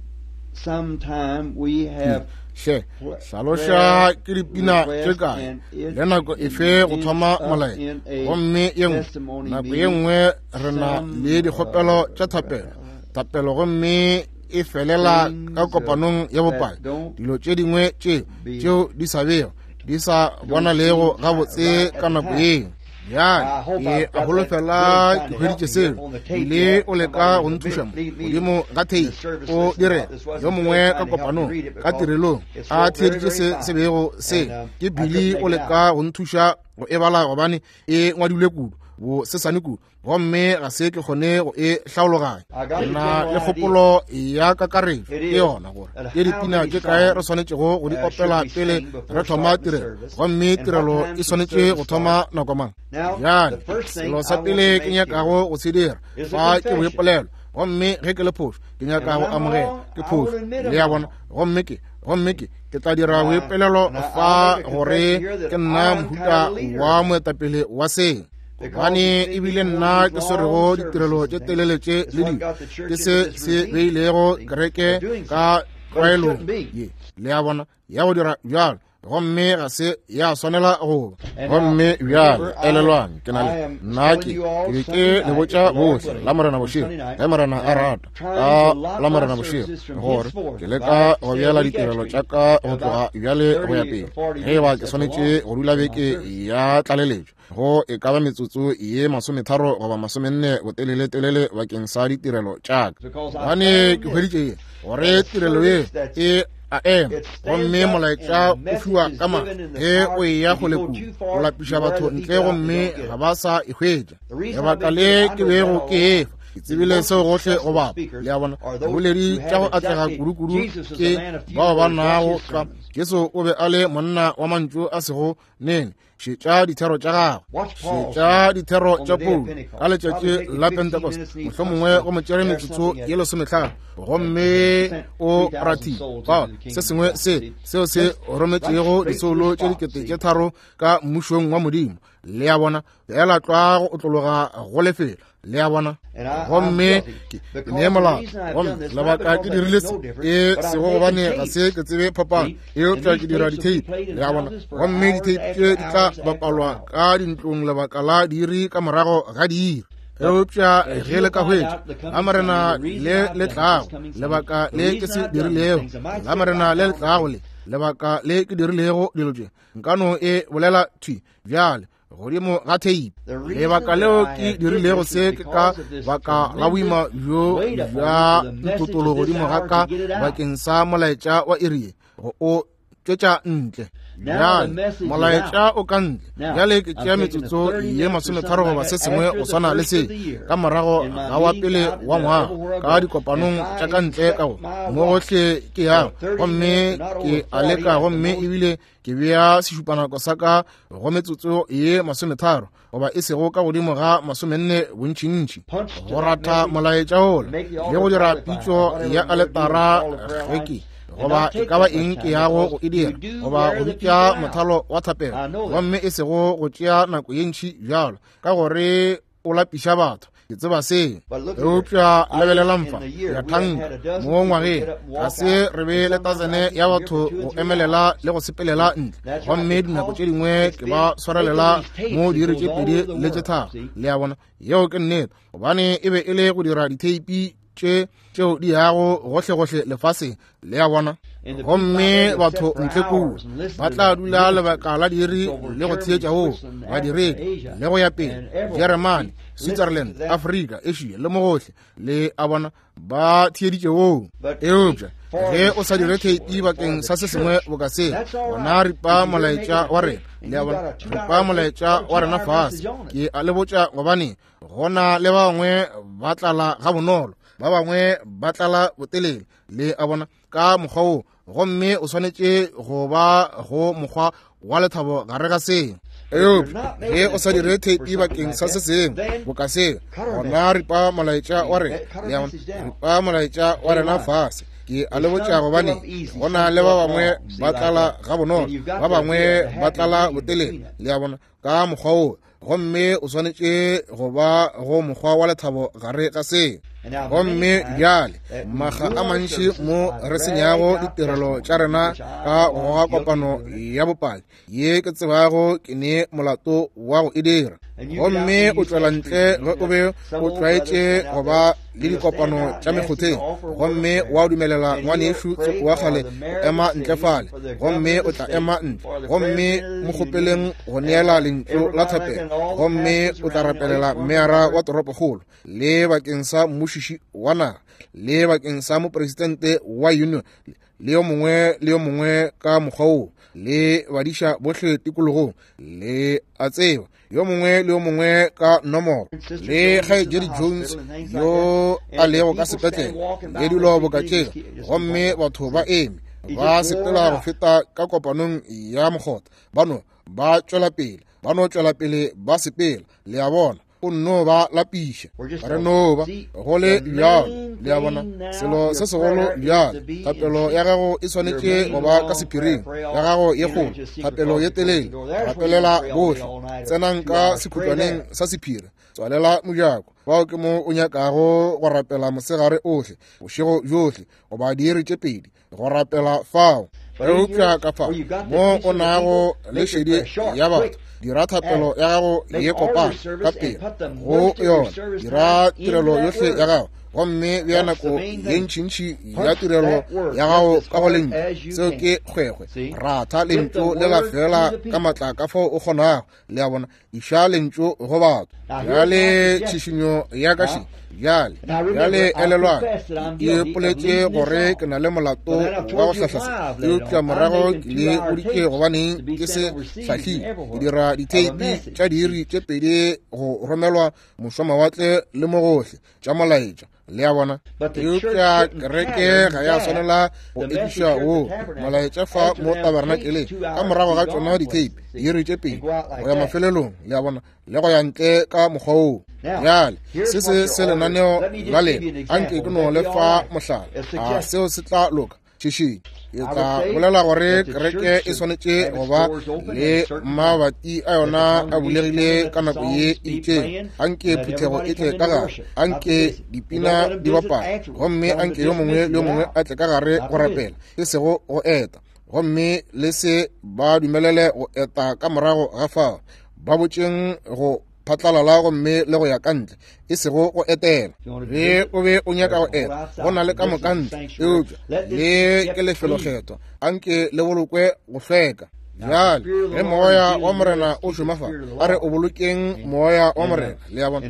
Speaker 2: sometime we have
Speaker 1: hle hlaloša ke dipina tše kae le nako efe go thoma molaetša, gomme ye nngwe nako ye nngwe re na le dikgopelo tša thapelo thapelo gomme e felela ka kopanong ya bopaki. Dilo tše dingwe tše tšeo di sa bego di sa bonalego gabotse ka nako yeo. Bjale ke a holofela ke hweditše seo ile o leka go nthuša mo godimo ga theipi o dire yo mongwe ka kopanong ka tirelong a theeditše se se bego se ke Billy o leka go nthuša go e bala gobane e ngwadilwe kudu bo sesane kudu, gomme ga se ke kgone go e hlaologanya. Ke na le kgopolo ya kakaretšo ke yona gore ke dipina tše kae re swanetšego go di opela pele re thoma tirelo, gomme tirelo e swanetše go thoma nako mang. Bjale selo sa pele ke nyakago go se dira fa ke boipolelo, gomme ge ke le phošo ke nyaka go amogela ke phošo, le a bona, gomme ke gomme ke ke tla dira boipolelo fa gore ke nna mohuta wa moetapele wa seng, gobane ebile nna ke swerego ditirelo tše telele tše le dilo ke se se beilego kereke ka tlwaelong ye, le a bona, ya go dira bjalo, gomme ga se ya swanela go ba. Gomme bjale elelwang ke na le nna ke ke be ke le botša bohle la Morena bošego, ge Morena a rata ka la Morena bošego, gore ke leka go bjala ditirelo tša ka go tloga bjale go ya pele, ge eba ke swanetše go dula beke ya tlaleletšo go e ka ba metsotso ye masometharo goba masomenne botelele-telele bakeng sa ditirelo tša ka, gobane ke hweditše ye gore tirelo ye e a ema gomme molaetša o fiwa ka maatla ge o eya kgole kudu o lapiša batho ntle gomme ga ba sa e hwetša. Lebaka le ke bego ke efa ke tsebile seo gohle go bapa, le a bona. Diboledi tša go atlega kudu-kudu ke bao ba nago tlwa. Jesu o be a le monna wa mantšu a sego nene. Šetša dithero tša gagwe, šetša dithero tša Paulo ka letšatši la Pentecost, mohlomongwe go mo tšere metsotso ye lesomehlano, gomme o rathile fao se sengwe se seo se rometšego disoulo tše dikete tše tharo ka mmušong wa Modimo, le a bona, fela tlwa go otlologa go lefelo. Le a bona? Gomme ke ne molato. Gomme lebaka ke dirile se e sego gobane ga se ke tsebe phapano, eupša ke dira ditheipi. Le a bona? Gomme ditheipi tše di tla bapalwa ka dintlong lebaka la diiri ka morago ga diiri. Eupša ge le ka hwetša la Morena le le tlago, lebaka le ke se dirilego, la Morena le le tlago le lebaka le ke dirilego dilo tše, nka no e bolela thwi bjale godimo ga theipi. Lebaka leo ke dirilego se ke ka baka la boima bjo bja ntotolo godimo ga ka bakeng sa molaetša wa iri go o tšwetša ntle. Bjale molaetša o ka ntle. Bjale ke tšea metsotso ye masometharo goba se sengwe go swana le se ka morago ga wa pele wa ngwaga ka dikopanong tša ka ntle ka go mo gohle ke yago, gomme ke a leka, gomme ebile ke bea sešupanako sa ka go metsotso ye masometharo goba e sego ka godimo ga masomenne bontšintši go ratha molaetša ola le go dira pitšo ya aletara ge ke goba e ka ba eng ke yago go e dira goba go bitša mothalo wa thapelo, gomme e sego go tšea nako ye ntši bjalo ka gore o lapiša batho. Ke tseba se. Eupša lebelelang fa, ya thanka mo ngwageng ga se re be le tasene ya batho go emelela le go sepelela ntle, gomme dinako tše dingwe ke ba swarelela mo diiri tše pedi le tše tharo. Le a bona? Yeo ke nnete, gobane e be e le go dira ditheipi tše tšeo di yago gohlegohle lefaseng. Le a bona? Gomme batho ntle kua ba tla dula lebaka la diiri le go theetša woo badiredi le go ya pele, Jeremane, Switzerland, Afrika, Asia le mo gohle. Le a bona? Ba theeditše woo. Eupša ge o sa dire theipi bakeng sa se sengwe boka se, gona ripa molaetša wa rena. Le a bona? Ripa molaetša wa rena fase. Ke a le botša, gobane gona le ba bangwe ba tlala ga bonolo, ba bangwe ba tlala botelele. Le a bona? Ka mokgwa wo, gomme o swanetše go ba go mokgwa wa lethabo gare ga seo. Eupša ge o sa dire theipi bakeng sa se sengwe boka seo, gona ripa molaetša wa rena. Le a bona? Ripa molaetša wa rena fase. Ke a le botša, gobane gona le ba bangwe ba tlala ga bonolo, ba bangwe ba tlala botelele. Le a bona? Ka mokgwa wo, gomme o swanetše go ba go mokgwa wa lethabo gare ga seo. Gomme bjale maga a mantši mo re senyago ditirelo tša rena ka go goga kopano ya bopaki ye ke tsebago ke ne molato wa go e dira, gomme o tšwela ntle ge o be o tlwaetše go ba le dikopano tša mekgotheng, gomme wa dumelela ngwanešu tsoko wa kgale go ema ntle fale, gomme o tla ema ntle, gomme mo kgopeleng go neela lentšu la thapelo, gomme o tla rapelela meara wa toropokgolo le bakeng sa mmušiši wa naga le bakeng sa mopresidente wa union le yo mongwe le yo mongwe ka mokgwa wo, le badiša bohle tikologong, le a tseba yo mongwe le yo mongwe ka nomoro, le Kgaetšedi Jones yo a lego ka sepetlele le dilo boka tšeo, gomme batho ba eme ba sepela go feta ka kopanong ya mokgotha, ba no ba tšwela pele, ba no tšwela pele ba sepela. Le a bona? O nno ba lapiša, re no ba go le bjalo. Le a bona? Selo se segolo bjale, thapelo ya gago e swanetše go ba ka sephiring, ya gago ye kgolo, thapelo ye telele, rapelela bohle. Tsenang ka sekhutlwaneng sa sephiri, tswalela mojako. Bao ke mo o nyakago go rapela mosegare ohle, bošego bjohle, goba diiri tše pedi go rapela fao. Eupša ka fao mo o nago le šedi ya batho, dira thapelo ya gago ye kopana ka pele go yona, dira tirelo yohle ya gago, gomme bea nako ye ntšintši ya tirelo ya gago ka go lentšu. Seo ke kgwekgwe. Ratha lentšu le la fela ka matla ka fao o kgonago. Le a bona? Iša lentšu go batho. Bjale tšhišinyo ya ka še bjale, bjale elelwang, ke ipoletše gore ke na le molato wa go hlahla se, eupša morago ke le boditše gobaneng ke se hlahlile. Ke dira ditheipi tša diiri tše pedi go romelwa mošwamawatle le mo gohle tša molaetša. Le a bona? Eupša kereke ga ya swanela go ekiša wo molaetša fa mo tabernakeleng ka morago ga tšona ditheipi diiri tše pedi go ya mafelelong. Le a bona? Le go ya ntle ka mokgwa woo. Bjale se se se lenaneo la lena, anke ke no le fa mohlala. A seo se tla loka? Tšhišinyo. Ke tla bolela gore kereke e swanetše go ba le mabati a yona a bulegile ka nako ye e itšeng. Anke phuthego e tle ka gare, anke dipina di bapale, gomme anke yo mongwe le yo mongwe a tle ka gare go rapela, e sego go eta. Gomme le se ba dumelele go eta ka morago ga fao. Ba botšeng go phatlalala gomme le go ya ka ntle, e sego go etela. Ge o be o nyaka go eta, go na le ka moka ntle, eupša le ke lefelokgethwa, anke le bolokwe go hlweka. Bjale ge moya wa Morena o šoma fa, a re o bolokeng moya wa Morena, le a bona,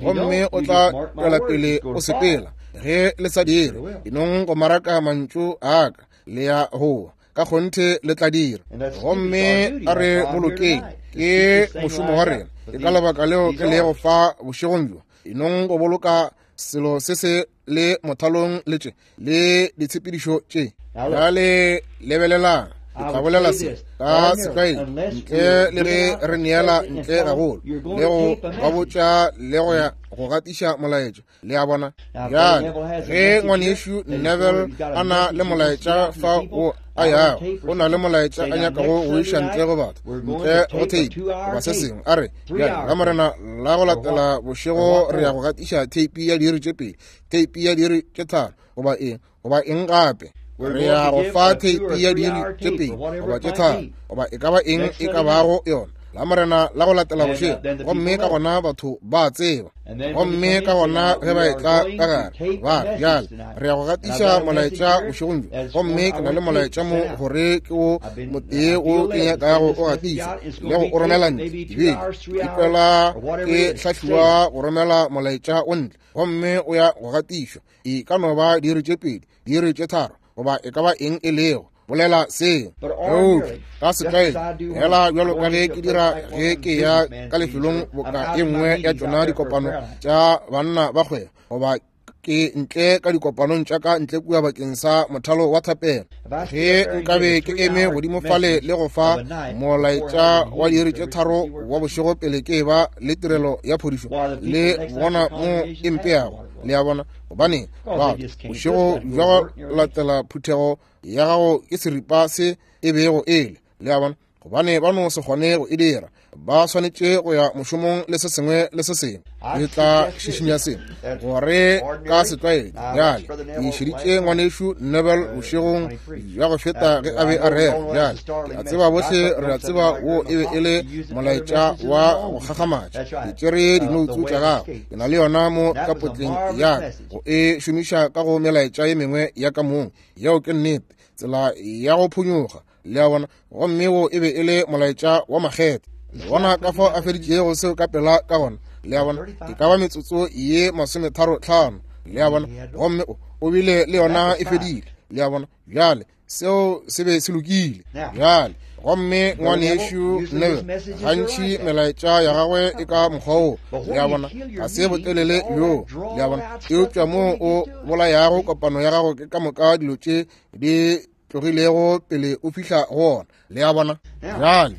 Speaker 1: gomme o tla tšwela pele o sepela. Ge le sa dire, enong go maraka mantšu a ka, le ya goa ka kgonthe le tla dira. Gomme a re bolokeng, ke mošomo wa rena. Ke ka lebaka leo ke lego fa bošegong bjo, enong go boloka selo se se le mothalong le tše le ditshepedišo tše. Bjale lebelelang, ke tla bolela se ka setlwaedi, ntle le ge re neela ntle gagolo le go ba botša le go ya go gatiša molaetša, le a bona. Bjale ge ngwanešu Neville a na le molaetša fa o a yago, o na le molaetša a nyakago go iša ntle go batho, ntle go tape goba se sengwe, a re bjale la Morena la go latela bošego re ya go gatiša tape ya diiri tše pedi, tape ya diiri tše tharo, goba eng goba eng gape. Re ya go fa tape ya diiri tše pedi goba tše tharo, goba e ka ba eng e ka bago yona, la Morena la go latela bošego. Gomme ka gona batho ba tseba. Gomme ka gona ge ba etla ka gare, ba re bjale re ya go gatiša molaetša bošegong bjo, gomme ke na le molaetša mo gore ke o motee o ke nyakago o gatišwa le go o romela ntle. Dibeke ke kwela ke hlahliwa go romela molaetša o ntle, gomme o ya go gatišwa. E ka no ba diiri tše pedi, diiri tše tharo, goba e ka ba eng e lego. Bolela seo. Eupša ka setlwaedi, fela bjalo ka ge ke dira ge ke ya ka lefelong boka e nngwe ya tšona dikopano tša banna ba kgwebo, goba ke ntle ka dikopanong tša ka ntle kua bakeng sa mothalo wa thapelo, ge nkabe ke eme godimo fale le go fa molaetša wa diiri tše tharo wa bošego pele ke ba le tirelo ya phodišo, le bona mo e mpeago, le a bona. Gobane batho bošego bja go latela phuthego ya gago ke seripa se e bego ele, le a bona, gobane ba no se kgone go e dira. Ba swanetše go ya mošomong le se sengwe le se sengwe. Ke tla šišinya se gore ka setlwaedi. Bjale ke šeditše ngwanešu Neville bošegong bja go feta ge a be a rera. Bjale ke a tseba bohle re a tseba wo e be e le molaetša wa go gagamatša. Ke tšere dinoutsu tša gagwe, ke na le yona mo ka potleng ya ka go e šomiša ka go melaetša ye mengwe ya ka mong. Yeo ke nnete, tsela ya go phonyoga, le a bona. Gomme wo e be e le molaetša wa makgethe. Le bona ka fao a feditšego seo ka pela ka gona, le a bona. E ka ba metsotso ye masometharo tlhano, le a bona. Gomme o bile le yona e fedile, le a bona. Bjale seo se be se lokile. Bjale gomme ngwanešu Neville, gantši melaetša ya gagwe e ka mokgwa wo, le a bona, ga se botelele bjo, le a bona. Eupša moo o bolayago kopano ya gago ke ka moka dilo tše di tlogilego pele o fihla go ona, le a bona. Bjale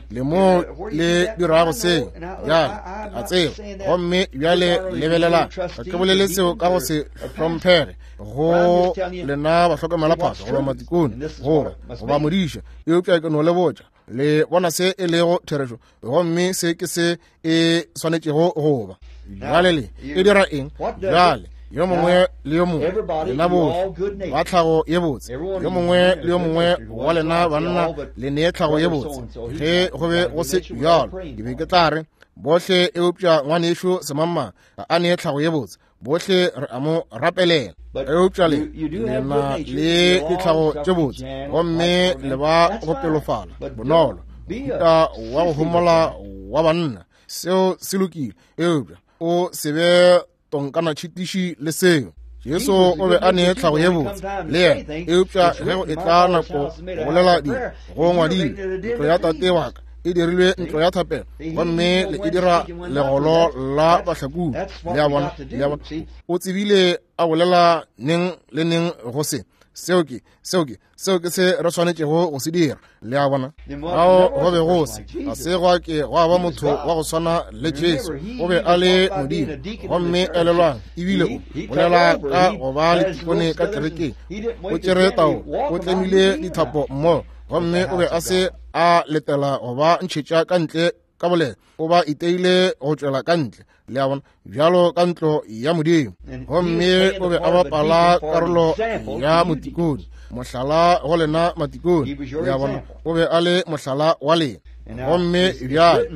Speaker 1: le mo le dirago seo, bjale a tseba. Gomme bjale lebelelang, ga ke bolele seo ka go se hlomphege go lena bahlokomelaphahlo goba matikone goba goba modiša, eupša ke no le botša, le bona se e lego therešo, gomme se ke se e swanetšego go ba. Bjale le e dira eng? Bjale yo mongwe le yo mongwe lena bohle ba tlhago ye botse, yo mongwe le yo mongwe wa lena banna le nee tlhago ye botse. Ge go be go se bjalo, ke be ke tla re bohle, eupša ngwanešu semangmang ga a nee tlhago ye botse, bohle re a mo rapelela. Eupša le lena le ditlhago tše botse, gomme le ba go pelofala bonolo, mohuta wa go homola wa banna, seo se lokile. Eupša o se be tonkana tšhitiši le seo. Jesu o be a nee tlhago ye botse le yena, eupša ge go etla nako go bolela dilo, go ngwadilwe, ntlo ya tate wa ka e dirilwe ntlo ya thapelo, gomme le e dira legolo la bahlakodi. Le a bona, le a bona. O tsebile a bolela neng le neng go se. Seo ke, seo ke, seo ke se re swanetšego go se dira. Le a bona? Ao go be go se, ga se gwa ke gwa ba motho wa go swana le Jesu. O be a le Modimo. Gomme elelwang, ebile o bolela ka go ba le tikone ka kerekeng. O tšere tao, o tlemile dithapo mmogo, gomme o be a se a letela go ba ntšhetša ka ntle ka boleta. O ba iteile go tšwela ka ntle. Le a bona? Bjalo ka ntlo ya Modimo. Gomme o be a bapala karolo ya motikone, mohlala go lena matikone. Le a bona? O be a le mohlala wa lena. Gomme bjale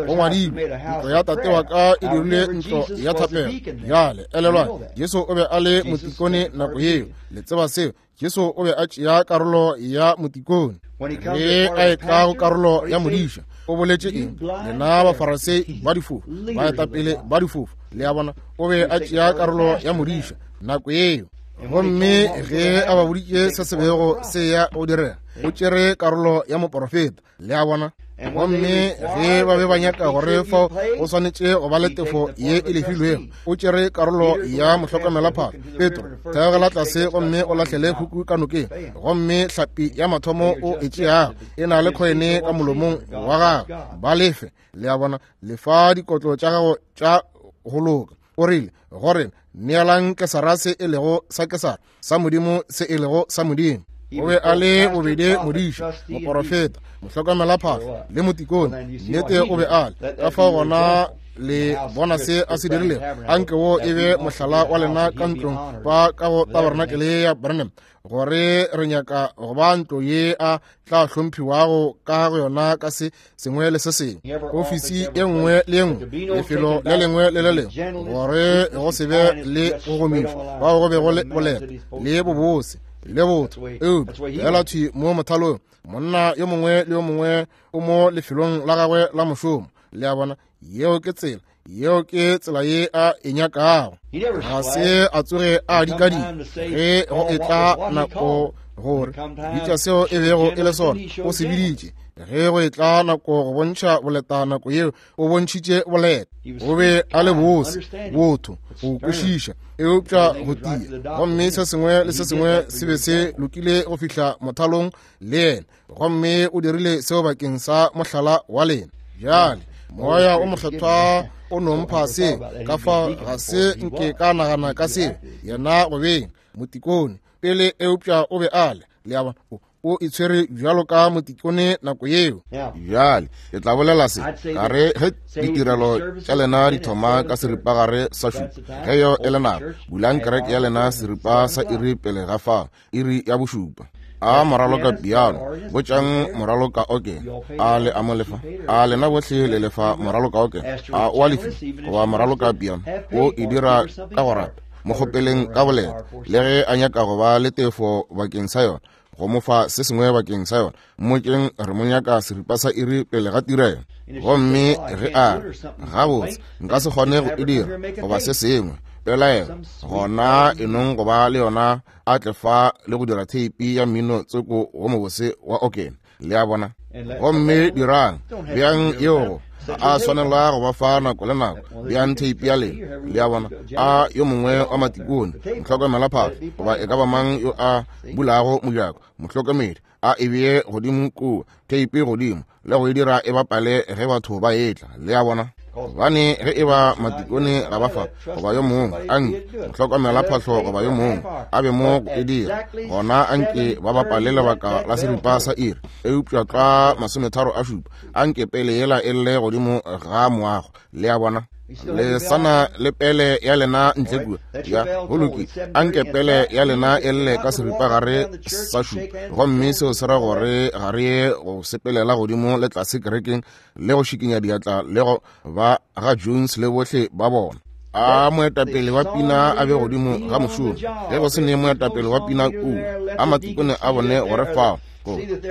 Speaker 1: go ngwadilwe, ntlo ya tate wa ka e dirile ntlo ya thapelo. Bjale elelwang, Jesu o be a le motikone nako yeo. Le tseba seo? Jesu o be a tšea karolo ya motikone. Ge a etla go karolo ya modiša, o boletše eng? Lena Bafarasei ba difofu, baetapele ba difofu. Le a bona? O be a tšea karolo ya modiša nako yeo. Gomme ge a ba boditše se se bego se ya go direga, o tšere karolo ya moporofeta. Le a bona? Gomme ge ba be ba nyaka gore fao go swanetše go ba le tefo ye e lefilwego, o tšere karolo ya mohlokomelaphahlo. Petro, theogela tlase gomme o lahlele huku ka nokeng, gomme hlapi ya mathomo o e tšeago e na le khoene ka molomong wa gago, ba lefe. Le a bona? Lefa dikotlo tša gago tša go loka. O rile gore neelang Kesara se e lego sa Kesara, sa Modimo se e lego sa Modimo. O be a le bobedi modiša, moporofeta, mohlokomelaphahlo le motikone. Nnete o be a le. Ka fao gona le bona se a se dirilego. Anke wo e be mohlala wa lena ka ntlong ba ka go tabernacle ya Branham, gore re nyaka go ba ntlo ye a tla hlomphiwago ka go yona ka se sengwe le se sengwe, ofisi e nngwe le e nngwe, lefelo le lengwe le le lengwe, gore go se be le go gomišwa bao go be go le boleta le bobose le botho. Eupša fela thwi mo mothalong, monna yo mongwe le yo mongwe o mo lefelong la gagwe la mošomo. Le a bona? Yeo ke tsela, yeo ke tsela ye a e nyakago. Ga se a tsoge a dikadika ge go etla nako gore bitša seo e bego e le sona, o se biditše. Ge go etla nako go bontšha boleta, nako yeo o bontšhitše boleta. O be a le bose, botho, go kwešiša, eupša go tia. Gomme se sengwe le se sengwe se be se lokile go fihla mothalong le yena. Gomme o dirile seo bakeng sa mohlala wa lena. Bjale moya o mokgethwa o no mpha se, ka fao ga se nke ka nagana ka seo. Yena go beng motikone pele, eupša o be a le. Le a bona? O itshwere bjalo ka motikone nako yeo.
Speaker 3: Bjale ke tla bolela se, ka re ge ditirelo tša lena di thoma ka seripagare sa šupa, ge yo e le nako, bulang kereke ya lena seripa sa iri pele ga fao, iri ya bošupa. A moralo ka piano, botšang moralo ka okene. A le a mo lefa? A lena bohle le lefa moralo ka okene? A o a lefi goba moralo ka piano? O e dira ka go rata. Mo kgopeleng ka boleta, le ge a nyaka go ba le tefo bakeng sa yona, go mo fa se sengwe bakeng sa yona. Mmotšeng re mo nyaka seripa sa iri pele ga tirelo. Gomme ge a re, gabotse nka se kgone go e dira goba se sengwe, pelaelo, gona e nong go ba le yona a tle fa le go dira theipi ya mmino tsoko wo mobose wa okene. Le a bona? Gomme dirang bjang yeo a swanela go ba fa nako le nako, bjang theipi ya lena. Le a bona? A yo mongwe wa matikone, mohlokomelaphahlo, goba e ka ba mang yo a bulago mojako, mohlokomedi, a e bee godimo kua, theipi godimo, le go e dira e bapale ge batho ba etla. Le a bona? Gobane ge e ba matikone ga ba fa, goba yo mongwe anke mohlokomelaphahlo goba yo mongwe a be mo go e dira, gona anke ba bapale lebaka la seripa sa iri, eupša tlwa masometharo a šupa, anke pele yela e lle godimo ga moago. Le a bona? Le sana le pele ya lena ntle kua. Ya, go lokile. Anke pele ya lena e lle ka seripagare sa šupa. Gomme seo se ra gore ga re ye go sepelela godimo le tlase kerekeng le go šikinya diatla le go ba ga Jones le bohle ba bona. A moetapele wa pina a be godimo ga mošomo. Ge go se ne moetapele wa pina kua, a matikone a bone gore fao,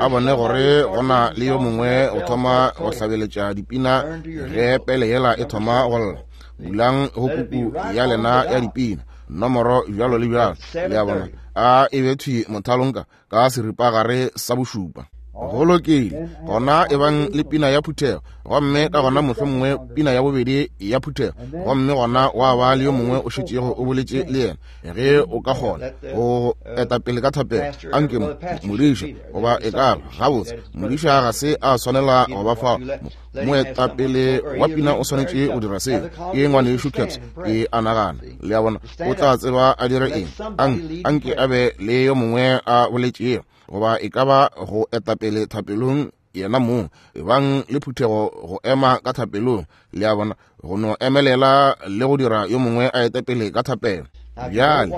Speaker 3: a bone gore go na le yo mongwe go thoma go hlabeletša dipina ge pele yela e thoma go lla. Bulang go puku ya lena ya dipina, nomoro bjalo le bjalo. Le a bona? A e be thwi mothalong ka ka seripagare sa bošupa. Go lokile, gona e bang le pina ya phuthego, gomme ka gona mohlomongwe pina ya bobedi ya phuthego, gomme gona wa ba le yo mongwe o šetšego o boletše le yena, ge o ka kgona go eta pele ka thapelo. Anke modiša goba e ka ba gabotse, modiša ga se a swanela go ba fao. Moetapele wa pina o swanetše go dira seo. Ke ngwanešu Caps, ke a nagana. Le a bona, o tla tseba a dire eng. Anke a be le yo mongwe a boletšego, goba e ka ba go etapele thapelong yena mong, e bang le phuthego go ema ka thapelong. Le a bona, go no emelela le go dira yo mongwe a etapele ka thapelo. Bjale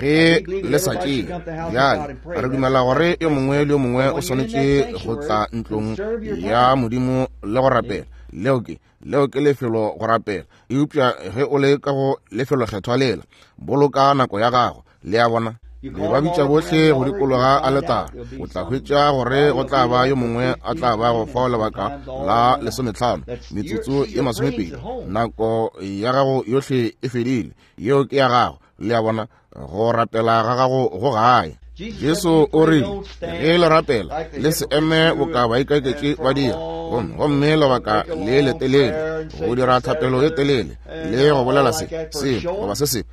Speaker 3: ge le sa tšee, bjale re dumela gore yo mongwe le yo mongwe o swanetše go tla ntlong ya Modimo le go rapela. Leo ke leo ke lefelo go rapela. Eupša ge o le ka go lefelokgethwa lela, boloka nako ya gago. Le a bona, le ba bitša bohle go dikologa aletara, o tla hwetša gore go tla ba yo mongwe a tla ba go fao lebaka la lesometlhano, metsotso ye masomepedi. Nako ya gago yohle e fedile, yeo ke ya gago. Le a bona, go rapela ga gago go gae. Jesu o rile, ge le rapela le se eme boka baikaketši ba dira, gomme lebaka le letelele, go dira thapelo e telele, le go bolela se se goba se se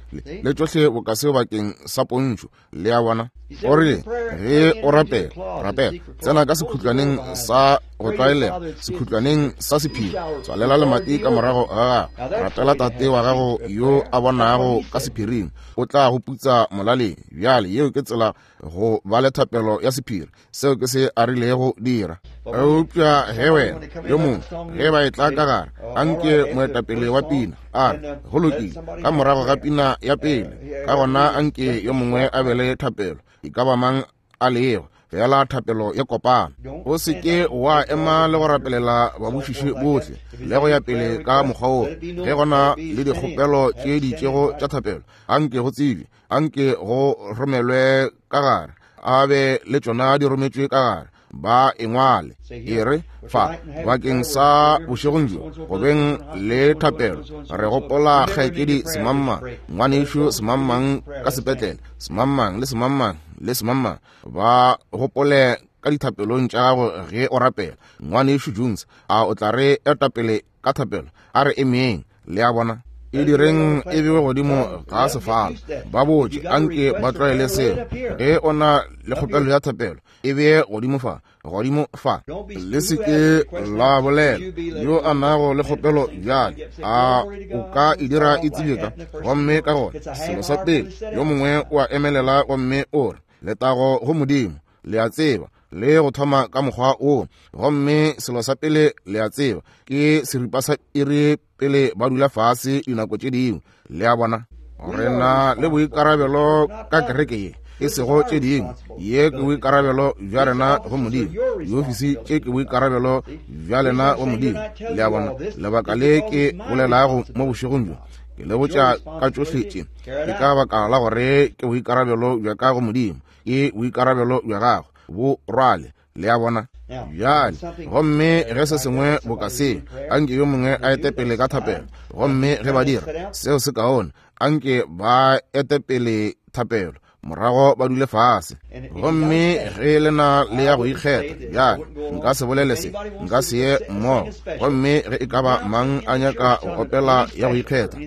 Speaker 3: le tšohle boka seo bakeng sa pontšho. Le a bona, o rile ge o rapela, rapela tsena ka sekhutlwaneng sa go tlwaelega, sekhutlwaneng sa sephiri, tswalela lemati ka morago ga gago, rapela Tate wa gago yo a bonago ka sephiring, o tla go putsa molaleng. Bjale yeo ke tsela go ba le thapelo ya sephiri. Seo ke se a rilego dira. Eupša ge wena yo mongwe ge ba e tla ka gare, anke moetapele wa pina a re, go lokile, ka morago ga pina ya pele, ka gona anke yo mongwe a be le thapelo, e ka ba mang a lego, fela thapelo ya kopano. O se ke wa ema le go rapelela babušiši bohle le go ya pele ka mokgwa wo. Ge gona le dikgopelo tše di itšego tša thapelo, anke go tsebje, anke go romelwe ka gare, a be le tšona di rometšwe ka gare, ba engwale e re fa bakeng sa bošegong bjo go beng le thapelo. Re gopola kgaetšedi semangmang, ngwanešu semangmang ka sepetlele, semangmang le semangmang le semangmang, ba gopole ka dithapelong tša gago ge o rapela. Ngwanešu Jones, a o tla re etapele ka thapelo? A re emeng. Le a bona, e direng e bewe godimo ga sefala. Ba botše, anke ba tlwaele seo. Ge o na le kgopelo ya thapelo, e beye godimo fa, godimo fa. Le se ke la bolela yo a nago le kgopelo bjale, a o ka e dira e tsebje ka. Gomme ka gona selo sa pele, yo mongwe o a emelela gomme o re, letago go Modimo, le a tseba, le go thoma ka mokgwa wo. Gomme selo sa pele le a tseba, ke seripa sa iri pele ba dula fase dinako tše dingwe. Le a bona, re na le boikarabelo ka kereke ye, e sego tše dingwe. Ye ke boikarabelo bja rena go Modimo. Diofisi tše ke boikarabelo bja lena go Modimo. Le a bona, lebaka le ke bolelago mo bošegong bjo, ke le botša ka tšohle tše, ke ka baka la gore ke boikarabelo bja ka go Modimo, ke boikarabelo bja gago, bo rwale. Le a bona, bjale gomme ge se sengwe boka se, anke yo mongwe a ete pele ka thapelo. Gomme ge ba dira seo se kaone, anke ba ete pele thapelo, morago ba dule fase. Gomme ge le na le ya go ikgetha, bjale nka se bolele se, nka se ye mmogo. Gomme ge e ka ba mang a nyaka go opela ya go ikgetha,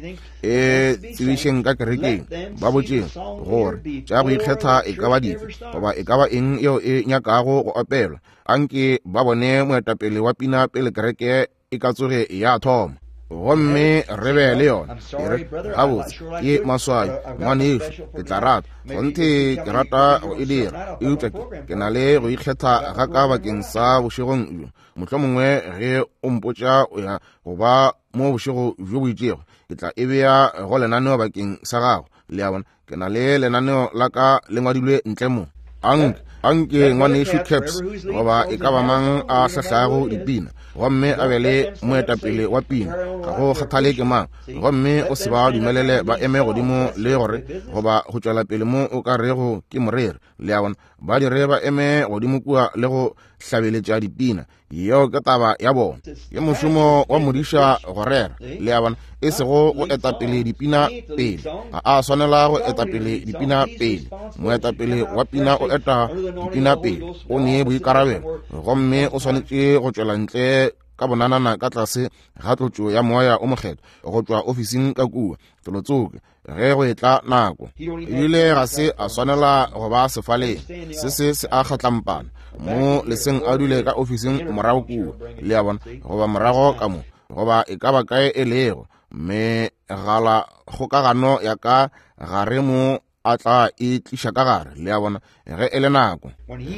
Speaker 3: e tsebišeng ka kerekeng, ba botšeng gore tša go ikgetha e ka ba dife, goba e ka ba eng yeo e nyakago go opelwa. Anke ba bone moetapele wa pina pele kereke e ka tsoge ya thoma, gomme re be le yona. E re, gabotse, ke maswabi ngwanešu, ke tla rata kgonthe, ke rata go e dira, eupša ke na le go ikgetha ga ka bakeng sa bošegong bjo. Mohlomongwe ge o mpotša o ya go ba mo bošego bjo bo itšego, ke tla e bea go lenaneo bakeng sa gago. Le a bona, ke na le lenaneo la ka le ngwadilwe ntle mo. Anke anke ngwanešu Caps goba e ka ba mang a hlahlago dipina, gomme a be le moetapele wa pina, ga go kgathale ke mang, gomme o se ba dumelele ba eme godimo le gore goba go tšwela pele mo o ka rego ke moreri. Le a bona, ba dire ba eme godimo kua le go hlabeletša dipina. Yeo ke taba ya bona, ke mošomo wa modiša go rera. Le a bona, e sego go etapele dipina pele. Ga a swanela go etapele dipina pele. Moetapele wa pina o eta dipina pele, o ne boikarabelo, gomme o swanetše go tšwela ntle ka bonanana ka tlase ga tlotšo ya moya o mokgethwa go tšwa ofising ka kua felotsoke ge go etla nako. Ebile ga se a swanela go ba sefaleng se se se a kgatlampana mo leseng a dule ka ofising morago kua, le a bona, goba morago ka mo, goba e ka ba kae e lego. Megala kgokagano ya ka gare mo a tla e tliša ka gare, le a bona, ge e le nako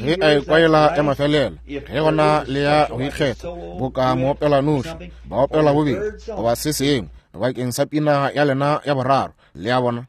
Speaker 3: ge a ekwaela ya mafelelo, ge gona le ya go ikgetha boka moopela noši, ba opela bobedi goba se sengwe bakeng sa pina ya lena ya boraro, le a bona,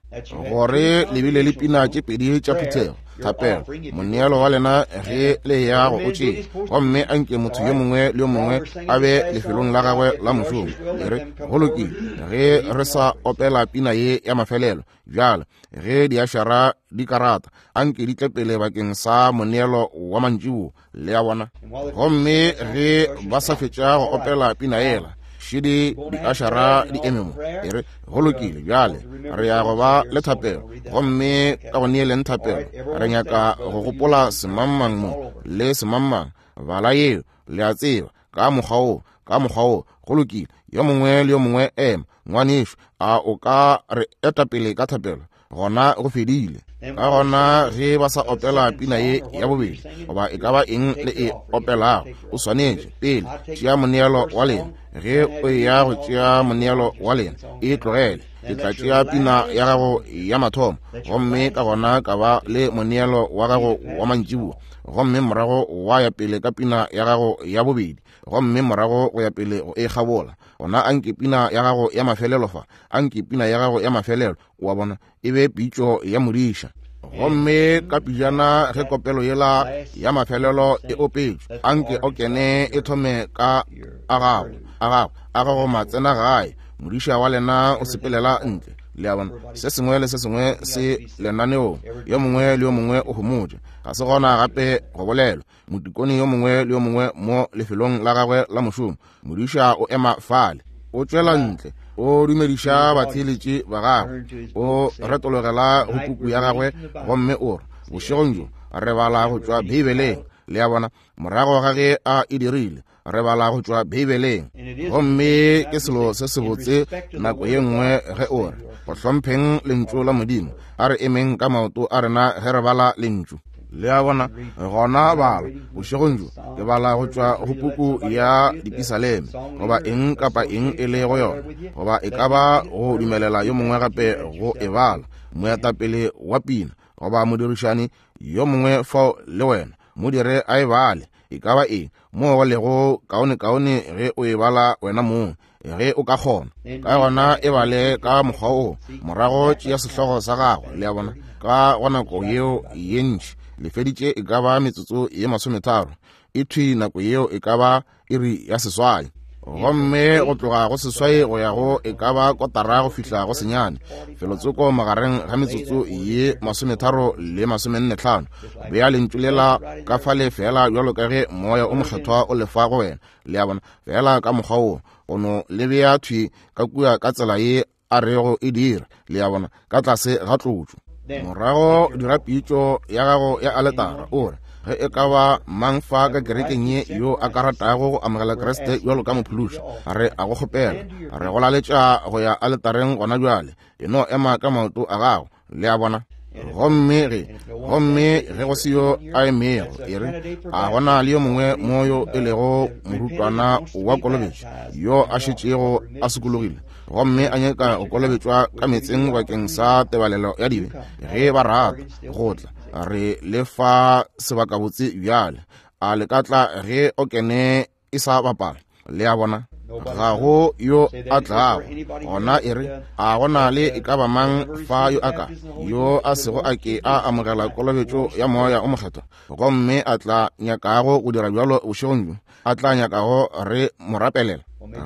Speaker 3: gore le bile le pina tše pedi tša phuthego, thapelo, moneelo wa lena ge le ya go o tšea, gomme anke motho yo mongwe le yo mongwe a be lefelong la gagwe la mošomo. E re go lokile ge re sa opela pina ye ya mafelelo bjale, ge diašara di karata anke di tle pele bakeng sa moneelo wa mantšiboa, le a bona. Gomme ge ba sa fetša go opela pina yela, šidi diašara di eme mo, e re go lokile bjale re ya go ba le thapelo, gomme ka go neeleng thapelo re nyaka go gopola semangmang mo le semangmang, bala yeo, le a tseba, ka mokgwa wo, ka mokgwa wo, go lokile, yo mongwe le yo mongwe ema. Ngwanešu, a o ka re eta pele ka thapelo? Gona go fedile. Ka gona ge ba sa opela pina ye ya bobedi goba e ka ba eng le e opelago, o swanetše pele tšea moneelo wa lena. Ge o ya go tšea moneelo wa lena, e tlogele. Ke tla tšea pina ya gago ya mathomo, gomme ka gona ka ba le moneelo wa gago wa mantšiboa, gomme morago wa ya pele ka pina ya gago ya bobedi, gomme morago go ya pele go e kgabola. Gona anke pina ya gago ya mafelelo fa, anke pina ya gago ya mafelelo, wa bona, e be pitšo ya modiša. Gomme ka pijana ge kopelo yela ya mafelelo e opetšwe, anke o kene e thome ka a gago, a gago, a gago matsena gae, modiša wa lena o sepelela ntle, le a bona, se sengwe le se sengwe se lenaneong, yo mongwe le yo mongwe o homotše, ga se gona gape go bolelwa. Motikone yo mongwe le yo mongwe mo lefelong la gagwe la mošomo, modiša o ema fale, o tšwela ntle, o dumediša batheeletši ba gagwe, o retologela go puku ya gagwe, gomme o re, bošegong bjo re bala go tšwa Beibeleng, le a bona, morago ga ge a e dirile, re bala go tšwa Beibeleng. Gomme ke selo se sebotse nako ye nngwe ge o re go hlompheng lentšu la Modimo, a re emeng ka maoto a rena ge re bala lentšu, le a bona. Gona bala bošegong bjo ke bala go tšwa go puku ya Dipisaleme, goba eng kapa eng e le go yona, goba e ka ba go dumelela yo mongwe gape go e bala, moetapele wa pina goba modirišani yo mongwe fao le wena, mo dire a e bale, e ka ba eng mo go lego kaone-kaone ge o e bala wena mong, ge o ka kgona. Ka gona e bale ka mokgwa o, morago tšea sehlogo sa gago, le a bona, ka go nako yeo ye ntši le feditše e ka ba metsotso ye masometharo, e thwi nako yeo e ka ba iri ya seswai, gomme go tloga go seswai go ya go e ka ba kotara go fihla go senyane, felotsoko magareng ga metsotso ye masometharo le masomenne tlhano. Bea lentšu lela ka fale fela bjalo ka ge moya o mokgethwa o lefa go wena, le a bona, fela ka mokgwa wo, o no le bea thwi ka kua ka tsela ye a rego e dira, le a bona, ka tlase ga tlotšo. Morago dira pitšo ya gago ya aletara, o re, ge e ka ba mang fa ka kerekeng ye yo a ka ratago go amogela Kriste bjalo ka mophološi, re a go kgopela, re go laletša go ya aletareng gona bjale, e no ema ka maoto a gago, le a bona. Gomme ge gomme ge go se yo a emego, e re a gona le yo mongwe mo yo e lego morutwana wa kolobetšo yo a šetšego a sokologile, gomme a nyaka go kolobetšwa ka meetseng bakeng sa tebalelo ya dibe, ge ba rata go tla, re le fa sebakabotse bjale, a le ka tla ge o kene e sa bapala, le a bona. Ga go yo a tlago gona, e re a gona le e ka ba mang fa yo a ka yo a sego a ke a amogela kolobetšo ya moya o mokgethwa, gomme a tla nyakago go dira bjalo bošegong bjo, a tla nyakago re mo rapelela.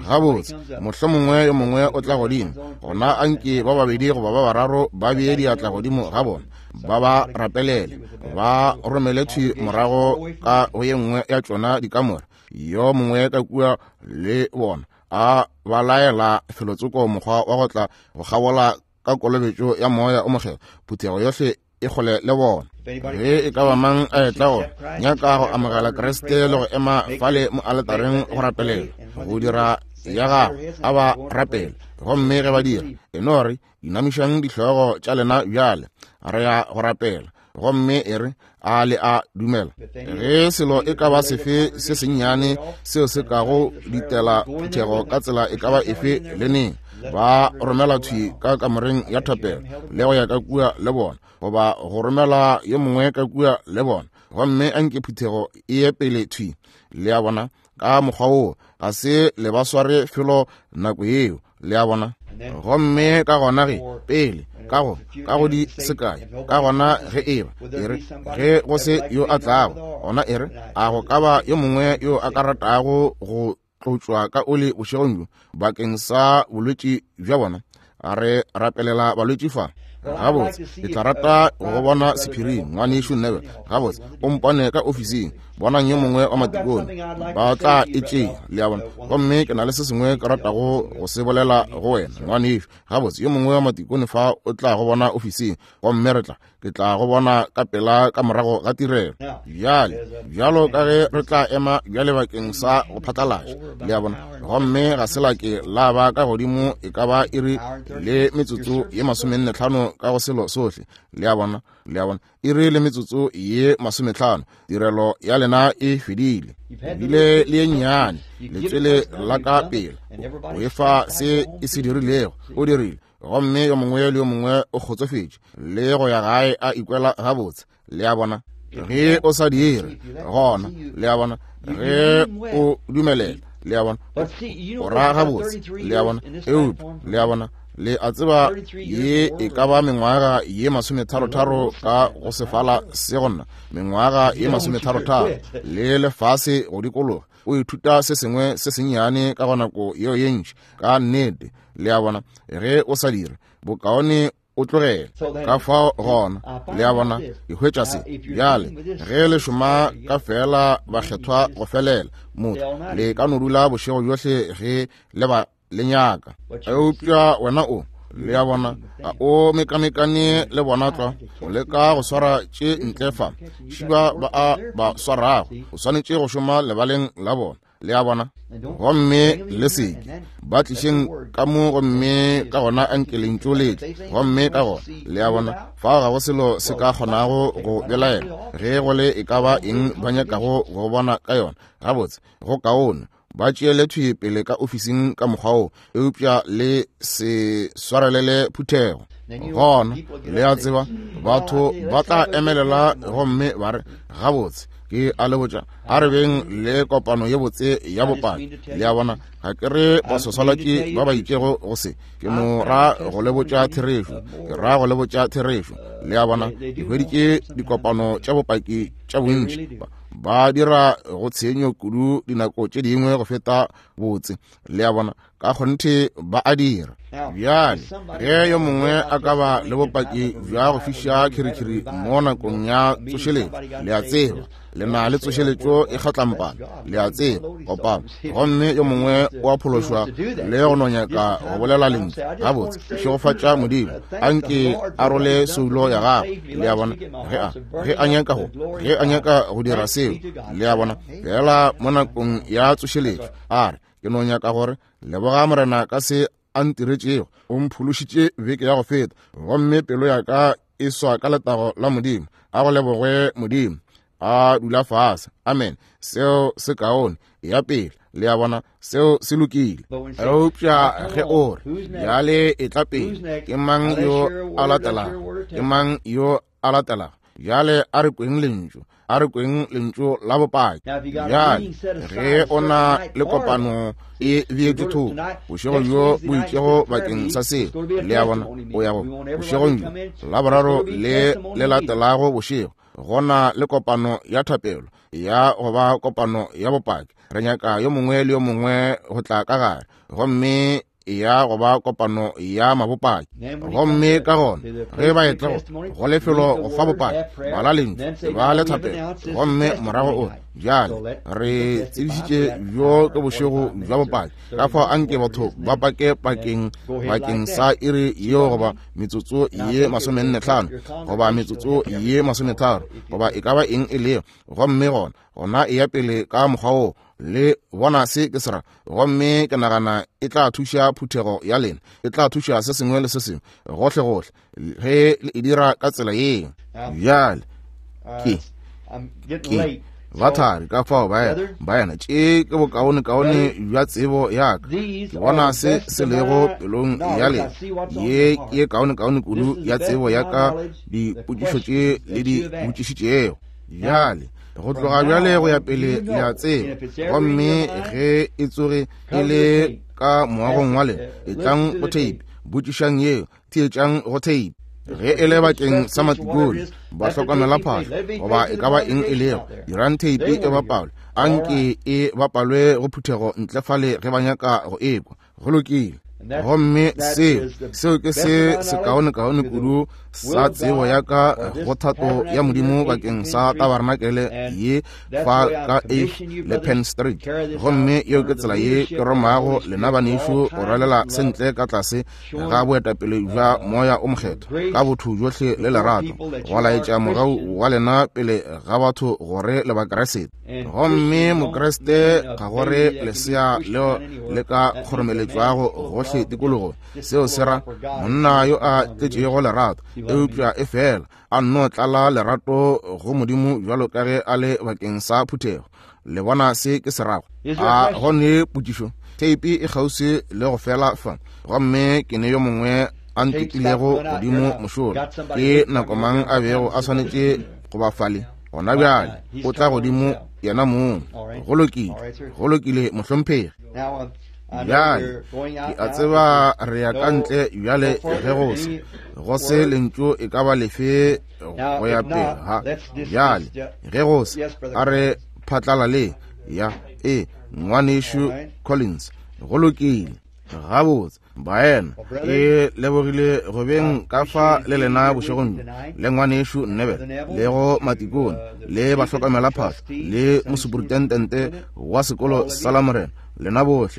Speaker 3: Gabotse, mohlomongwe yo mongwe o tla godimo, gona anke ba babedi goba ba bararo ba bee diatla godimo ga bona, ba ba rapelele, ba romele thwi morago ka go ye nngwe ya tšona dikamore, yo mongwe ka kua le bona a ba laela felotsoko mokgwa wa go tla go kgabola ka kolobetšo ya moya o mokgethwa, phuthego yohle e kgole le bona.
Speaker 1: Ge e ka ba mang a etla go nyaka go amogela Kriste le go ema fale mo aletareng go rapelela, go dira ya gagwe, a ba rapele. Gomme ge ba dira, e no re inamišang dihlogo tša lena bjale, re ya go rapela. Gomme e re a le a dumela. Ge selo e ka ba sefe se sennyane seo se kago ditela phuthego ka tsela e ka ba efe le neng, ba romela thwi ka kamoreng ya thapelo le go ya ka kua le bona, goba go romela yo mongwe ka kua le bona, gomme a nke phuthego e ye pele thwi. Le a bona, ka mokgwa woo ga se le ba sware felo nako yeo. Le a bona. Gomme ka gona ge pele ka go ka go di sekae, ka gona ge eba e re ge go se yo a tlago, gona e re a go ka ba yo mongwe yo a ka ratago go tlotšwa ka oli bošegong bjo bakeng sa bolwetši bja bona. A re rapelela balwetši fa. Gabotse, ke tla rata go bona sephiring, ngwanešu Neville. Gabotse, o mpone ka ofising, bonang yo mongwe wa matikone, ba tla e tšea. Le a bona. Gomme ke na le se sengwe ke ratago go se bolela go wena, ngwanešu. Gabotse, yo mongwe wa matikone fa o tla go bona ofising, gomme re tla ke tla go bona ka pela ka morago ga tirelo. Bjale, bjalo ka ge re tla ema bjale bakeng sa go phatlalatša. Le a bona. Gomme ga se la ke la ba ka godimo e ka ba iri le metsotso ye masomenne tlhano ka go selo sohle. Le a bona, le a bona, iri le metsotso ye masometlhano, tirelo ya lena e fedile. Bile le ye nnyane letswele la ka pele o efa se e se dirilego, o dirile. Gomme yo mongwe le yo mongwe o kgotsofetše le go ya gae a ikwela gabotse. Le a bona. Ge o sa dire gona, le a bona, ge o dumelela, le a bona, o ra gabotse. Le a bona. Eupša le a bona, le a tseba ye e ka ba mengwaga ye masometharotharo ka go sefala se gonna, mengwaga ye masometharotharo le lefase go dikologa, o ithuta se sengwe se sennyane ka go nako yeo ye ntši ka nnete. Le a bona. Ge o sa dire, bokaone o tlogele. Ka fao gona, le a bona, ke hwetša se bjale. Ge le šoma ka fela bakgethwa go felela, motho le ka no dula bošego bjohle ge le ba le nyaka. Eupša wena o, le a bona, a o mekamekane le bona tlwa, o leka go swara tše ntle fa šiba ba a ba swarago, o swanetše go šoma lebaleng la bona. Le a bona. Gomme le seke ba tlišeng ka mo, gomme ka gona a nke lentšu le tle. Gomme ka gona, le a bona, fao ga go selo se ka kgonago go belaela ge go le e ka ba eng ba nyakago go bona ka yona. Gabotse, go kaone ba tšeele thwi pele ka ofising ka mokgwa wo, eupša le se swarelele phuthego. Gona, le a tseba, batho ba tla emelela gomme ba re, gabotse, ke a le botša, a re beng le kopano ye botse ya bopaki. Le a bona, ga ke re baswaswalatši ba ba itšego go se, ke no ra go le botša therešo, ke ra go le botša therešo. Le a bona, ke hweditše dikopano tša bopaki tša bontši, ba dira go tshenyo kudu dinako tše dingwe go feta botse. Le a bona, ka kgonthe ba a dira. Bjale ge yo mongwe a ka ba le bopaki bja go fiša khirikhiri mo nakong ya tsošeletšo, le a tseba, le na le tsošeletšo e kgatlampana, le a tseba, kopano, gomme yo mongwe o a phološwa le go no nyaka go bolela lentšu, gabotse, šegofatša Modimo, a nke a role soulo ya gagwe. Le a bona, ge a ge a nyaka go ge a nyaka go dira seo, le a bona, fela mo nakong ya tsošeletšo a re, ke no nyaka gore leboga Morena ka se a ntiretšego, o mphološitše beke ya go feta, gomme pelo ya ka e swa ka letago la Modimo. A go lebogwe Modimo. A dula fase. Amen. Seo se kaone. Ya pele. Le a bona, seo se lokile. Eupša ge o re bjale e tla pele, ke mang yo a latelago? Ke mang yo a latelago? Bjale a re kweng lentšu, a re kweng lentšu la bopaki. Bjale ge o na le kopano e beetšwe thoko bošego bjo bo itšego bakeng sa seo, le a bona, o ya go bošegong bjo la boraro le le latelago bošego, gona le kopano ya thapelo ya go ba kopano ya bopaki. Re nyaka yo mongwe le yo mongwe go tla ka gare, gomme ya go ba kopano ya mabopaki. Gomme ka gona ge ba etla go lefelo go fa bopaki, bala lentšu, ba le thapelo, gomme morago o bjale re tsebišitše bjo ke bošego bja bopaki. Ka fao anke batho ba pake pakeng bakeng sa iri yeo goba metsotso ye masomenne hlano goba metsotso ye masometharo goba e ka ba eng e lego, gomme gona gona e ya pele ka mokgwa wo. Le bona se ke se ra. Gomme ke nagana e tla thuša phuthego ya lena, e tla thuša se sengwe le se sengwe gohle gohle ge le e dira ka tsela yeo. Bjale ke ke bathari ka fao baena baena tše ke bokaonekaone bja tsebo ya ka. Ke bona se se lego pelong ya lena. Ye ke kaonekaone kudu ya tsebo ya ka dipotšišo tše le di botšišitšego. Bjale go tloga bjale go ya pele le a tseba. Gomme ge e tsoge e le ka moagong wa lena, etlang go tape, botšišang yeo, theetšang go tape. Ge e le bakeng sa matikone, ba hlokomela phahlo goba e ka ba eng e lego, dirang tape e bapalwe, anke e bapalwe go phuthego ntle fale ge ba nyaka go ekwa. Go lokile. Gomme seo seo ke se sekaonekaone kudu sa tsebo ya ka go thato ya Modimo bakeng sa tabarnakele ye fa ka Eighth le Penn Street. Gomme yeo ke tsela ye ke romago lena banešu go rwalela sentle ka tlase ga boetapele bja Moya o Mokgethwa ka botho bjohle le lerato, go laetša mogau wa lena pele ga batho gore le Bakriste. Gomme Mokriste ga gore lesea leo le ka kgoromeletšwago gohle tikologo, seo se ra monna yo a tletšego lerato, eupša e fela a nno tlala lerato go Modimo bjalo ka ge a le bakeng sa phuthego. Le bona se ke se rago? A go ne potšišo? Theipi e kgauswi le go fela fa, gomme ke ne yo mongwe a ntekilego godimo mošola. Ke nako mang a bego a swanetše go ba fale? Gona bjale o tla godimo yena mong. Go lokile, go lokile mohlomphegi. Bjale ke a tseba re ya ka ntle bjale ge go se go se lentšu e ka ba lefe go ya pele ha. Bjale ge go se a re phatlala le ya e ngwanešu Collins. Go lokile, gabotse baena, ke lebogile go beng ka fa le lena bošegong bjo, le ngwanešu Nnebele, le go matikone, le bahlokomela phahlo, le mosuprintendente wa sekolo sa la Morena, lena bohle.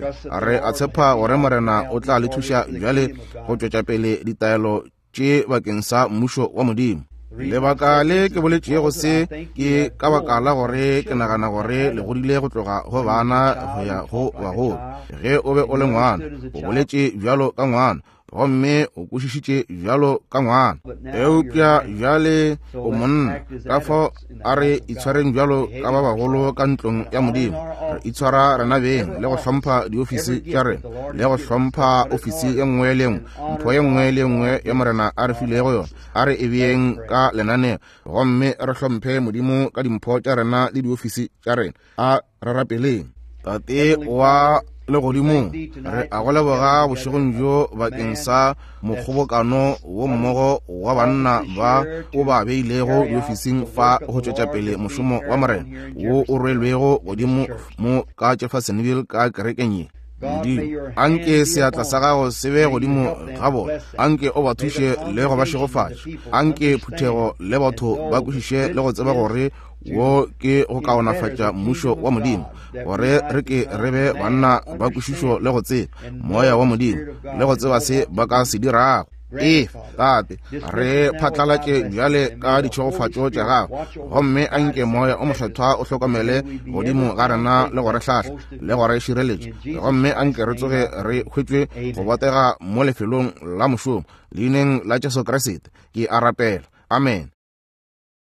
Speaker 1: Re a tshepa gore Morena o tla le thuša bjale go tšwetša pele ditaelo tše bakeng sa mmušo wa Modimo. Lebaka le ke boletšego se ke ka baka la gore ke nagana gore le godile go tloga go bana go ya go bagolo. Ge o be o le ngwana, o boletše bjalo ka ngwana, gomme o kwešišitše bjalo ka ngwana. Eupša bjale o monna, ka fao a re itshwareng bjalo ka ba bagolo ka ntlong ya Modimo. Re itshwara rena beng le go hlompha diofisi tša rena, le go hlompha ofisi ye nngwe le nngwe, mpho ye nngwe le nngwe ya Morena a re filego yona, a re e beeng ka lenaneo, gomme re hlomphe Modimo ka dimpho tša rena le diofisi tša rena. A re rapeleng. Tate wa legodimong, re a go leboga bošegong bjo bakeng sa mokgobokano wo mmogo wa banna ba o ba beilego diofising fa go tšwetša pele mošomo wa Morena wo o rwelwego godimo mo ka Jeffersonville ka kerekeng ye. Modimo, anke seatla sa gago se be godimo ga bona, anke o ba thuše le go ba šegofatša, anke phuthego le batho ba kwešiše le go tseba gore wo ke go kaonafatša mmušo wa Modimo, gore re ke re be banna ba kwešišo le go tseba moya wa Modimo le go tseba se ba ka se dirago. Efa Tate, re phatlalatše bjale ka ditšhegofatšo tša gago, gomme anke Moya o Mokgethwa o hlokomele godimo ga rena le go re hlahla le go re šireletša, gomme anke re tsoge re hwetšwe go botega mo lefelong la mošomo. Leineng la Jesu Kriste ke a rapela, amen.